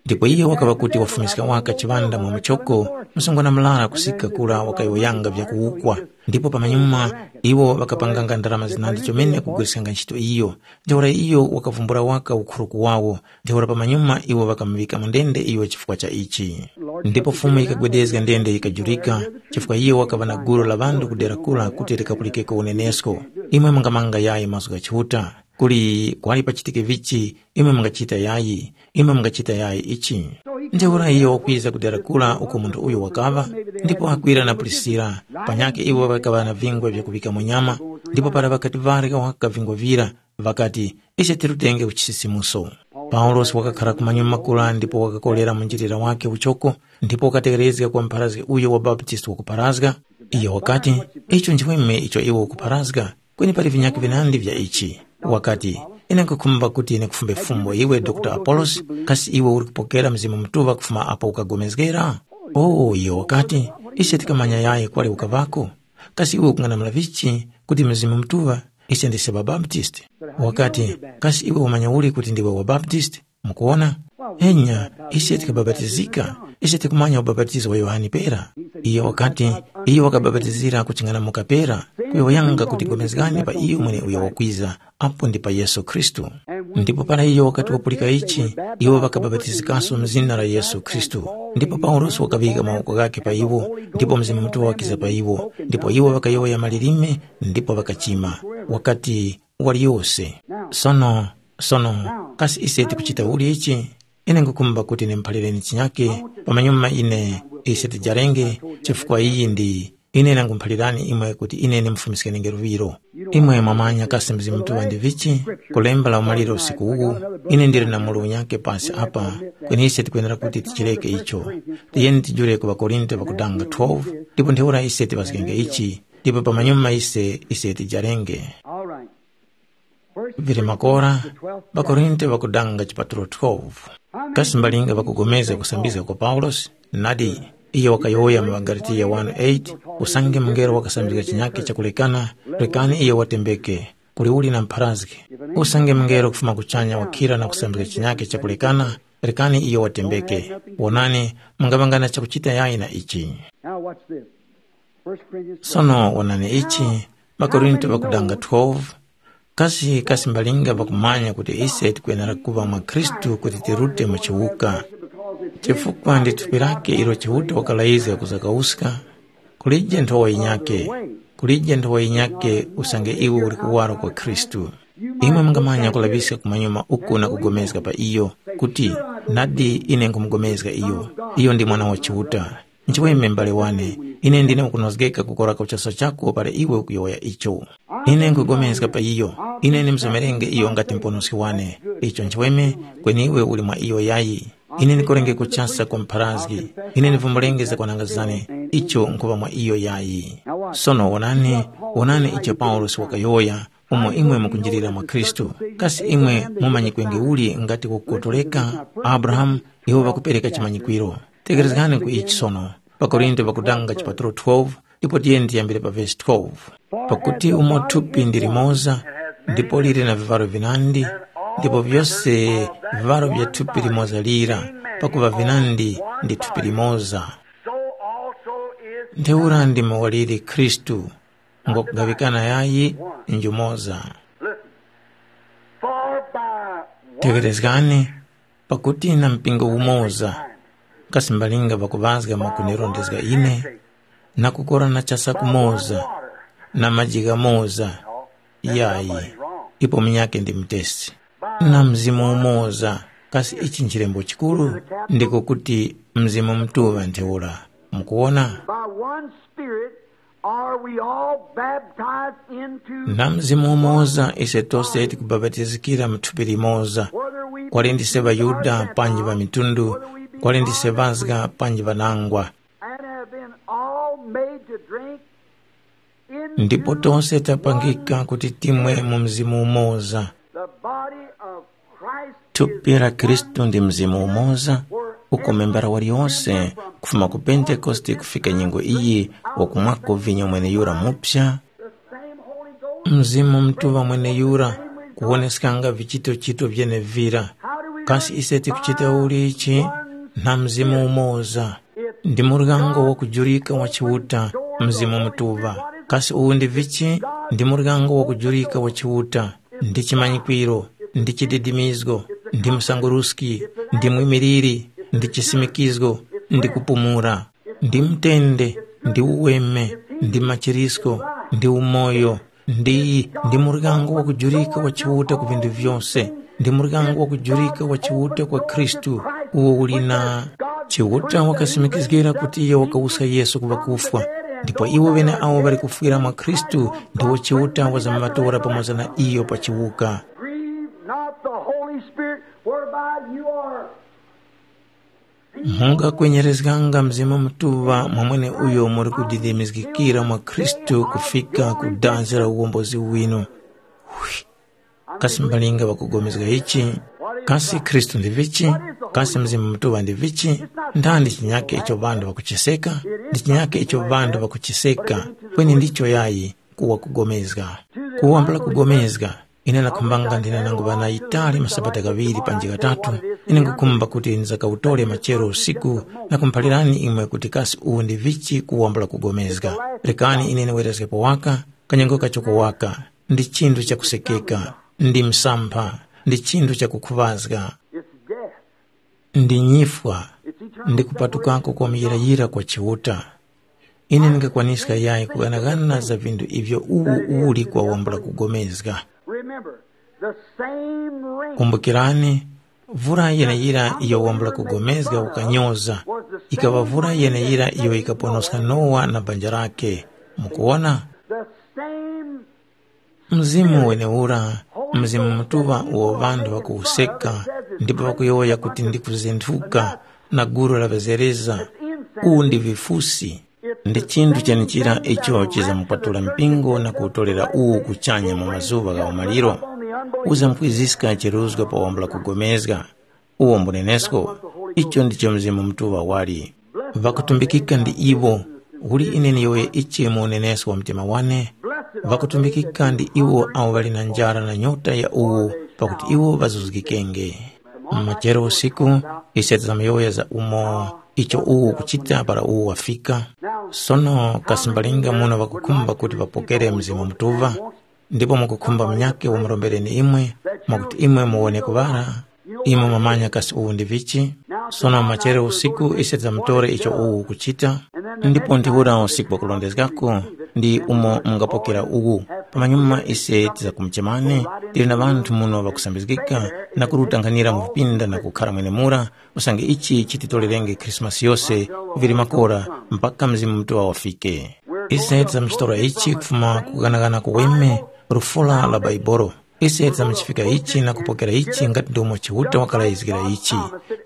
Ndipo iyo wakaŵa kuti wafumiska waka chiŵanda mwa muchoko, msungwana murara kusika kura wakayowoyanga vyakuwukwa. Ndipo pamanyuma iwo ŵakapanganga ndarama zinandi chomene kugwiriskanga ntchito iyo. Ntheura iyo wakavumbula waka ukhuru kuwawo, ntheura pamanyuma iwo ŵakamuŵika mu ndende iyo chifukwa cha ichi. Ndipo Fumu yikagwedezga ndende yikajurika, chifukwa iyo wakaŵa na gulu la ŵanthu ku dera kura kuti likapulikeko unenesko. Imwe mungamanga yayi mazgu gha Chiuta. Kuli kwali pachitike vichi, imwe mungachita yayi, imwe mungachita yayi ichi. Ntheura iyo wakwiza ku dera kura uko munthu uyo wakaŵa, ndipo Akwila na Prisila, panyakhe iwo ŵakaŵa na vingwa vyakuŵika mu nyama, ndipo para ŵakati ŵarya waka vingwa vira, ŵakati, ise tirutenge ku chisisimuso. Paulosi wakakhara kumanyuma kura ndipo wakakorera munjilira wakhe uchoko, ndipo wakategherezga kwa mpharazgi uyo wa Baptisti wakupharazga. Iyo wakati, icho nchimweme icho iwe ukupharazga, kweni pali vinyakhe vinandi vya ichi. Wakati, ine nkhukhumba kuti ndikufumbe fumbo iwe Dokta Apolosi, kasi iwe uli kupokera Mzimu Mutuŵa kufuma apo ukagomezgera? O, iyo wakati, ise tikamanya yayi kwali ukaŵako. Kasi iwe ukung'anamula vichi kuti Mzimu Mutuŵa ise ndise ŵabaptisti? Wakati, kasi iwe wamanya uli kuti ndiwe wabaptisti? Mukuwona? Enya, ise tikabapatizika, ise tikumanya ubapatizo wa Yohane pera. Iyo wakati, iyo wakabapatizira kuching'anamuka pera, kuyowoyanga kuti gomezgani pa iyo mweneuyo wakwiza, apo ndi pa Yesu Khristu. Ndipo para iyo wakati wapulika ichi, iwo ŵakabapatizikaso mu zina la Yesu Khristu. Ndipo Paulosi wakaŵika mawoko ghakhe pa iwo, ndipo Mzimu Mutuŵa wakiza pa iwo, ndipo iwo ŵakayowoya malilime, ndipo ŵakachima. Wakati, waliyose. Sono, sono, kasi ise tikuchita uli ichi? Ine nkhukhumba kuti ndimuphalireni chinyake, pamanyuma ine ise tijarenge, chifukwa iyi ndi, ine nangumuphalirani imwe kuti ine ndimufumiskenge luŵiro. Imwe mwamanya kasi Mzimu Mutuŵa ndi vichi? Kulemba la umaliro usiku uwu, ine ndili na mulu unyake pasi apa, kweni ise tikwenera kuti tichireke icho. Tiyeni tijule ku ŵaKorinte ŵakudanga twelve, ndipo ntheura ise tiŵazgenge ichi, ndipo pamanyuma ise, ise tijarenge. Vili makora, ŵaKorinte ŵakudanga chipatulo twelve. Kasi mbalinga ŵakugomezga kusambizga kwa Paulosi? Nadi, iyo wakayowoya mu ŵaGalatiya one eight, usange mungelo wakasambizga chinyakhe chakulekana, rekani iyo watembeke, kuli uli na mpharazgi. Usange mungelo kufuma kuchanya wakhira na kusambizga chinyakhe chakulekana, rekani iyo watembeke. Wonani, mungaŵanga na chakuchita yayi na ichi. Now watch this. First Corinthians Sono wonani ichi, ŵaKorinte ŵakudanga twelve, Kasi kasimbalinga pakumanya kuti ise tikwenera kuŵa mwa Khristu kuti tirute mu chiwuka? Chifukwa ndi thupi lake ilo Chiuta wakalayizga kuzakawuska, kulije nthowa yinyakhe, kulije nthowa yinyakhe usange iwe uli kuwaro kwa Khristu. Imwe mungamanya kulaŵiska kumanyuma uku na kugomezga pa iyo, kuti, “Nadi ine nkhumugomezga iyo, iyo ndi Mwana wa Chiuta.” Nchiweme m'bale wane, ine ndine wakunozgeka kukora ku chaso chako para iwe ukuyowoya icho. Ine nkhupulikana pa iyo, ine ndimsomerenge iyo ngati Muponoski wane. Icho nchiweme, kweni iwe uli mwa iyo yayi. Ine ndikorenge kuchasa kwa mpharazgi, ine ndivumulenge zakwananga zane, icho nkhuŵa mwa iyo yayi. Sono wonani, wonani icho Paulosi wakayowoya, umo imwe mukunjirira mwa Khristu. Kasi imwe mumanyikwenge uli ngati kukotoleka, Abrahamu, iwo ŵakupereka chimanyikwiro. Tekerezgani ku ichi sono, pa Korinto pakutanga chipatulo twelve, ndipo tiyeni tiyambire pa vesi twelve. Pakuti umo thupi ndi limoza, ndipo lili na vivalo vinandi, ndipo vyose vivalo vya thupi limoza lira, pakuva vinandi ndi thupi limoza. So also is Ntheura ndimo waliri Khristu, ngokugaŵikana yayi njumoza. Listen. For by one Tekerezgani, pakuti na mpingo umoza, kasi mbalinga ŵakuŵazga mwakundirondezga ine, na kukora na chasa kumoza, na maji ghamoza, yayi, ipo munyakhe ndi mutesi. Na Mzimu umoza, kasi ichi nchilembo chikuru? Ndiko kuti Mzimu Mutuŵa ntheura. Mukuwona? By one Spirit are we all baptized into Na Mzimu umoza ise tose tikubapatizikira mu thupi limoza, whether we kwali ndise ŵaYuda panji ŵamitundu, kwali ndise ŵazga panji ŵanangwa. And have been all made to drink in Ndipo tose tapangika kuti timwe mu Mzimu umoza. The body of Christ Thupi la Khristu ndi Mzimu umoza, uko membara waliyonse, kufuma ku Pentekoste kufika nyengo iyi, wakumwako vinyo mweneyura mupya, the same Holy Ghost. Mzimu Mutuŵa mweneyura, kuwoneskanga vichitochito vyenevira. Kasi ise tikuchita uli ichi? Na Mzimu umoza. Ndi muryango wakujurika wa Chiuta, Mzimu Mutuŵa. Kasi uwu ndi vichi? Ndi muryango wakujurika wa Chiuta, ndi chimanyikwiro, ndi chididimizgo, ndi msanguruski, ndi mwimiliri, ndi chisimikizgo, ndi kupumula, ndi mutende, ndi uweme, ndi machirisko, ndi umoyo, ndi, ndi muryango wakujurika wa Chiuta ku vinthu vyose, ndi muryango wakujurika wa Chiuta kwa Khristu, uwo uli na Chiuta wakasimikizgira kuti iyo wakawuska Yesu ku ŵakufwa, ndipo iwo ŵeneawo ŵali kufwira mwa Khristu ndiwo Chiuta wazamŵatora pamoza na iyo pa chiwuka. Grieve not the Holy Spirit whereby you are. Mungakwenyerezganga Mzimu Mutuŵa mwa mweneuyo muli kudidimizgikira mwa Khristu kufika ku dazi la uwombozi winu. Kasi mbalinga ŵakupulikana ichi? Kasi Khristu ndi vichi? Kasi Mzimu Mutuŵa ndi vichi? Ndandi chinyake icho ŵanthu ŵakuchiseka? Ndi chinyake icho ŵanthu ŵakuchiseka, kweni ndicho yayi, kuwa kugomezga. Kuwambula kugomezga, ine ndakhumbanga ndine nangu ŵana yitali masabata ghaŵiri panji ghatatu, ine nkhukhumba kuti ndizakawutore machero usiku na kumuphalirani imwe kuti kasi uwu ndi vichi kuwambula kugomezga. Rekani ine ndiwerezgepo waka, kanyengo kachoko waka, ndi chinthu chakusekeka, ndi msampha, ndi chinthu chakukhuŵazga, It's death. Ndi nyifwa, It's eternal ndi kupatukako kwa muyirayira kwa Chiuta. Ine ndingakwaniska yayi kughanaghana za vinthu ivyo uwu uli kwawambula kugomezga. Remember, the same rain. Kumbukirani, vura yeneyira iyo wambula kugomezga ukanyoza, ikaŵa vura yeneyira iyo ikaponoska Nowa na banja lake. Mukuwona? The same Mzimu wenewura, Mzimu Mutuŵa uwo ŵanthu ŵakuwuseka, ndipo ŵakuyowoya kuti ndi kuzinthuka na gulu la ŵazereza, uwu ndi vifusi. Ndi chinthu chenichira icho chizamupatula mpingo na kuwutolera uwu kuchanya mu mazuŵa gha umaliro. Uzamkwiziska chiruzgo pa wambula kugomezga. Uwo mbunenesko, icho ndicho Mzimu Mutuŵa wali. Ŵakutumbikika ndi iwo, uli ine ndiyowoye ichi mu unenesko wa mtima wane, ŵakutumbikika ndi iwo awo ŵali na njara na nyota ya uwu, pakuti iwo ŵazuzgikenge. Machero usiku, ise tizamuyowoya za umo icho uwu ukuchita para uwu wafika. Sono kasi mbalinga muno ŵakukhumba kuti ŵapokere Mzimu Mutuŵa? ndipo mukukhumba munyakhe wamurombereni imwe, mwakuti imwe muwone kuŵala. Imwe mwamanya kasi uwu ndi vichi? Sono machero usiku ise tidzamutore icho uwu ukuchita, ndipo ntheura usiku wakurondezgako ndi umo mungapokera uwu. Pamanyuma ise tidzakumuchemani, tili na ŵanthu muno ŵakusambizgika na kurutanghanira mu vipinda na kukhara mwenemura, usange ichi chititorerenge Khrisimasi yose kuviri makora mpaka Mzimu Mutuŵa wafike. Ise tidzamuchitora ichi kufuma ku kughanaghana kuweme, lufula la Baibolo. Ise tidzamuchifika ichi na kupokera ichi ngati ndomo Chiuta wakalayizgira ichi,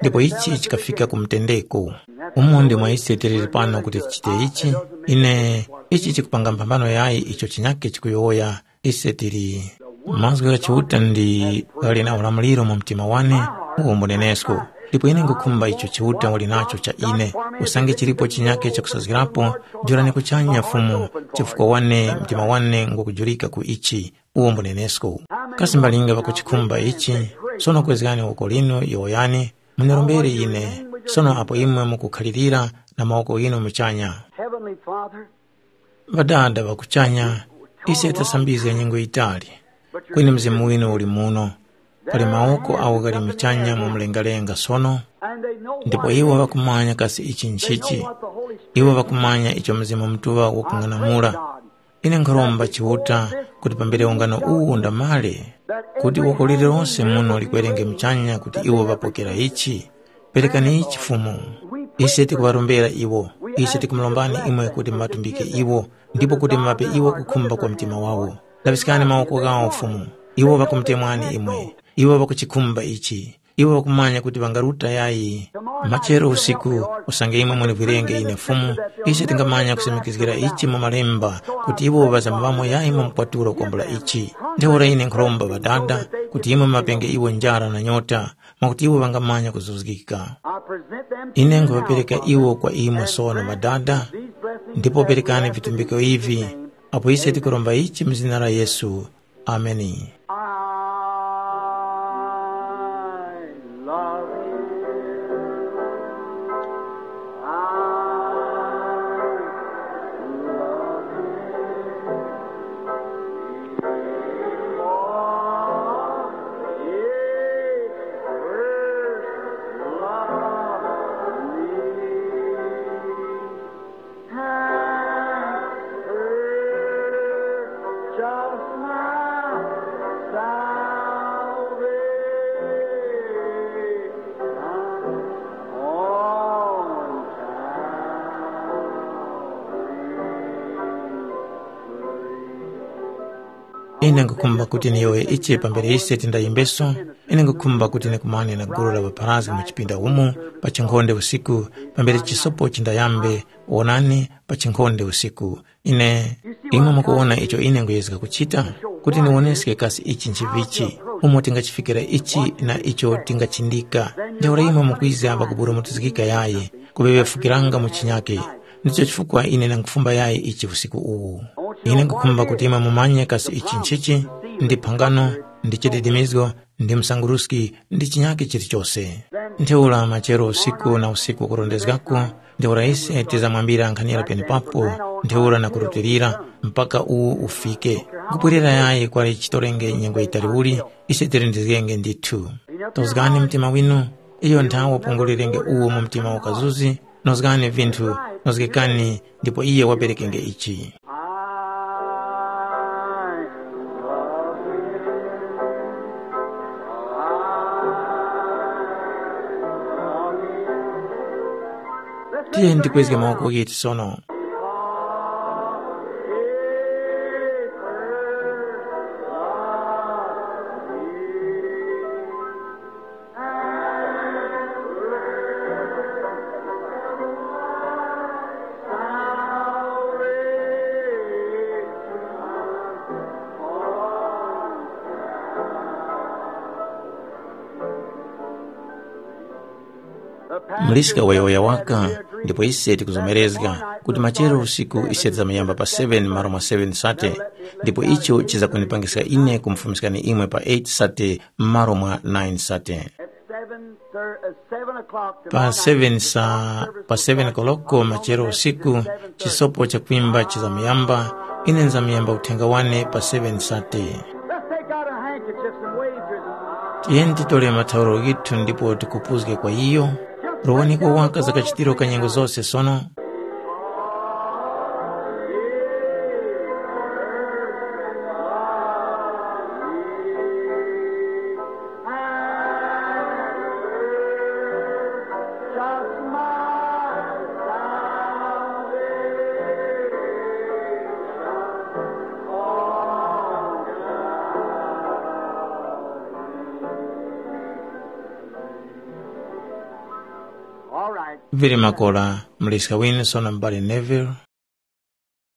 ndipo ichi chikafika ku mutendeko. Umo ndi mwa ise tiliri pano kuti tichite ichi. Ine, ichi chikupanga mphambano yayi icho chinyakhe chikuyowoya. Ise tili, mazgu gha Chiuta ndi ghali na ulamuliro mu mtima wane, uwo mbunenesko. Ndipo ine nkhukhumba icho Chiuta wali nacho cha ine, usange chilipo chinyakhe chakusazgirapo, jorani kuchanya Fumu, chifukwa wane mtima wane ngukujurika ku ichi, uwo mbunenesko. Kasi mbalinga ŵakuchikhumba ichi? Sono kwezgani woko linu, yowoyani, mundirombere ine. Sono apo imwe mukukhalirira na mawoko ghinu muchanya. Heavenly Father, Ŵadada ŵa kuchanya, ise tasambizga nyengo yitali, kweni Mzimu winu uli muno. Pali mawoko agho ghali muchanya mu mlengalenga sono, ndipo iwo ŵakumanya kasi ichi nchichi. Iwo ŵakumanya icho Mzimu Mutuŵa wakung'anamula. Ine nkharomba Chiuta kuti pambere ungano uwu undamale, kuti woko lililonse muno likwerenge muchanya kuti iwo ŵapokera ichi. Perekani ichi Fumu. Ise tikuŵarombera iwo. Ise tikumulombani imwe kuti muŵatumbike iwo, ndipo kuti muŵape iwo kukhumba kwa mtima wawo. Laŵiskani mawoko ghawo Fumu. Iwo ŵakumutemwani imwe. Iwo ŵakuchikhumba ichi. Iwo ŵakumanya kuti ŵangaruta yayi. Machero usiku, usange imwe munivwirenge ine Fumu, ise tingamanya kusimikizgira ichi mu Malemba, kuti iwo ŵazamuvamo yayi mu mkwaturo kwambula ichi. Ntheura ine nkhuromba Ŵadada, kuti imwe mumapenge iwo njara na nyota, mwakuti iwo ŵangamanya kuzuzgika. I present them to Ine you nkhuŵapereka now, iwo kwa imwe sono, Ŵadada, these blessings ndipo that we perekani ask in vitumbiko Jesus' ivi, name. Apo ise tikuromba ichi mu zina la Yesu. Ameni. I love you. I love you. Ine nkhukhumba kuti niyowoye ichi pambere ise tindayimbeso. Ine nkhukhumba kuti nikumane na gulu la ŵapharazgi mu chipinda umu pa chinkhonde usiku, pambere chisopo chindayambe. Wonani, pa chinkhonde usiku. Ine, imwe mukuwona icho ine nkuyezga kuchita, kuti niwoneske kasi ichi nchivichi, umo tingachifikira ichi na icho tingachindika. Ntheura imwe mukwiza pakuburumutizgika yayi, kuŵeŵefukiranga mu chinyake. Ndicho chifukwa ine ndangufumba yayi ichi usiku uwu. Ine nkhukhumba kuti imwe mumanye kasi ichi nchichi, ndi phangano, ndi chididimizgo, ndi msanguruski, ndi chinyake chilichose. Ntheura machero usiku na usiku wakurondezgako, ntheura ise tizamwambira nkhanira penepapo, ntheura na kurutilira, mpaka uwo ufike. Nkupwerera yayi kwali chitorenge nyengo yitali uli, ise tilindizgenge ndithu. Tozgani mtima winu, iyo nthawe wapungulirenge uwo mu mtima wakazuzi, nozgani vinthu, nozgekani, ndipo iye waperekenge ichi. I love you. Tiye ndikwezge mawoko ghetu sono. Muliska wayowoya waka, ndipo ise tikuzomerezga kuti machero usiku ise tizamuyamba pa seven malo mwa seven sate, ndipo icho chizakunipangiska ine kumufumiskani imwe pa eight sate malo mwa nine sate. Pa seven sa pa seven koloko machero usiku, chisopo cha kwimba chizamuyamba, Ine nzamuyamba uthenga wane pa seven sate. Let's take out our handkerchiefs and wave to them. Tiyeni titole mathauro ghithu ndipo tikupuzge kwa iyo. Rowaniko waka za kachitiro ka nyengo zose sono. All right. Vili makora, muliska wini sono m'bale Neville.